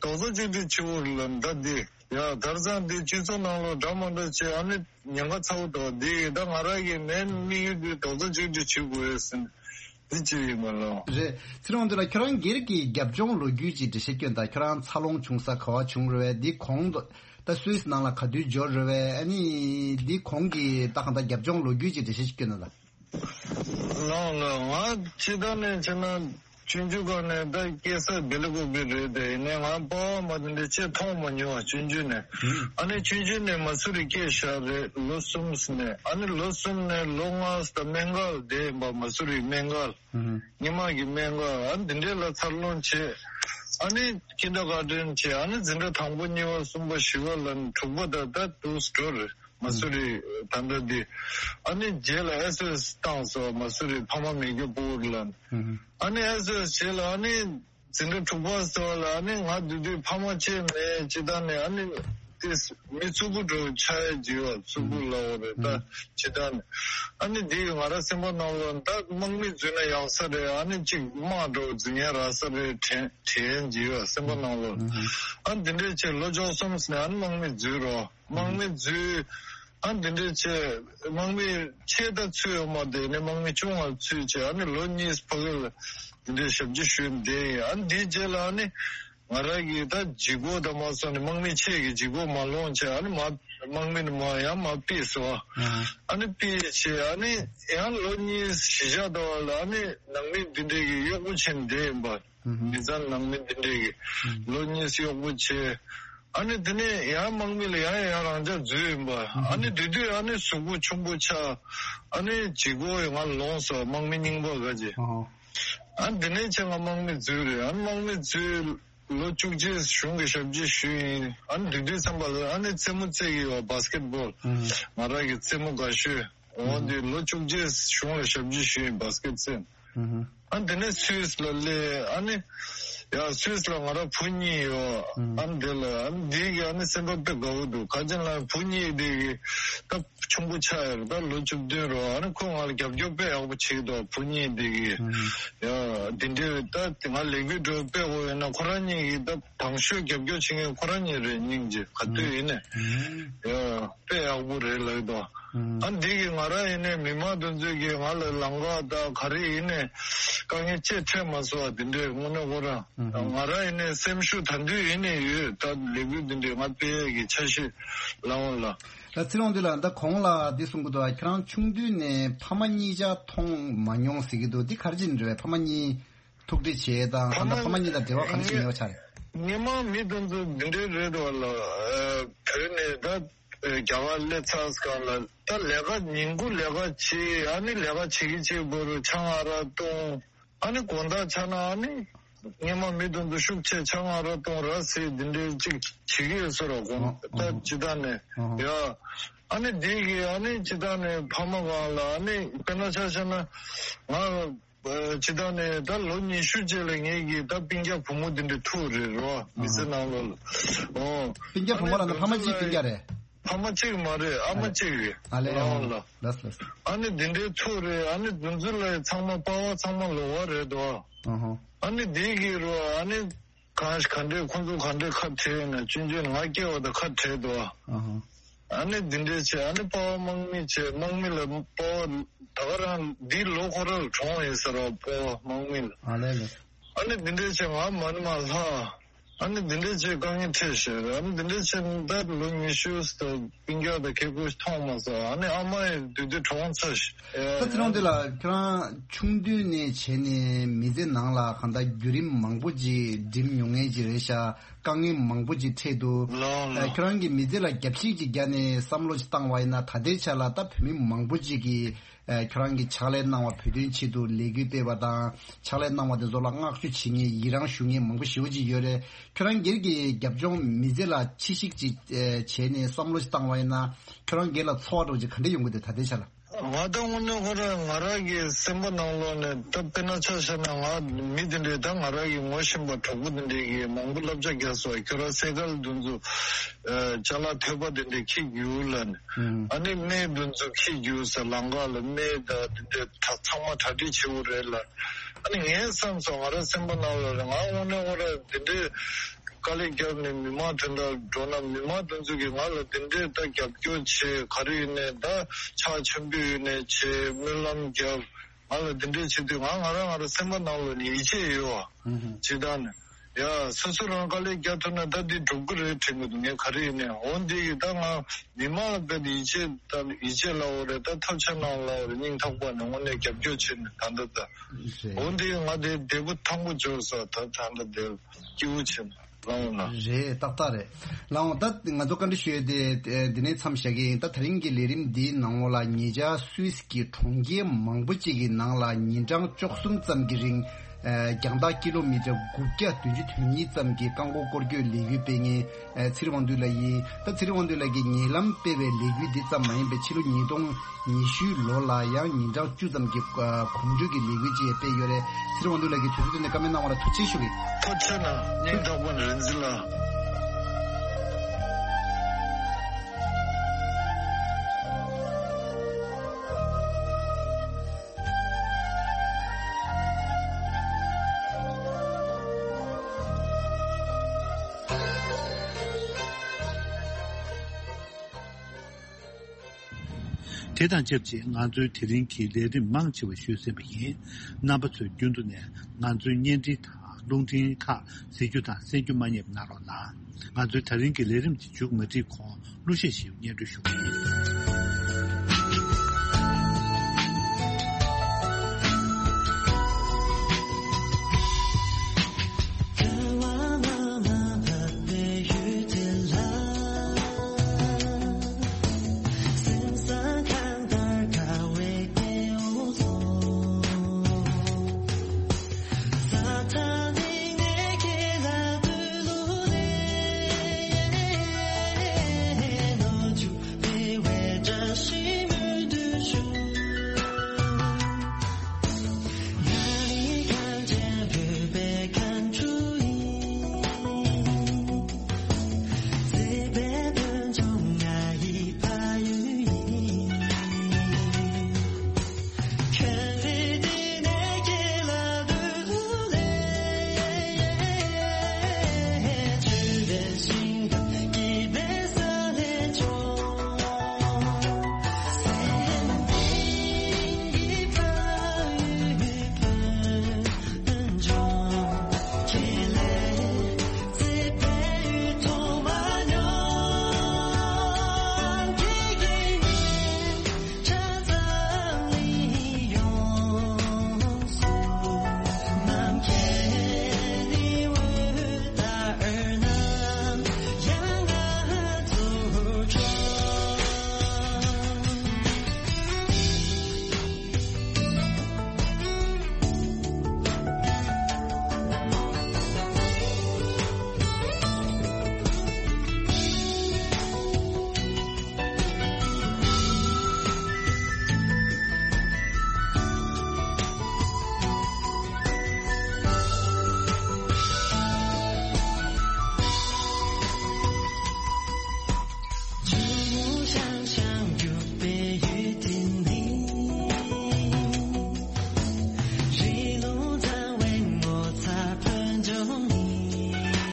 རྡོག་རྩ་གཅིག་སྒྲིལ་བྱེད་དགོས་རེད་ལ། ད་འདི་ཡ་དེང་སང་འདི་སྤྱི་ཚོགས་ནང་ལོགས་འདྲ་མ་འདྲ་བྱས་ཨ་ནི་ཉེན་ཁ་ཚ་བོ་འདུག་འདི་ད་ང་རང་གི་མེན་དམིགས་ཡུལ་འདི་རྡོག་རྩ་གཅིག་སྒྲིལ་བྱེད་དགོས་ཡོད་ཟེར་ན་འདི་གཅིག་ཡིན་པ་ལ། རེད། ཚེ་རིང་དབང་འདུས་ལགས། ཁྱོད་རང་སྒེར་གྱི་རྒྱབ་ལྗོངས་ལོ་རྒྱུས་ཀྱི་འགྲེལ་བཤད་སྐྱོན་དང་། ཁྱོད་རང་འཚར་ལོངས་བྱུང་ས་ག་བ་བྱུང་རེད་བས། འདི་གོང་དུ་ད་སུད་སི་ནང་ལ་ག་དུས་འབྱོར་རེད་བས། ཨ་ནི་འདི་གོང་གི་ད་གང་ལྟར་རྒྱབ་ལྗོངས་ལོ་རྒྱུས་ཀྱི་འགྲེལ་བཤད་སྐྱོན་དང་། ལགས་ལགས། ང་སྤྱིར་བཏང་ནས་བྱས་ན་ཆུང་ཆུང་སྒང་ནས་ད་སྐྱེས་ས་སྦེལ་ཀོབ་རེད་དེ། ཡིན་ནའི་ང་པ་ཕ་མ་དེ་འདྲ་ཅིག་མཐོང་མ་མྱོང་བ་ཆུང་ཆུང་ནས། ཨ་ནི་ཆུང་ཆུང་ནས་མ་སུ་རི་སྐྱེས་བཞག་རེད། ལོ་གསུམ་ནས། ཨ་ནི་ལོ་གསུམ་ནས་ལོ་ལྔ་ད་སྨན་ཁང་ལ་བསྡད་ཡིན་པ། མ་སུ་རི་སྨན་ཁང་ལ། སྔོན་མ་གི་སྨན་ཁང་ཨ་ནི་འདི་འདྲས་ལ་འཚར་ལོངས་བྱས། ཨ་ནི་ཁིན་ཌར་གྷར་ཌེན་བྱས། ཨ་ནི་འཛིན་གྲྭ་དང་པོ་གཉིས་པ་གསུམ་པ་བཞི་པ་ལ་ནི་དྲུག་པ་ད་ད་དུ་འགྲོ་རེད། མ་སུ་རི་ད་ལྟ་འདི། ཨ་ནི་རྗེས་ལ་ཨེས་ཨོ་ཨེས་བཏང་སོང་། མ་སུ་རི་ཕ་མ་མེད་རྒྱུ་ཕྲུ་གུ་ལ། ཨ་ནི་ཨེས་ཨོ་ཨེས་རྗེས་ལ་ཨ་ནི་འཛིན་གྲྭ་དྲུག་པ་ཟེར་བ་ལ་ཨ་ནི་ང་དེ་དུས་ཕ་མ་གཅིག་མེད་ཅི་ད་ནས། ཨ་ནི་དེ་མི་རྩུབ་པོ་འདྲ་བོ་ཆགས་ཡ་ཅིག་ཡོད། རྩུབ་པོ་ལབ་དགོས་རེད་ད། ཅི་ད་ནས་ཨ་ནི་དེ་ང་རང་སེམས་པ་ནང་ལ་ད་དམག་མི་འཛུལ་ན་ཡག་ས་རེད། ཨ་ནི་གཅིག་དམག་འདྲ་བོ་འཛུལ་མཁན་རག་ས་རེད་དྲན་དྲན་ཅིག་ཡོད་སེམས་པ་ནང་ལ། ཨ་ནི་དེ་འདྲས་བྱས་ལོ་བཅུ་གསུམ་ནས་ཨ་ནི་དམག་མི་འཛུལ་རོགས། དམག་མི་འཛུལ། ཨ་འདི་འདྲས་བྱས་དམག་མི་ཆེ་ད་ཚུད་ཡོད་མ་རེད། ནས་དམག་མི་ཆུང་བ་ཚུད་བྱས་ཨ་ནི་ལོ་གཉིས་ཕ་གི་ལ་འདི་འདྲས་ཞབས་ཕྱི་ཞུས་བསྡད་ཡིན། ཨ་འདིའི་རྗེས་ལ་ཨ་ནི་ང་རང་གིས་ད་ལྗིད་ཁོག་དང་མ་སོང་ནས་དམག་མི་ཆེ་གི་ལྗིད་ཁོག་མ་ལོངས་བྱས་ཨ་ནི་མ་དམག་མི་ནི་མ་ཡང་མ་ཕུད་སོང་། ཨ་ནི་ཕུད་བྱས་ཨ་ནི་ཡང་ལོ་གཉིས་གཞིས་ཆགས་དང་བ་ལ་ཨ་ནི་ནང་མི་འདི་འདྲས་ཀྱི་གཡོག་པོ་བྱས་ནས་བསྡད་ཡིན་པ། མི་ཚང་ནང་མི་འདི་འདྲས་ཀྱི་ལོ་གཉིས་གཡོག་པོ་བྱས། ཨ་ནི་དེ་ནས་ཡང་དམག་མི་ལ་ཡང་ཡང་རང་འཇགས་འཛུལ་ཡིན་པ། ཨ་ནི་དེ་དུས་ཨ་ནི་གཟུགས་པོ་ཆུང་པོ་ཆགས། ཨ་ནི་ལྗིད་ཁོག་ཡང་ང་ལོངས་སོ་དམག་མི་རྙིང་པ་ག་ཅེ། ཨ་ནི་དེ་ནས་ཆེ་ང་དམག་མི་འཛུལ་རེད། ཨ་ནི་དམག་མི་འཛུལ་ལོ་བཅུ་གཅིག་གཞུང་གི་ཞབས་ཕྱི་ཞུས་ཡིན། ཨ་ནི་དེ་དུས་ཙམ་པ་ལ་ཨ་ནི་རྩེད་མོ་རྩེ་གི་ཡོད་བ་སི་ཀེ་ཊི་བོལ། ང་རང་གི་རྩེད་མོ་དགའ་ཤོས། འོ་འདི་ལོ་བཅུ་གཅིག་གཞུང་ལ་ཞབས་ཕྱི་ཞུས་ཡིན་བ་སི་ཀེ་ཊི་རྩེད། ཨ་འདི་ནས་སུད་སི་ལ་སླེབས། ཨ་ནི་ཡ་སུད་སི་ལ་ང་རང་བུ་གཉིས་ཡོད། ཨ་ནི་དེ་ལ་ཨ་ནི་འདི་གི་ཨ་ནི་སེམས་པ་དཔེ་དགའ་བོ་འདུག་ག་ཅི་ལ་བུ་གཉིས་འདི་གི་ད་ཆུང་པོ་ཆགས་ཡོད་རེད། ད་ལོ་བཅུ་བདུན་རེད། ཨ་ནི་ཁོ་ང་ལ་རྒྱབ་སྐྱོར་དཔེ་ཡག་པོ་བྱེད་ཀྱི་འདུག་བུ་གཉིས་འདི་གི་ཡ་འདི་འདྲའི་ད་ང་ལས་འགུལ་འགྲོ་དཔེ་འོ་ཡོད་ན་ཁོ་རང་གཉིས་ཀྱི་ད་དང་ཤོས་རྒྱབ་སྐྱོར་བྱེད་མཁན་ཁོ་རང་གཉིས་རེད། སྙིང་རྗེ་ག་དུས་ཡིན་ནས་ཡ། དཔེ་ཡག་པོ་རེད་ལབ་འདུག་ཨ་འདི་གི་ང་རང་ཡིན་ནའི་མི་མང་དེ་ཚོས་ཀྱི་ང་ལ་ལམ་ཁ་དང་ག་རེ་ཡིན་ནའི་དཀའ་ངལ་ཅིག་འཕྲད་མ་སོང་བ་དེ་འདྲས་དངོས་གནས་ཁོ་རང་ང་རང་ཡིན་ནའི་སེམས་ཤུགས་ད་དུང་ཡིན་ནའི་ཡོད། ད་ལས་འགུལ་དེ་འདྲས་ང་སྤེལ་ཡས་ཀྱི་འཆར་གཞི་ལམ་ལ། ད་ཚེ་རིང་དབང་འདུས་ལགས། ད་གོང་ལ་འདི་གསུང་གི་འདུག་ཁྱེད་རང་ཆུང་དུས་ནས་ཕ་མ་གཉིས་ཆ་མཐོང་མ་མྱོང་ཟེར་གྱི་འདུག་འདི་ག་རེ་བྱས་ནས་རེད་བས། ཕ་མ་གཉིས་ཐུག་འཕྲད་བྱས་དང་ཕ་མ་ད་ལྟ་ཕ་མ་གཉིས་དང་འབྲེལ་བ་ག་འདྲ་ཞིག་ཡོད་ཆགས་རེད། སྔོན་མ་མི་དེ་ཚོ་འདི་འདྲའི་རེད་འདུག་ལ། བོད་ནས་ད་རྒྱ་གར་སླེབས་ཚར་སྒང་ལ་ད་ལས་ཀ་ཉིན་གུང་ལས་ཀ་བྱེད། ཨ་ནི་ལས་ཀ་བྱེད་ཀྱི་བྱེད་པོ་རུ་ཆང་ཨ་རག་བཏུང་། ཨ་ནི་དགོང་དག་ཆགས་ན་ཨ་ནི་སྔོན་མ་མི་དེ་ཚོ་ཤུགས་ཆེ་ཆང་ཨ་རག་བཏུང་ར་ཟེར་འདི་འདྲའི་ཅིག་བྱེད་ཀྱི་ཡོད་ས་ར། དགོང་ད་སྤྱི་བཏང་ནས་ཡ་ཨ་ནི་འདི་གི་ཨ་ནི་སྤྱི་བཏང་ནས་ཕ་མ་གང་ལ་ཨ་ནི་དཔེར་ན་ཆ་བཞག་ན་ང་། སྤྱི་བཏང་ནས་ད་ལོ་ཉི་ཤུ་རྗེས་ལ་ངེད་ཀྱི་ད་སྤུན་ཀྱག་བུ་མོ་འདི་འདྲ་ཐུག་རེད་རོ། མི་ཚེ་ནང་ལོགས་ལ། ཨོ། སྤུན་ཀྱག་བུ་མོ་ལ་ན་ཕ་མ་གཅིག་སྤུན་ཀྱག་རེད། ཕ་མ་གཅིག་མ་རེད། ཨ་མ་གཅིག་རེད། ཨ་ལས། ལའོ་ལ། ལགས་ལགས། ཨ་ནི་འདི་འདྲའི་ཐུག་རེད། ཨ་ནི་འདི་ཚོ་ལ་ཚང་མ་པ་ཕ་ཚང་མ་ལོ་བ་རེད་དོ། ཨ་ཧོ། ཨ་ནི་འདི་གི་རོ་ཨ་ནི། གང་ག་འདྲས་ཁོང་ཚོ་ག་འདྲས་ཁ་བྲལ་ན་ཆུང་ཆུང་ང་སྐྱེ་བ་དང་ཁ་བྲལ་འདུག་ཨ་ཧ། ཨ་ནི་འདི་འདྲས་བྱས་ཨ་ནི་པ་ཕ་དམག་མི་བྱས། དམག་མི་ལ་པ་ཕ་ད་ག་རང་འདི་ལོ་ཁོ་ར་ལ་གྲོངས་ཡིན་ཟེར་བ་པ་ཕ་དམག་མི་ལ། ཨ་ལས་ལས། ཨ་ནི་འདི་འདྲས་བྱས་ང་མ་ཎི་མ་ལྷག་ཨ་ནི་འདི་འདྲས་བྱས་དཀའ་ངལ་འཕྲད་ཤག་ཨ་ནི་འདི་འདྲས་བྱས་ད་ལོ་ཉི་ཤུ་ད་སྤུན་ཀྱག་དང་ཁེ་ཁོ་མཐོང་མ་སོང་། ཨ་ནི་ཨ་མ་ཡི་དུས་དུས་གྲོངས་ཚར་ཤག་ད་ཚེ་རིང་འདི་ལ་ཁྱེད་རང་ཆུང་དུས་ནས་བྱས་ནས་མི་ཚེ་ནང་ལ་གང་ལྟར་བརྒྱུད་རིམ་མང་པོ་ཅིག་འགྲིམ་མྱོང་མཁན་ཅིག་རེད་ཤག་དཀའ་ངལ་མང་པོ་ཅིག་འཕྲད་འདུག་ལགས་ལགས། ཁྱེད་རང་གི་མི་ཚེ་ལ་རྒྱབ་བཤིག་ཅིག་བརྒྱབ་ནས་བསམ་བློ་ཅིག་བཏང་བ་ཡིན་ན་ད་ལྟའི་ཆ་ལ་ད་བོད་མི་མང་པོ་ཅིག་གིས་ཁྱེད་རང་གིས་ཕྱག་ལས་གནང་བ། བོད་དོན་ཆེད་དུ་ལས་འགུལ་སྤེལ་བ་དང་ཕྱག་ལས་གནང་བ་དེ་ཚོ་ལ་བསྔགས་བརྗོད་བྱེད་མཁན་ཡི་རང་ཞུ་མཁན་མང་པོ་ཞེ་པོ་ཅིག་ཡོད་རེད། ཁྱོད་རང་སྒེར་གྱི་རྒྱབ་ལྗོངས་མི་ཚེ་ལ་ཕྱི་བཤིག་ཅིག་ཨེ་བྱས་ནས་བསམ་བློ་ཞིག་བཏང་བ་ཡིན་ན་ཁྱོད་རང་སྒེར་ལ་ཚོར་བ་འདྲ་བོ་ཅིག་ག་འདྲ་ཡོང་གི་འདུག་ད་ལྟའི་ཆ་ལ། ང་ད་དངོས་གནས་ཁོ་རང་ང་རང་གི་སེམས་པ་ནང་ལོགས་ནས་ད་དཔེར་ན་ཆ་བཞག་ན་ང་མི་དེ་འདྲས་ད་ང་རང་གི་ངོ་ཤེས་པ་གྲོགས་པོ་དེ་འདྲས་ཀྱིས་མང་པོ་བསླབ་བྱ་བརྒྱབ་སོང་། ཁྱོད་རང་སེ་གལ་དེ་ཚོ་ཨེ་ཅ་ལག་ཐོས་པ་དེ་འདྲས་འཁྱེར་རྒྱུགས་ལབ་ནས། ཨ་ནི་སྨན་དེ་ཚོ་འཁྱེར་རྒྱུགས་ཟེར། ལམ་ཁ་ལ་སྨན་ད་དེ་འདྲས་ད་ཚང་མ་གྲ་སྒྲིག་བྱེད་དགོས་རེད་ལབ། ཨ་ནི་ངས་བསམ་སོང་། ང་རང་སེམས་པ་ནང་ལ་རེད། ང་དངོས་གནས་ཁོ་རང་དེ་འདྲས་དཀའ་ལས་བརྒྱབ་ནས་མི་མང་དོན་དག་འགྲོ་ན་མི་མང་དེ་ཚོ་གིས་ང་ལ་དེ་འདྲས་ད་རྒྱབ་སྐྱོར་བྱེད། ག་རེ་ཡིན་ནའི་ད་ཕྱག་ཆེན་པོ་ཡིན་ནའི་བྱེད། སྨོན་ལམ་རྒྱབ། ང་ལ་དེ་འདྲས་བྱེད་དུས་ང་ང་རང་ང་རང་སེམས་པ་ནང་ལ་ནི་ཡིད་ཆེས་ཡོད་བ། ཇི་ལྟར་ནས་ཡ་སོ་སོ་རང་དཀའ་ལས་རྒྱག་ཐུབ་ན་ད་འདི་འགྲུབ་ཀྱི་རེད་དྲན་གྱི་འདུག་ངས་ག་རེ་ཡིན་ནའི་འོ་འདི་ཡིས་ད་ང་མི་མང་ལ་དཔེ་ཡིད་ཆེས་ད་ཡིད་ཆེས་ལབ་དགོས་རེད། ད་ཐབས་ཆག་གནང་ལབ་དགོས་རེད། སྙིང་ཐག་པ་ནས་དངོས་གནས་རྒྱབ་སྐྱོར་བྱས་ནས་ད་ལྟ་ད། རེད། འོ་འདི་ང་དེ་བདེ་པོ་ཐང་པོ་འབྱོར་ས་ད་ད་ལྟ་དེ་སྐྱིད་པོ་བྱས་ནས་ལངས་ཡོང་ན། རེད། ཏག་ཏག་རེད། ལགས་འོང་། ད་ང་ཚོ་བཀའ་འདྲི་ཞུ་ཡས་དེ་དེ་ནས་མཚམས་བཞག་གི་ཡིན། ད་དེ་རིང་གི་ལས་རིམ་འདིའི་ནང་ལོགས་ལ་ཉེ་ཆར་སུད་སི་གི་གྲོང་ཁྱེར་མང་པོ་ཅིག་གི་ནང་ལ་ཉིན་གྲངས་བཅུ་གསུམ་ཙམ་གྱི་རིང་། ཨ་རྒྱང་ཐག་ཀི་ལོ་མི་ཊར་དགུ་བརྒྱ་བདུན་ཅུ་དོན་གཉིས་ཙམ་གྱི་རྐང་འཁོར་སྐོར་སྐྱོད་ལས་འགུལ་སྤེལ་མཁན་ཨ་ཚེ་རིང་དབང་འདུས་ལགས་ཡིན། ད་ཚེ་རིང་དབང་འདུས་ལགས་ཀྱིས་ཉེ་ལམ་སྤེལ་བའི་ལས་འགུལ་འདི་ཙམ་མ་ཡིན་པའི་ཕྱི་ལོ་ཉིས་སྟོང་ཉི་ཤུའི་ལོ་ལ་ཡང་ཉིན་གྲངས་བཅུ་ཙམ་གྱི་ཨ་གོམ་བགྲོད་ཀྱི་ལས་འགུལ་ཅིག་ཡང་སྤེལ་ཡོད་རེད། ཚེ་རིང་དབང་འདུས་ལགས་ཀྱིས་དུས་ཚོད་འདི་ནས་བཀའ་མོལ་གནང་བ་ལ་ཐུགས་རྗེ་ཆེ་ཞུ་གི། ཐུགས་རྗེ་གནང་། སྙིང་ཐག་པ་ནས་རིན་འཛིན་ལགས། དེ་དང་ཆབས་ཅིག་ང་ཚོའི་དེ་རིང་གི་ལས་རིམ་མང་ཆེ་བ་ཞུས་ཟིན་པ་ཡིན། རྣམ་པ་ཚོས་རྒྱུན་དུ་ནས་ང་ཚོའི་བརྙན་འཕྲིན་དང་རླུང་འཕྲིན་ཁག་གཟིགས་རྒྱུ་དང་གསན་རྒྱུ་མ་བསྙེལ་བ་གནང་རོགས་གནང་། ང་ཚོའི་དེ་རིང་གི་ལས་རིམ་འདི་མཇུག་མ་སྒྲིལ་གོང་གླུ་གཞས་ཤིག་སྙན་སྒྲོན་ཞུ་གི་ཡིན།